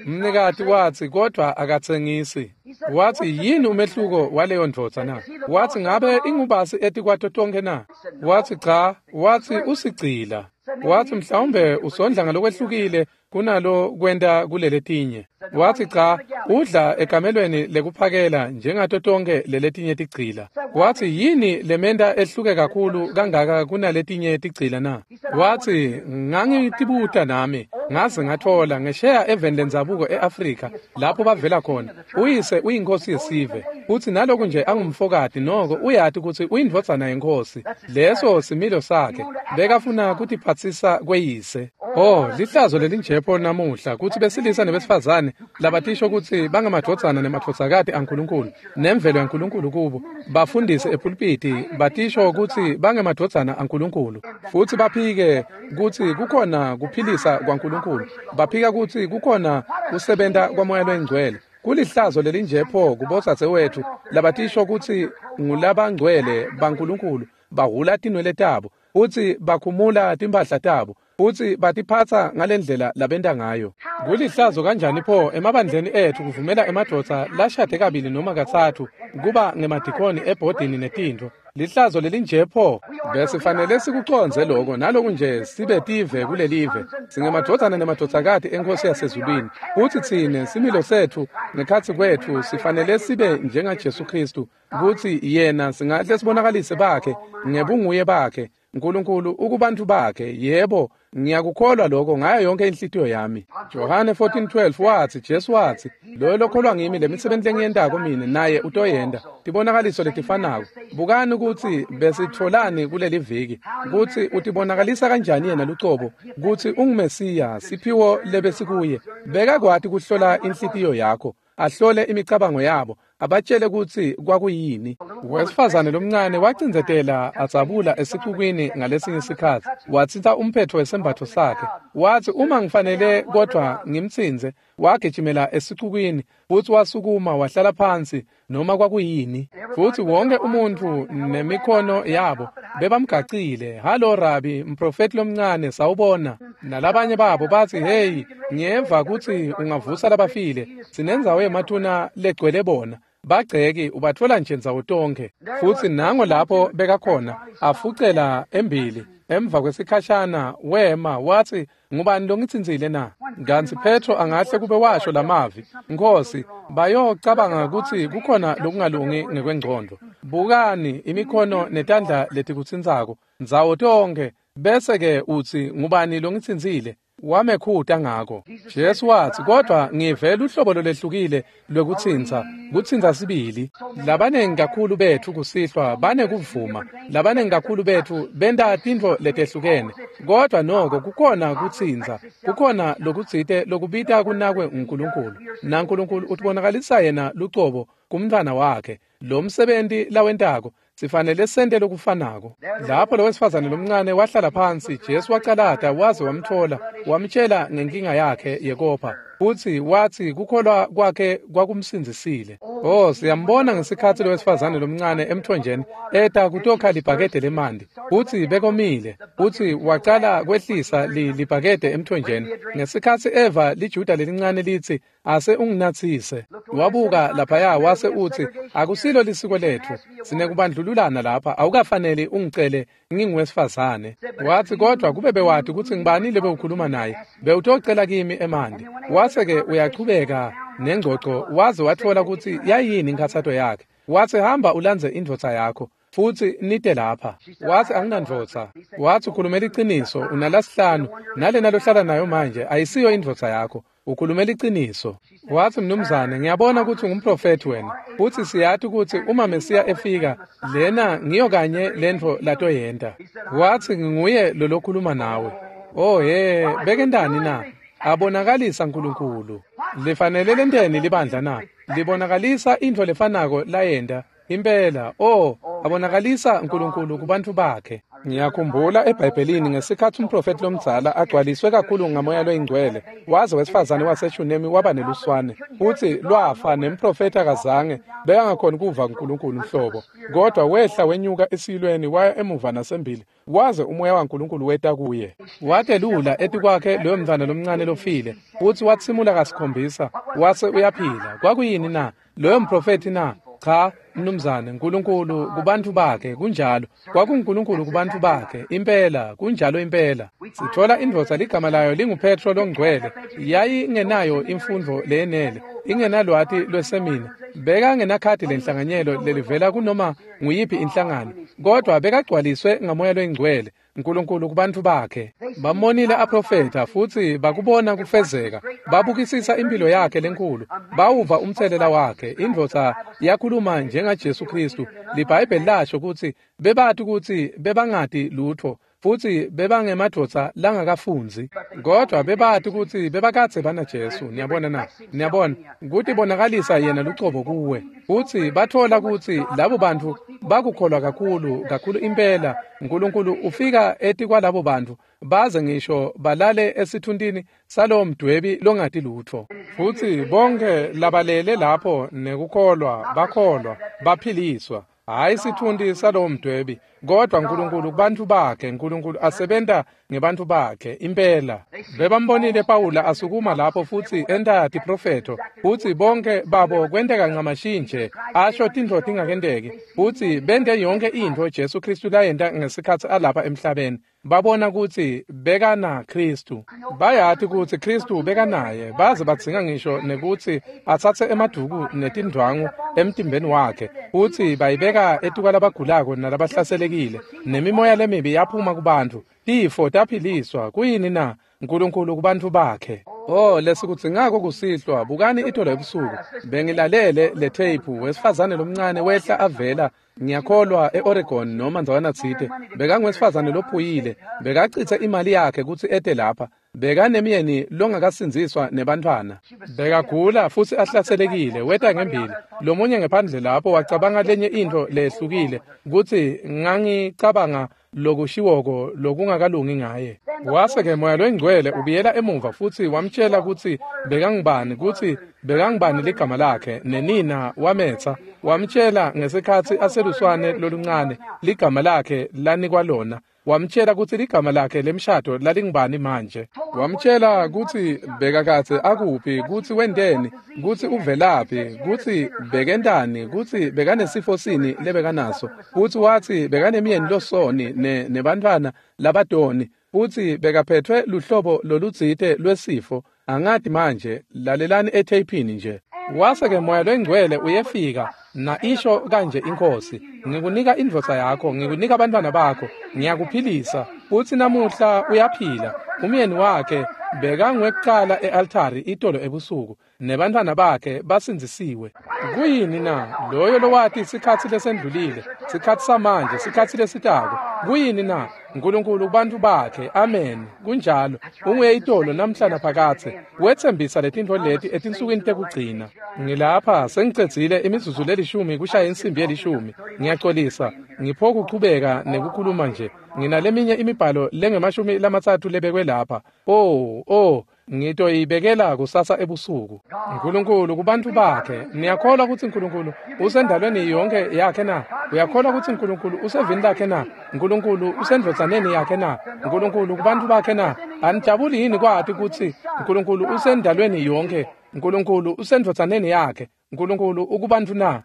Mnikati watsi, kodwa akatsengisi. Watsi, yini umehluko waleyo ndvodza na? Watsi, ngabe ingubasi etikwato tonkhe na? Watsi, cha. Watsi, usigcila. Watsi, mhlawumbe usondla ngalokwehlukile kunalo kwenta kuleletinye. Watsi, cha, udla ekamelweni lekuphakela njengato tonkhe leletinye tigcila. Watsi, yini lementa ehluke kakhulu kangaka kunaletinye tigcila na? Watsi, ngangitibuta nami, ngaze ngatfola ngesheya eveni lendzabuko e-Afrika lapho bavela khona. Uyise uyinkosi yesive, futsi naloku nje angumfokati noko uyati kutsi uyindvodzana yenkosi. Leso similo sakhe, bekafuna kutiphatsisa kweyise. Oh, lihlazo lelinjepho namuhla kutsi besilisa nebesifazane labatisho kutsi bangemadvodzana nemadvodzakati aNkulunkulu nemvelo yaNkulunkulu kubo, bafundise epulpiti batisho kutsi bangemadvodzana aNkulunkulu, futsi baphike kutsi kukhona kuphilisa kwaNkulunkulu, baphika kutsi kukhona kusebenta kwaMoya loyiNgcwele. Kulihlazo lelinjepho kubodzadzewethu labatisho kutsi ngulabangcwele baNkulunkulu, bahhula tinwele tabo futsi bakhumula timphahla tabo futsi batiphatsa ngalendlela labenta ngayo. Kulihlazo kanjani pho emabandleni etfu kuvumela emadvodza lashade kabili noma katsatfu kuba ngemadikoni ebhodini netintfo. Lihlazo lelinje pho. Besifanele sikucondze loko naloku nje sibe tive kulelive. Singemadvodzana nemadvodzakati eNkhosi yasezulwini. Futsi tsine similo setfu ngekhatsi kwetfu sifanele sibe njengaJesu Khristu, kutsi yena singahle sibonakalise bakhe ngebunguye bakhe. Nkulunkulu ukubantfu bakhe. Yebo, ngiyakukholwa lokho ngayo yonke inhlitiyo yami. Johane fourteen twelve watsi, Jesu watsi, loyo lokholwa ngimi lemisebenti lengiyentako mine naye utoyenta. Tibonakaliso letifanako. Bukani kutsi besitfolani kuleli viki, kutsi utibonakalisa kanjani yena lucobo, kutsi unguMesiya, siphiwo lebesikuye. Bekakwati kuhlola inhlitiyo yakho, ahlole imicabango yabo, abatshele kutsi kwakuyini. Wesifazane lomncane wacindzetela adzabula esicukwini ngalesinye sikhatsi, watsintsa umphetfo wesembatfo sakhe. Watsi, uma ngifanele kodvwa ngimtsintse. Wagijimela esicukwini futsi wasukuma wahlala phansi noma kwakuyini. Futsi wonke umuntfu nemikhono yabo bebamgacile. Halo Rabi, mprofeti lomncane, sawubona. Nalabanye babo batsi, hey, ngiyeva kutsi ungavusa labafile, sinendzawo yemathuna legcwele bona. Bagceki ubatfola nje ndzawo tonkhe. Futsi nango lapho bekakhona afucela embili. Emva kwesikhashana wema watsi, ngubani longitsintsile na? Kantsi Petro angahle kube washo lamavi, Nkhosi, bayocabanga kutsi kukhona lokungalungi ngekwengcondvo. Bukani imikhono netandla letikutsintsako ndzawo tonkhe, bese ke utsi ngubani longitsintsile? Wamekhuta ngako. Jesu watsi, kodwa ngive luhlobo lolehlukile lwekutsintsa, kutsintsa sibili. Labanengi kakhulu betfu kusihlwa banekuvuma, labanengi kakhulu betfu benta tintfo letehlukene, kodwa noko kukhona kutsintsa, kukhona lokutsite lokubita kunakwe uNkulunkulu. NaNkulunkulu utibonakalisa yena lucobo kumntfwana wakhe. Lo msebenti lawentako sifanele sente lokufanako. Lapho lowesifazane lomncane wahlala phansi, Jesu wacalata waze wamtfola, wamtshela ngenkinga yakhe yekopha. Futsi watsi kukholwa kwakhe kwakumsindzisile. Oh, siyambona ngesikhatsi lowesifazane lomncane emthonjeni eta kutokha libhakede lemanti. Futsi bekomile. Futsi wacala kwehlisa libhakede emthonjeni. Ngesikhatsi eva liJuda lelincane litsi ase unginatsise. Wabuka laphaya wase utsi akusilo lisiko letfu. Sinekubandlululana lapha, awukafaneli ungicele nginguwesifazane. Watsi kodwa kube bewati kutsi ngibani lebewukhuluma naye, bewutocela kimi emanti. Wase-ke uyachubeka nengcoco waze watfola kutsi yayini inkhatsato yakhe. Watsi hamba ulandze indvodza yakho futsi nite lapha. Watsi anginandvodza. Watsi ukhulumela liciniso, unalasihlanu nalena lohlala nayo manje ayisiyo indvodza yakho. Ukhulumela liciniso. Watsi mnumzane, ngiyabona kutsi ungumprofethi wena. Futsi siyati kutsi uma Mesiya efika, lena ngiyo kanye lentfo latoyenta. Watsi nginguye lolokhuluma nawe. Oh he, bekentani na? Abonakalisa Nkulunkulu. Lifanele lenteni libandla na? Libonakalisa intfo lefanako layenta. Impela, oh, abonakalisa Nkulunkulu kubantfu bakhe. Ngiyakhumbula eBhayibhelini ngesikhatsi umprofethi lomdzala agcwaliswe kakhulu ngamoya loyingcwele, waze wesifazane waseShunemi waba neluswane. Futsi lwafa nemprofethi akazange bekangakhoni kuva uNkulunkulu nhlobo. Kodwa wehla wenyuka esiyilweni waya emuva nasembili, waze umoya waNkulunkulu weta kuye. Watelula etikwakhe loyo mntfwana lomncane lofile, futsi watsimula kasikhombisa, wase uyaphila. Kwakuyini na? Loyo mprofethi na? Cha, mnumzane, Nkulunkulu kubantfu bakhe, kunjalo. KwakunguNkulunkulu kubantfu bakhe, impela, kunjalo impela. Sitfola indvodza ligama layo linguPetro longcwele, yayingenayo imfundvo leyenele, ingenalwati lwesemina, bekangenakhadi lenhlanganyelo lelivela kunoma nguyiphi inhlangano, kodwa bekagcwaliswe ngamoya loyingcwele. Nkulunkulu kubantfu bakhe. Bamonile aprofetha futsi bakubona kufezeka. Babukisisa impilo yakhe lenkulu. Bawuva umtselela wakhe. Indvodza yakhuluma njengaJesu Kristu. LiBhayibheli lasho kutsi bebati kutsi bebangati lutfo futsi bebangemadvodza langakafundzi, kodwa bebati kutsi bebakadze banaJesu. Niyabona na? Niyabona kutibonakalisa yena lucobo kuwe. Futsi batfola kutsi labo bantfu bakukholwa kakhulu kakhulu impela. Nkulunkulu ufika etikwalabo bantfu baze ngisho balale esithuntini salowo mdwebi longati lutfo. Futsi bonke labalele lapho nekukholwa bakholwa baphiliswa. Hayi sithundi salowo mdwebi, kodwa Nkulunkulu kubantfu bakhe. Nkulunkulu asebenta ngebantfu bakhe impela. Bebambonile Pawula asukuma lapho futsi enta tiprofetho, futsi bonke babo kwenteka ncamashi nje, asho tintfo tingakenteki, futsi bente yonke intfo Jesu Kristu layenta ngesikhatsi alapha emhlabeni. Babona kutsi bekana Kristu. Bayati kutsi Kristu bekanaye, baze badzinga ngisho nekutsi atsatse emaduku netindvwangu emtimbeni wakhe, futsi bayibeka etikwalabagulako nalabahlaselekile, nemimoya lemibi yaphuma kubantfu, tifo taphiliswa. Kuyini na? Nkulunkulu kubantfu bakhe. Oh, lesikudzingako kusihlwa. Bukani itolo ebusuku bengilalele le tape. Wesifazane lomncane wehla avela, ngiyakholwa e-Oregon noma ndzawana tsite. Bekangwesifazane lophuyile, bekacitse imali yakhe kutsi ete lapha. Bekanemyeni longakasindziswa nebantfwana. Bekagula futsi ahlaselekile, weta ngembili. Lomunye ngephandle lapho wacabanga lenye intfo lehlukile, kutsi ngangicabanga lokushiwoko lokungakalungi ngaye. Wase-ke moya loyingcwele ubuyela emuva futsi wamtjela kutsi bekangubani, kutsi bekangubani ligama lakhe, nenina wametsa. Wamtjela ngesikhatsi aseluswane loluncane ligama lakhe lanikwa lona. Wamtjela kutsi ligama lakhe lemshado lalingubani manje. Wamtjela kutsi bekakadze akuphi, kutsi wenteni, kutsi uvelaphi, kutsi bekentani, kutsi bekanesifo sini lebekanaso. Futsi watsi bekanemyeni losoni ne nebantfwana labatoni, futsi bekaphetfwe luhlobo lolutsite lwesifo. Angati manje, lalelani etheyphini nje. Wase-ke moya loyingcwele uyefika na isho kanje iNkhosi, ngikunika indvodza yakho, ngikunika abantwana bakho, ngiyakuphilisa. Futsi namuhla uyaphila. Umyeni wakhe bekangwekucala e-altari itolo ebusuku, nebantfwana bakhe basindzisiwe. Kuyini na? Loyo lowati sikhatsi lesendlulile, sikhatsi samanje, sikhatsi lesitako. Kuyini na? Nkulunkulu kubantfu bakhe. Amen. Kunjalo. Unguye itolo namhla naphakadze. Wetsembisa letintfo leti etinsukwini tekugcina. Ngilapha sengicedzile imizuzu lelishumi kushaya insimbi yelishumi. Ngiyaxolisa. Ngipho kuchubeka nekukhuluma nje. Nginaleminye imibhalo lengemashumi lamatsatfu lebekwe lapha. Oh, oh, ngitoyibekela kusasa ebusuku. Nkulunkulu kubantu bakhe. Niyakholwa kutsi Nkulunkulu usendalweni yonke yakhe na? Uyakholwa kutsi Nkulunkulu usevini lakhe na? Nkulunkulu usendvodzaneni yakhe na? Nkulunkulu kubantu bakhe na? Anijabuli yini kwati kutsi Nkulunkulu usendalweni yonke? Nkulunkulu usendvodzaneni yakhe. Nkulunkulu ukubantu na?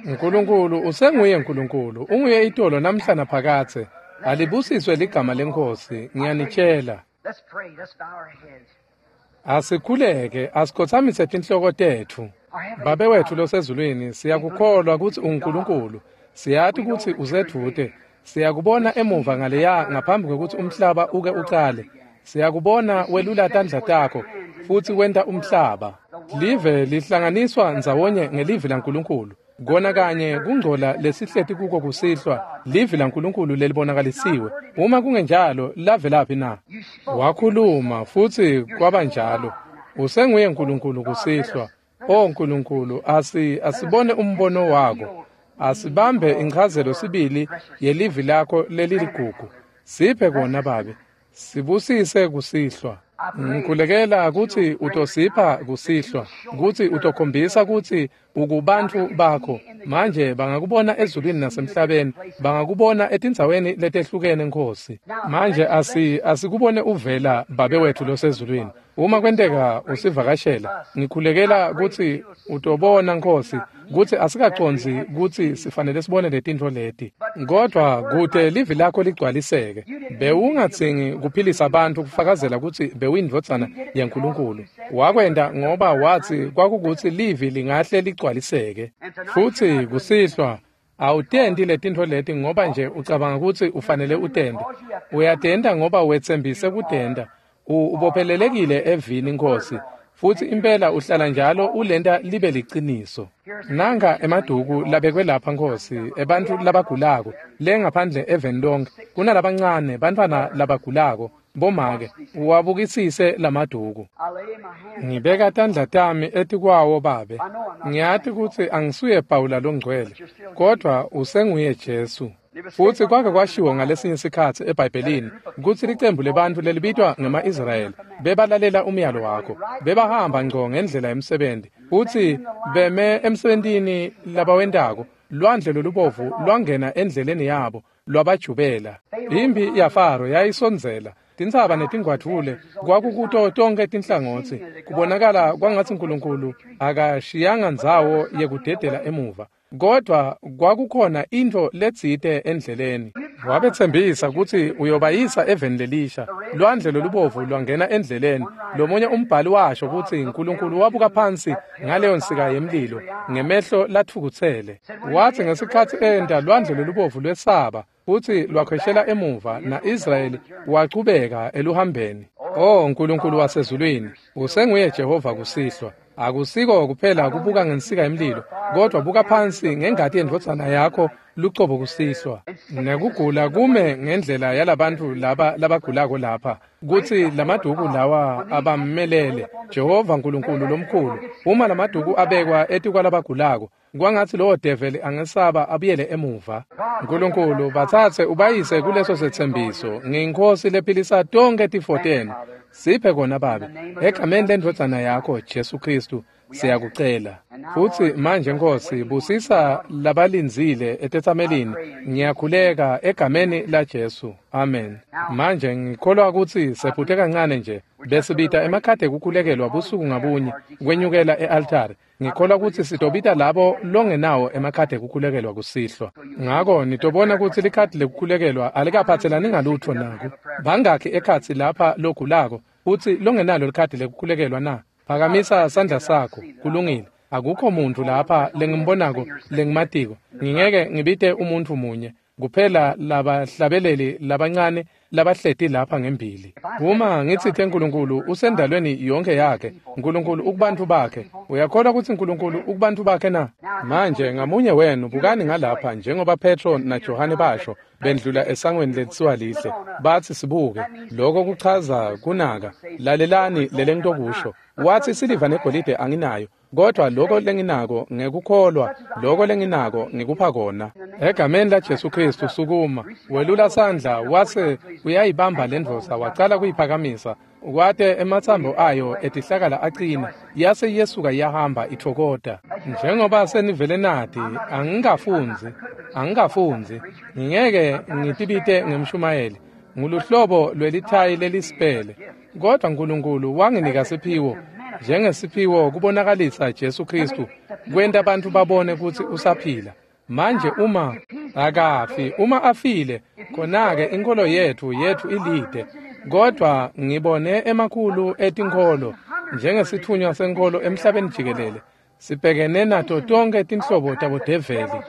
Nkulunkulu usenguye Nkulunkulu, unguye itolo namhla naphakadze. Alibusiswe ligama leNkhosi, ngiyanitshela. Asikhuleke, asikhotsamise tinhloko tetfu. Babe wetfu losezulwini, siyakukholwa kutsi unguNkulunkulu. Siyati kutsi usedvute. Siyakubona emuva ngaleya ngaphambi kwekutsi umhlaba uke ucale. Siyakubona welula tandla takho futsi wenta umhlaba. Live lihlanganiswa ndzawonye ngelivi laNkulunkulu. Kona kanye kungcola lesihleti kuko kusihlwa, livi laNkulunkulu lelibonakalisiwe. Uma kungenjalo, lavelaphi na? Wakhuluma futsi kwaba njalo. Usenguye Nkulunkulu kusihlwa. O Nkulunkulu, asi asibone umbono wako. Asibambe inchazelo sibili yelivi lakho leliligugu. Siphe kona Babe. Sibusise kusihlwa. Ngikhulekela kutsi utosipha kusihlwa, kutsi utokhombisa kutsi ukubantfu bakho. Manje bangakubona ezulwini nasemhlabeni, bangakubona etindzaweni letehlukene Nkosi. Manje asi asikubone uvela Babe wetfu losezulwini. Uma kwenteka usivakashela, ngikhulekela kutsi utobona Nkosi kutsi asikacondzi kutsi sifanele sibone letintfo leti. Kodwa kute livi lakho ligcwaliseke. Bewungadzingi kuphilisa abantu kufakazela kutsi bewuyindvodzana yaNkulunkulu. Wakwenta ngoba watsi kwakukutsi livi lingahle ligcwaliseke. Futsi kusihlwa awutenti letintfo leti ngoba nje ucabanga kutsi ufanele utente. Uyatenta ngoba wetsembise kutenta. Ubophelelekile evini Nkosi. Futsi impela uhlala njalo ulenta libe liciniso. Nanga emaduku labekwe lapha Nkosi, ebantfu labagulako, le ngaphandle eveni lonke, kunalabancane bantfwana labagulako, bomake, uwabukisise lamaduku. Ngibeka tandla tami etikwawo Babe. Ngiyati kutsi angisuye Pawula longcwele, kodwa usenguye Jesu. Futsi kwake kwashiwo ngalesinye sikhatsi eBhayibhelini kutsi licembu lebantfu lelibitwa ngema-Israyeli bebalalela umyalo wakho, bebahamba ngco ngendlela yemsebenti, futsi beme emsebentini labawentako. Lwandle lolubovu lwangena endleleni yabo lwabajubela. Imphi yaFaro yayisondzela. Tintsaba netingwadvule kwakukuto tonkhe tinhlangotsi. Kubonakala kwangatsi Nkulunkulu akashiyanga ndzawo yekudedela emuva. Kodwa kwakukhona intfo letsite endleleni. Wabetsembisa kutsi uyobayisa eveni lelisha. Lwandle lolubovu lwangena endleleni. Lomunye umbhali washo kutsi Nkulunkulu wabuka phansi ngaleyo nsika yemlilo ngemehlo latfukutsele. Watsi ngesikhatsi enta lwandle lolubovu lwesaba futsi lwakhweshela emuva, na-Israyeli wachubeka eluhambeni. Oh Nkulunkulu wasezulwini, usenguye Jehova kusihlwa. Akusiko kuphela kubuka ngensika yemlilo, kodwa buka phansi ngengati yendvodzana yakho lucobo kusihlwa. Nekugula kume ngendlela yalabantfu laba labagulako lapha, kutsi lamaduku lawa abammelele. Jehova Nkulunkulu lomkhulu, uma lamaduku abekwa etikwalabagulako, kwangatsi lowo develi angesaba abuyele emuva. Nkulunkulu, batsatse ubayise kuleso setsembiso. Ngiyinkosi lephilisa tonkhe tifo tenu. Siphe kona Babe, egameni lendvodzana yakho Jesu Khristu siyakucela. Futsi manje Nkosi, busisa labalindzile etetsamelini. Ngiyakhuleka egameni la Jesu. Amen. Manje ngikholwa kutsi sephute kancane nje. Besibita emakhadi ekukhulekelwa busuku ngabunye kwenyukela e-altari. Ngikholwa kutsi sitobita labo longenawo emakhadi ekukhulekelwa kusihlwa. Ngako nitobona kutsi likhadi lekukhulekelwa alikaphatselani ngalutfo nako. Bangakhi ekhatsi lapha logulako futsi longenalo likhadi lekukhulekelwa na? Phakamisa sandla sakho. Kulungile. Akukho muntfu lapha lengimbonako lengimatiko. Ngingeke ngibite umuntfu munye kuphela labahlabeleli labancane labahleti lapha ngembili. Uma ngitsite Nkulunkulu usendalweni yonke yakhe, Nkulunkulu ukubantfu bakhe. Uyakholwa kutsi Nkulunkulu ukubantfu bakhe na? Manje ngamunye wenu bukani ngalapha njengoba Petro naJohane basho bendlula esangweni lelitsiwa lihle. Batsi sibuke. Lokho kuchaza kunaka. Lalelani lelengitokusho. Watsi siliva negolide anginayo, kodwa lokho lenginako ngekukholwa, lokho lenginako ngikupha kona. Egameni laJesu Kristu sukuma. Welula sandla wase uyayibamba lendvodza wacala kuyiphakamisa. Kwate ematsambo ayo etihlakala aqina yase yesuka iyahamba ithokota. Njengoba senivele nati angingafundzi angingafundzi ngingeke ngitibite ngemshumayeli nguluhlobo lwelithayi lelisipele kodwa uNkulunkulu wanginika siphiwo njengesiphiwo kubonakalisa Jesu Kristu kwenta abantu babone kutsi usaphila. Manje uma akafi uma afile khona-ke inkolo yethu yethu ilide kodwa ngibone emakhulu etinkholo njengesithunywa senkolo emhlabeni jikelele sibhekene nato tonke tinhlobo tabodeveli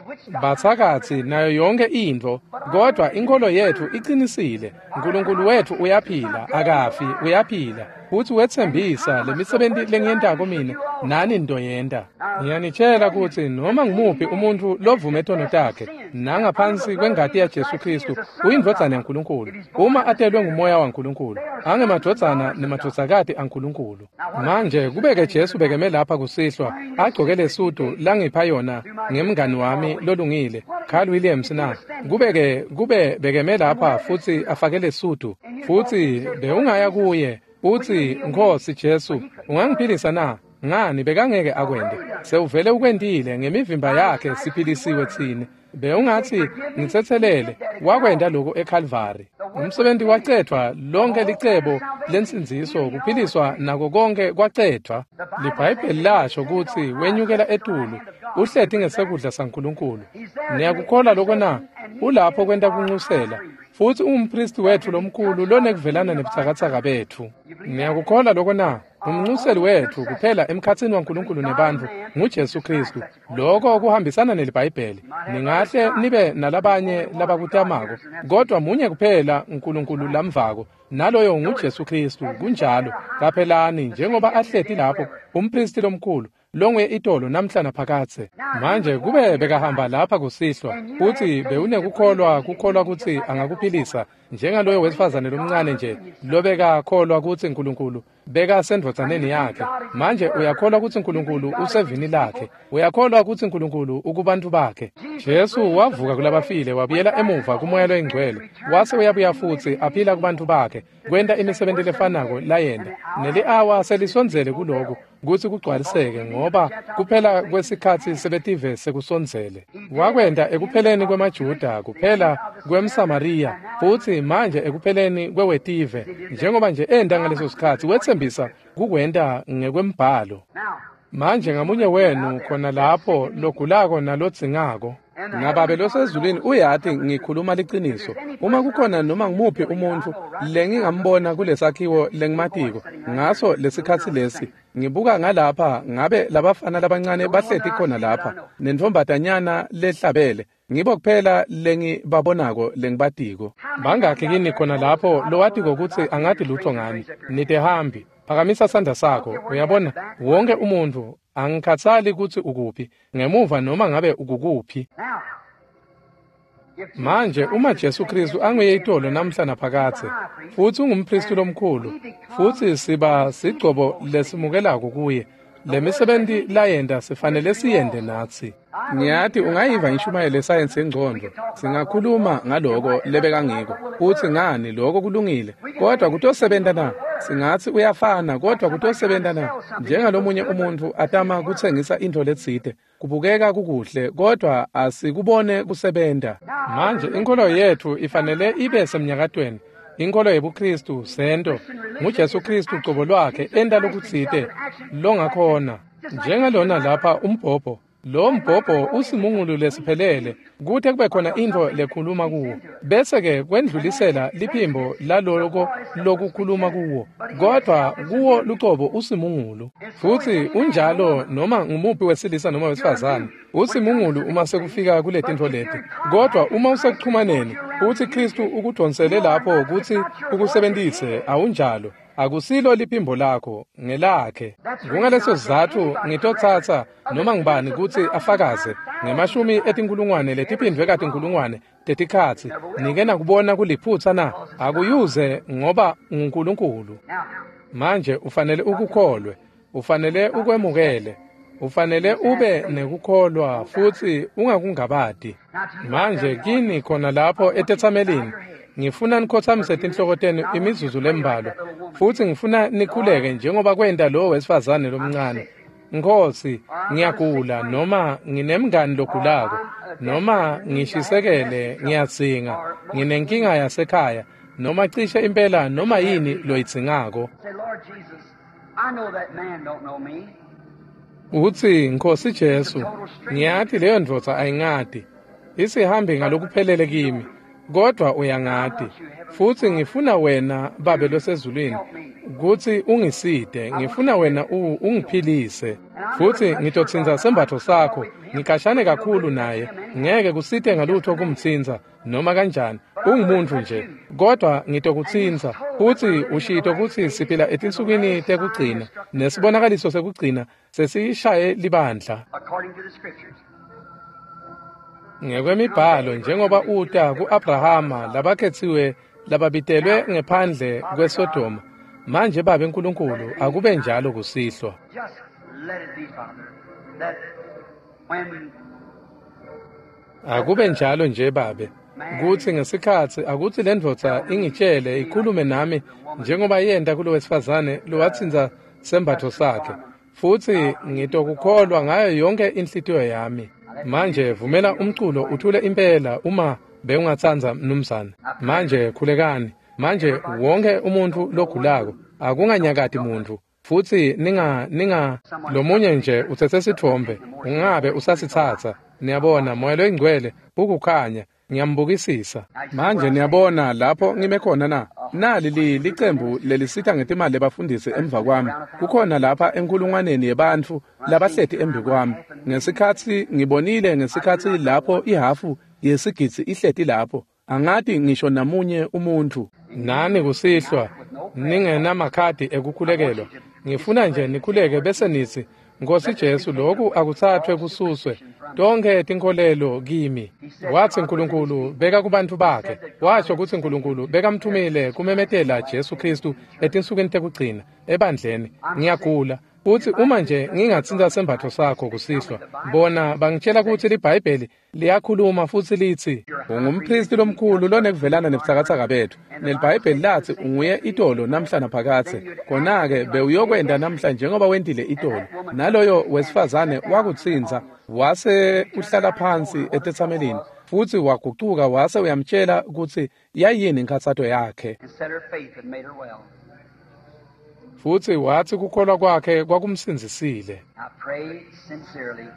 bathakathi nayo yonke intfo kodwa inkolo yethu iqinisile. uNkulunkulu wethu uyaphila akafi uyaphila futhi wetsembisa lemisebenti lengiyentako mina nani ntoyenta. Ngiyanitshela kutsi noma ngumuphi umuntfu lovume tono takhe nangaphansi kwengati yaJesu Kristu uyindvodzana yaNkulunkulu uma atelwe ngumoya waNkulunkulu angemadvodzana nemadvodzakati aNkulunkulu. Manje kubeke Jesu bekeme lapha kusihlwa agcoke lesudu langipha yona ngemngani wami lolungile Carl Williams na kubeke kube bekeme lapha futsi afake lesudu futsi bewungaya kuye uthi Nkosi Jesu ungangiphilisa na? Ngani bekangeke akwende sewuvele ukwentile ngemivimba yakhe siphilisiwe tsine. Bewungathi ngitsetselele wakwenda lokho eCalvary. Umsebenzi wacedvwa lonke licebo lensindziso kuphiliswa nako konke kwacedvwa. LiBhayibheli lasho kutsi wenyukela etulu uhleti ngesekudla saNkulunkulu. Niyakukholwa lokho na? Ulapho kwenta kunxusela futsi ungumpristi wetfu lomkhulu lonekuvelana nebutsakatsaka betfu. Niyakukholwa lokho na? Umnxuseli wetfu kuphela emkhatsini waNkulunkulu nebantfu nguJesu Kristu. Lokho kuhambisana neliBhayibheli. Ningahle nibe nalabanye labakutamako kodwa munye kuphela uNkulunkulu lamvako naloyo nguJesu Kristu. Kunjalo. Qaphelani njengoba ahleti lapho umpristi lomkhulu longuye itolo namhla naphakadze. Manje kube bekahamba lapha kusihlwa futhi bewunekukholwa kukholwa kutsi angakuphilisa njengaloyo wesifazane lomncane nje lobekakholwa kutsi uNkulunkulu bekasendvodzaneni yakhe. Manje uyakholwa kutsi uNkulunkulu usevini lakhe, uyakholwa kutsi uNkulunkulu ukubantu bakhe. Jesu wavuka kulabafile wabuyela emuva kumoya loyingcwele wase uyabuya futsi aphila kubantu bakhe kwenta imisebenti lefanako layenta. Neli-awa selisondzele kuloku kutsi kugcwaliseke ngoba kuphela kwesikhatsi sebetive sekusondzele. Wakwenta ekupheleni kwemaJuda kuphela kwemSamariya futsi manje ekupheleni kwewetive njengoba nje enta ngaleso sikhatsi wetsembisa kukwenta ngekwembhalo. Manje ngamunye wenu khona lapho logulako nalodzingako nababe losezulwini uyati ngikhuluma liciniso. Uma kukhona noma ngumuphi umuntfu lengingambona kulesakhiwo lengimatiko ngaso lesikhatsi lesi ngibuka ngalapha ngabe labafana labancane bahleti khona lapha nentfombatanyana lehlabele ngibo kuphela lengibabonako lengibatiko. Bangakhi kini khona lapho lowatiko kutsi angati lutho ngani? Nitehambi phakamisa sandla sakho. Uyabona wonke umuntfu angikhatsali kutsi ukuphi ngemuva noma ngabe ukukuphi. Manje uma Jesu Kristu anguye itolo namhla naphakadze futsi ungumpristi lomkhulu futsi siba sigcobo lesimukelako kuye lemisebenti layenta sifanele siyente natsi. Ngiyati ungayiva inshumayelo yesayensi yengcondvo singakhuluma ngaloko lebekangiko futsi ngani lokho kulungile kodwa kutosebenta na? Singatsi uyafana kodwa kutosebenta na? Njengalomunye umuntfu atama kutsengisa intfo letsite kubukeka kukuhle kodwa asikubone kusebenta. Manje inkolo yetfu ifanele ibe semnyakatweni. Inkolo yebuKristu sento nguJesu Kristu ucobo lwakhe enta lokutsite longakhona njengalona lapha umbhobho. Lo mbhobho usimungulu lesiphelele kute kube khona intfo lekhuluma kuwo bese-ke kwendlulisela liphimbo laloko lokukhuluma kuwo kodwa kuwo lucobo usimungulu. Futsi unjalo noma ngumuphi wesilisa noma wesifazane usimungulu uma sekufika kuletintfo leti kodwa uma usekuchumaneni uthi Kristu ukudonsele lapho kutsi ukusebentise awunjalo akusilo liphimbo lakho ngelakhe. Kungaleso sizatfu ngitotsatsa noma ngubani kutsi afakaze ngemashumi etinkulungwane letiphindvwe katinkulungwane tetikhatsi nike nakubona kuliphutsa na? Akuyuze ngoba nguNkulunkulu. Manje ufanele ukukholwe, ufanele ukwemukele. Ufanele ube nekukholwa futsi ungakungabati. Manje kini khona lapho etetsamelini, ngifuna nikhotsamise tinhloko tenu imizuzu lembalwa, futsi ngifuna nikhuleke njengoba kwenta lowo wesifazane lomncane. Nkhosi, ngiyagula noma nginemngani logulako, noma ngishisekele ngiyadzinga, nginenkinga yasekhaya, noma cishe impela noma yini loyidzingako. Say, Lord Jesus, I know that man don't know me. Utsi, Nkhosi Jesu, ngiyati leyo ndvodza ayingati. Isihambi ngalokuphelele kimi, kodwa uyangati. Futsi ngifuna wena, Babe losezulwini, kutsi ungisite. Ngifuna wena u ungiphilise. Futsi ngitotsintsa sembatfo sakho, ngikashane kakhulu naye. Ngeke kusite ngalutho kumtsintsa noma kanjani. Ungumuntfu nje, kodwa ngitokutsintsa. Futsi ushito kutsi siphila etinsukwini tekugcina, nesibonakaliso sekugcina sesishaye libandla. According to the scriptures. Ngekwemibhalo, njengoba uta ku-Abrahama labakhetsiwe lababitelwe ngephandle kweSodoma. Manje Babe Nkulunkulu, akube njalo kusihlwa. Just let it be, Father, that when Akube njalo nje Babe, kutsi ngesikhatsi akutsi lendvodza ingitshele ikhulume nami njengoba yenta kulo wesifazane lowatsintsa sembatfo sakhe, futsi ngitokukholwa ngayo yonke inhlitiyo yami. Manje vumela umculo uthule impela uma bewungatsandza mnumzane. Manje khulekani. Manje wonke umuntfu logulako, akunganyakati muntfu. Futsi ninga ninga lomunye nje utsetse sitfombe, ungabe usasitsatsa. Niyabona, Moya loyiNgcwele ukukhanya, ngiyambukisisa. Manje niyabona lapho ngime khona na? Nali li licembu lelisita ngetimali lebafundisi emva kwami. Kukhona lapha enkulungwaneni yebantfu labahleti embi kwami. Ngesikhatsi ngibonile ngesikhatsi lapho ihhafu yesigidzi ihleti lapho, angati ngisho namunye umuntfu. Nani kusihlwa ningenamakhadi ekukhulekelwa, ngifuna nje nikhuleke bese nitsi, Nkhosi Jesu, lokhu akutsathwe kususwe tonkhe tinkholelo kimi. Watsi Nkulunkulu beka kubantfu bakhe. Washo kutsi Nkulunkulu bekamthumile kumemetela Jesu Khristu etinsukwini tekugcina ebandleni. Ngiyagula. Futsi uma nje ngingatsintsa sembatfo sakho kusihlwa, bona bangitshela kutsi liBhayibheli liyakhuluma futsi litsi ungumphristi lomkhulu lonekuvelana nebutsakatsaka betfu, neliBhayibheli latsi unguye itolo namhla naphakadze. Khona-ke bewuyokwenta namhla njengoba wentile itolo. Naloyo wesifazane wakutsintsa, wase uhlala phansi etetsamelini, futsi wagucuka wase uyamtshela kutsi yayini inkhatsato yakhe. And said her faith had made her well. Futsi watsi kukholwa kwakhe kwakumsindzisile. I pray sincerely,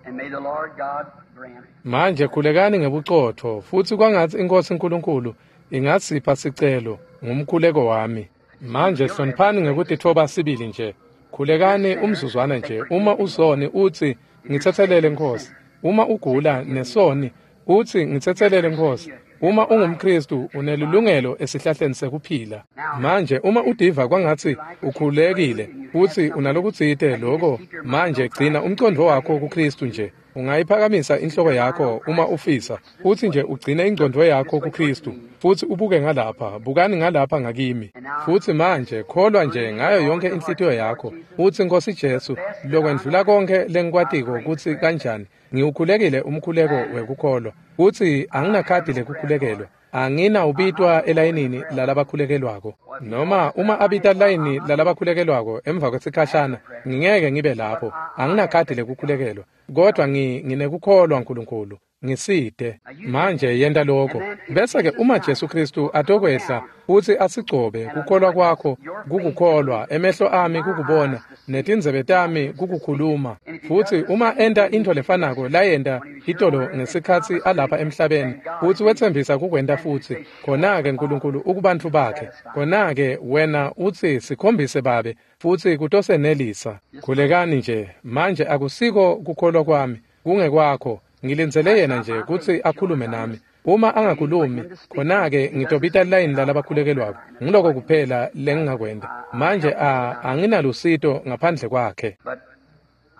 and may the Lord God grant. Manje khulekani ngebucotfo, futsi kwangatsi iNkhosi Nkulunkulu ingasipha sicelo ngumkhuleko wami. Manje hloniphani ngekutitfoba sibili nje. Khulekani umzuzwana nje. Uma usoni utsi, ngitsetselele Nkhosi. Uma ugula nesoni utsi, ngitsetselele Nkhosi. Uma ungumKhristu unelilungelo esihlahleni sekuphila. Manje uma udiva kwangatsi ukhulekile futsi unalokutsite loko, manje gcina umcondvo wakho kuKhristu nje. Ungayiphakamisa inhloko yakho uma ufisa, futsi nje ugcine ingcondvo yakho kuKhristu, futsi ubuke ngalapha, bukani ngalapha ngakimi. Futsi manje kholwa nje ngayo yonke inhlitiyo yakho, utsi Nkhosi Jesu, lokwendlula konkhe lengikwatiko kutsi kanjani, ngiwukhulekile umkhuleko wekukholwa, futsi anginakhadi lekukhulekelwa. Anginawubitwa elayinini lalabakhulekelwako. Noma uma abita layini lalabakhulekelwako emva kwesikhashana, ngingeke ngibe lapho. Anginakhadi lekukhulekelwa, kodwa ngi nginekukholwa Nkulunkulu. Ngisite. Manje yenta lokho. Bese-ke uma Jesu Khristu atokwehla futsi asigcobe, kukholwa kwakho kukukholwa, emehlo ami kukubona, netindzebe tami kukukhuluma. Futsi uma enta intfo lefanako layenta itolo ngesikhatsi alapha emhlabeni, futsi wetsembisa kukwenta futsi, khona-ke Nkulunkulu ukubantfu bakhe. Khona-ke wena utsi sikhombise Babe, futsi kutosenelisa. Khulekani nje. Manje akusiko kukholwa kwami, kungekwakho. Ngilindzele yena nje kutsi akhulume nami. Uma angakhulumi, khona-ke ngitobita layini lalabakhulekelwako. Ngiloko kuphela lengingakwenta. Manje a anginalusito ngaphandle kwakhe. But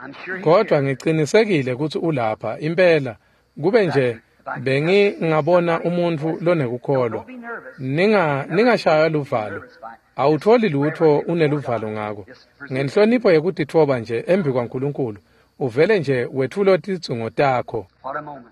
I'm sure he's Kodwa here. ngicinisekile kutsi ulapha impela. Kube nje bengingabona umuntfu lonekukholwa. Don't be nervous. Ninga ningashaywa luvalo. Awutholi lutho uneluvalo ngako. Ngenhlonipho yekutitfoba nje embi kwaNkulunkulu, uvele nje wetfule tidzingo takho. What a moment.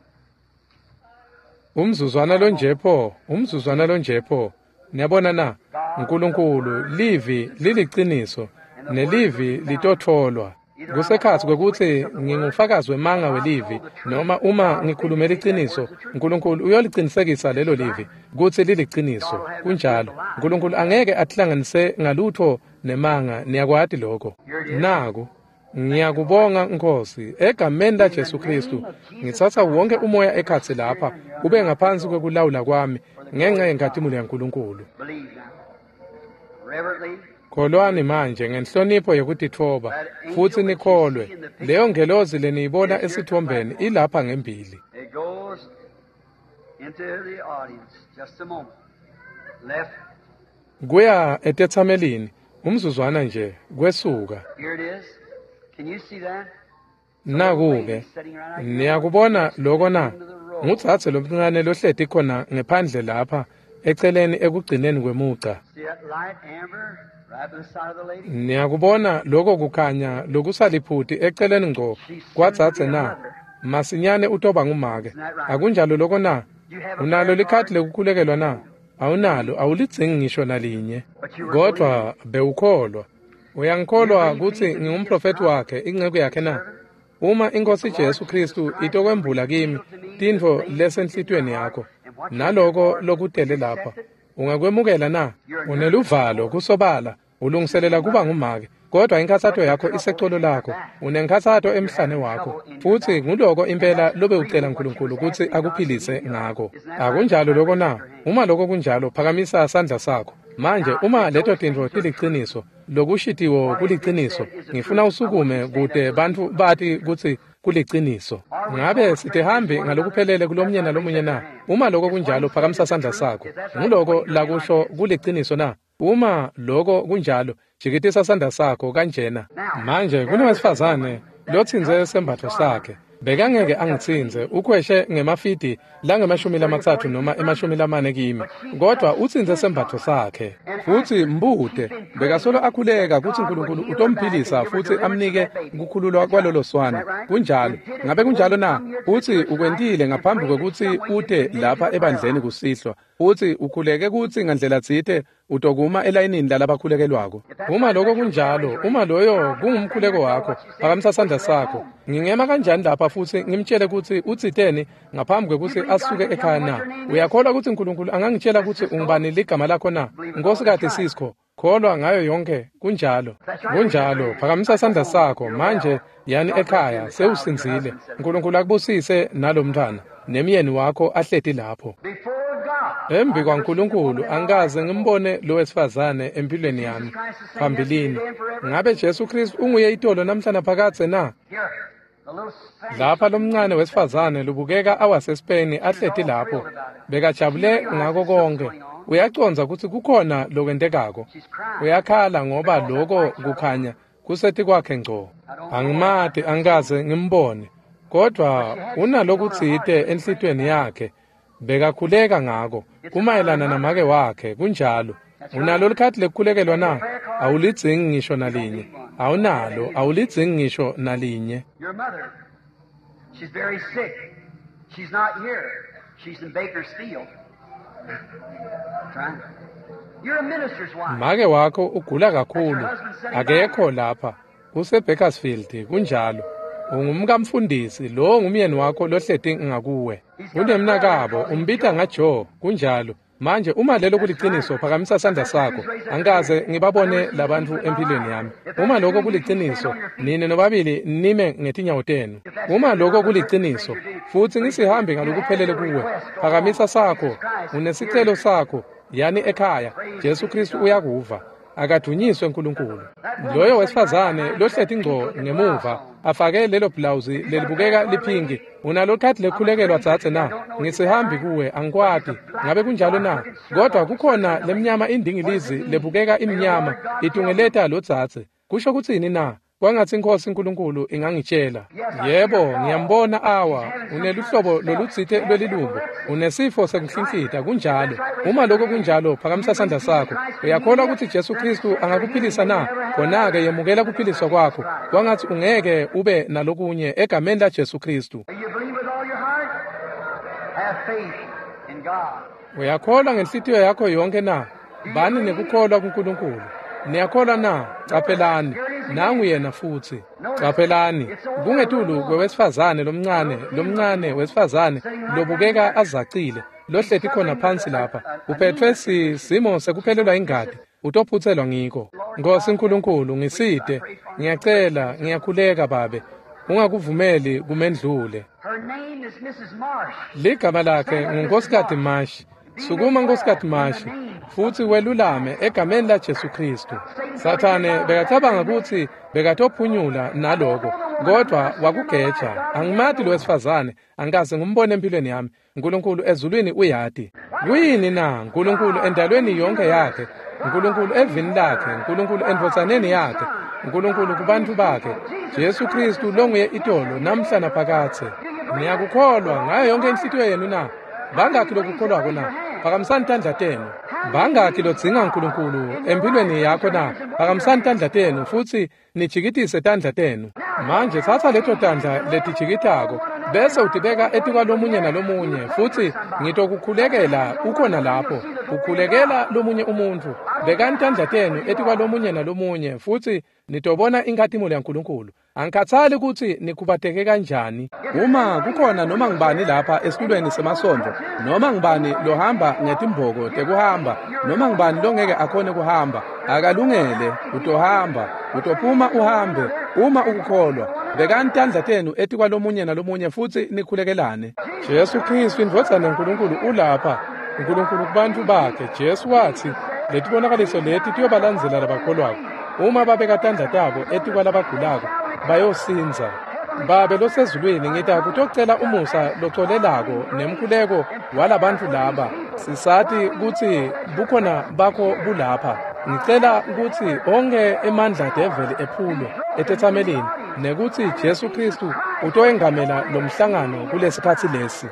Umzuzwana lonje pho, umzuzwana lonje pho. Niyabona na? Nkulunkulu, livi liliciniso, nelivi litotfolwa. Kusekhatsi kwekutsi ngingufakazi wemanga welivi, noma uma ngikhulume liciniso, Nkulunkulu uyolicinisekisa lelo livi kutsi liliciniso. Kunjalo. Nkulunkulu angeke atihlanganise ngalutho nemanga, niyakwati lokho. Naku, ngiyakubonga Nkosi, egameni laJesu Kristu, ngitsatsa wonke umoya ekhatsi lapha ube ngaphansi kwekulawula kwami ngenxa yenkhatimulo yaNkulunkulu. Believe now. Reverently, Kholwani manje ngenhlonipho yekutitfoba futsi nikholwe. Leyo ngelozi leniyibona esitfombeni ilapha ngembili. it goes into the audience. Just a moment. Left, Kuya etetsamelini, umzuzwana nje kwesuka. here it is. Can you see that? Naku-ke, niyakubona loko na? Ngudzadze lomncane lohleti khona ngephandle lapha eceleni ekugcineni kwemugca. See that light amber right by the side of the lady? Niyakubona loko kukhanya lokusaliphuti eceleni ngco kwadzadze na? Masinyane utoba ngumake. Akunjalo loko na? Unalo likhadi lekukhulekelwa na? Awunalo, awulidzingi ngisho nalinye. Kodwa bewukholwa. Uyangikholwa kutsi ngingumprofethi wakhe, inceku yakhe na? Uma iNkosi Jesu Kristu itokwembula kimi tintfo lesenhlitiyweni yakho, naloko lokutele lapha, ungakwemukela na? Uneluvalo kusobala, ulungiselela kuba ngumake, kodwa inkhatsato yakho isecolo lakho, unenkhatsato emhlane wakho, futsi nguloko impela lobe ucela Nkulunkulu kutsi akuphilise ngako. Akunjalo loko na? Uma loko kunjalo, phakamisa sandla sakho. Manje uma leto tintfo tiliciniso, lokushitiwo kuliciniso, ngifuna usukume kute bantfu bati kutsi kuliciniso. Ngabe sitihambi ngalokuphelele kulomnye nalomunye na? Uma loko kunjalo, phakamisa sandla sakho. Nguloko lakusho kuliciniso na? Uma loko kunjalo, jikitisa sandla sakho kanjena. Manje kunowesifazane lotsintse sembatfo sakhe. Bekangeke angitsintse, ukhweshe ngemafidi langemashumi lamatsatfu noma emashumi lamane kimi, kodwa utsintse sembatfo sakhe. Futsi mbute, bekasolo akhuleka kutsi Nkulunkulu utomphilisa futsi amnike kukhululwa kwalolo swana. Kunjalo. Ngabe kunjalo na? Utsi ukwentile ngaphambi kwekutsi ute lapha ebandleni kusihlwa. Utsi ukhuleke kutsi ngandlela tsite utokuma elayinini lalabakhulekelwako. Uma loko kunjalo, uma loyo kungumkhuleko wakho, phakamisa sandla sakho. Ngingema kanjani lapha futsi ngimtshele kutsi utsiteni ngaphambi kwekutsi asuke ekhaya na? Uyakholwa kutsi Nkulunkulu angangitshela kutsi ungubani ligama lakho na? Nkosikazi Sisko, kholwa ngayo yonke, kunjalo. Kunjalo, phakamisa sandla sakho. Manje yani ekhaya, sewusindzile. Nkulunkulu akubusise nalomntfwana nemyeni wakho ahleti lapho. Before God. Embi kwaNkulunkulu angikaze ngimbone lo wesifazane empilweni yami phambilini. Ngabe Jesu Kristu unguye itolo namhla naphakadze na? Here, the little Spanish Lapha lomncane wesifazane lobukeka awaseSpain ahleti lapho, bekajabule ngako konke. Uyacondza kutsi kukhona lokwentekako. Uyakhala ngoba loko kukhanya kusetikwakhe ngco. Angimati, angikaze ngimbone, kodwa unalokutsite enhlitiyweni yakhe. Bekakhuleka ngako kumayelana namake wakhe. Kunjalo. Unalo likhadi lekukhulekelwa na? Awulidzingi ngisho nalinye. Awunalo, awulidzingi ngisho nalinye. Your mother, she's very sick. She's not here. She's in Bakersfield. That's right. You're a minister's wife. Make wakho ugula kakhulu, akekho lapha, use-Bakersfield. Kunjalo. Ungumkamfundisi, lowo ngumyeni wakho lohleti ngakuwe. Unemnakabo, umbita ngaJoe. Kunjalo. Manje uma lelo kuliciniso, phakamisa sandla sakho. Angikaze ngibabone labantfu empilweni yami. Uma lokho kuliciniso, nine nobabili nime ngetinyawo tenu. Uma lokho kuliciniso, futsi ngisihambi ngalokuphelele kuwe, phakamisa sakho. Unesicelo sakho, yani ekhaya. Jesu Kristu uyakuva. Akadunyiswe uNkulunkulu. Loyo wesifazane lohleti ngco ngemuva afake lelo blawuzi lelibukeka liphinki, unalo khadi lekukhulekelwa dzadze na? Ngisihambi kuwe, angikwati. Ngabe kunjalo na? Kodwa kukhona lemnyama indingilizi lebukeka imnyama itungeleta lo dzadze. Kusho kutsini na? Kwangatsi iNkhosi uNkulunkulu ingangitshela. Yebo, ngiyambona awa, uneluhlobo lolutsite lwelilumbo, unesifo sekuhlinhlita, kunjalo. Uma lokho kunjalo, phakamisa sandla sakho. Uyakholwa kutsi Jesu Khristu angakuphilisa na? Khona-ke yemukela kuphiliswa kwakho. Kwangatsi ungeke ube nalokunye egameni la Jesu Khristu. Do you believe with all your heart? Have faith in God. Uyakholwa ngenhlitiyo yakho yonke na? Bani nekukholwa kuNkulunkulu. Niyakholwa na? Caphelani, nangu yena futsi. Caphelani, kungetulu kwewesifazane lomncane, lomncane wesifazane lobukeka azacile, lohleti khona phansi lapha. Uphethwe simo sekuphelelwa ingati, utophutselwa ngiko. Nkosi uNkulunkulu, ngisite. Ngiyacela, ngiyakhuleka Babe. Ungakuvumeli kumendlule. Her name is Missus Marsh. Ligama lakhe nguNkosikati Mashi. Sukuma Nkosikati Mashi futsi welulame egameni la Jesu Khristu. Sathane bekacabanga kutsi bekatophunyula naloko, kodwa wakugeja. Angimati lo wesifazane, angikaze ngumbone empilweni yami. uNkulunkulu ezulwini uyati. Kuyini na? uNkulunkulu endalweni yonke yakhe, uNkulunkulu evini lakhe, uNkulunkulu endvodzaneni yakhe, uNkulunkulu kubantfu bakhe. Jesu Khristu longuye itolo namhla naphakadze. Niyakukholwa ngayo yonke inhlitiyo yenu na? Bangakhi lokukholwako na? Phakamisani tandla tenu. Bangakhi lodzinga uNkulunkulu empilweni yakho na? Phakamisani tandla tenu futsi nijikitise tandla tenu. Manje tsatsa leto tandla letijikitako bese utibeka etikwalomunye nalomunye, futsi ngitokukhulekela ukhona lapho. Ukhulekela lomunye umuntfu. Bekani tandla tenu etikwalomunye nalomunye futsi nitobona inkhatimulo yaNkulunkulu. Angikhatsali kutsi nikhubateke kanjani. Uma kukhona noma ngubani lapha esitulweni semasondvo, noma ngubani lohamba ngetimboko tekuhamba, noma ngubani longeke akhone kuhamba, akalungele, utohamba, utophuma uhambe, uma ukukholwa. Bekani tandla tenu etikwalomunye nalomunye futsi nikhulekelane. Jesu Khristu indvodzana yaNkulunkulu ulapha. uNkulunkulu kubantfu bakhe. Jesu watsi, letibonakaliso leti tiyobalandzela labakholwako. Uma babeka tandla tabo etikwalabagulako, bayosindza. Babe losezulwini, ngita kutocela umusa locolelako nemkhuleko walabantfu laba. Sisati kutsi bukhona bakho bulapha. Ngicela kutsi onke emandla develi ephulwe etetsamelini, nekutsi Jesu Khristu utoyengamela lomhlangano kulesikhatsi lesi.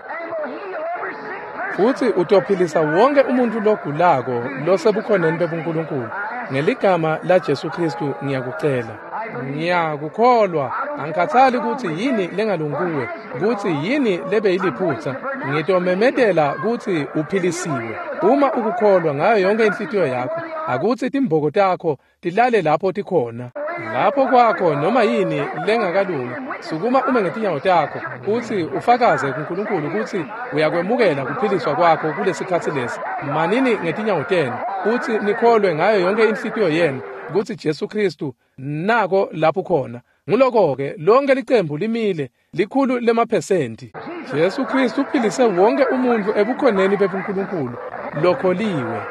Futsi utophilisa wonke umuntu logulako losebukhoneni bebuNkulunkulu. Ngeligama la Jesu Khristu ngiyakucela. Ngiyakukholwa. Angikhatsali kutsi yini lengalungi kuwe, kutsi yini lebeyiliphutsa. Ngitomemetela kutsi uphilisiwe. Uma ukukholwa ngayo yonke inhlitiyo yakho, akutsi timboko takho tilale lapho tikhona. Lapho kwakho noma yini lengakalungi, sukuma ume ngetinyawo takho utsi ufakaze kuNkulunkulu kutsi uyakwemukela kuphiliswa kwakho kulesikhatsi lesi. Manini ngetinyawo tenu utsi nikholwe ngayo yonke inhlitiyo yenu kutsi Jesu Khristu nako lapho khona. Nguloko-ke lonke licembu limile, likhulu lemaphesenti. Jesu Khristu uphilise wonke umuntfu ebukhoneni bebuNkulunkulu lokholiwe.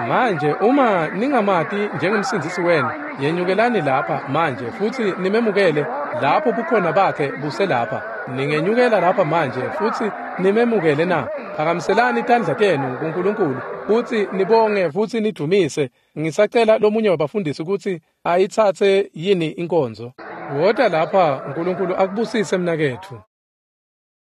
Manje uma ningamati njengemsindzisi wenu, yenyukelani lapha manje futsi nimemukele lapho bukhona bakhe buselapha. Ningenyukela lapha manje futsi nimemukele na? Phakamiselani tandla tenu kuNkulunkulu futsi nibonge futsi nidumise. Ngisacela lomunye wabafundisi kutsi ayitsatse yini inkonzo. Wota lapha, uNkulunkulu akubusise mnaketfu.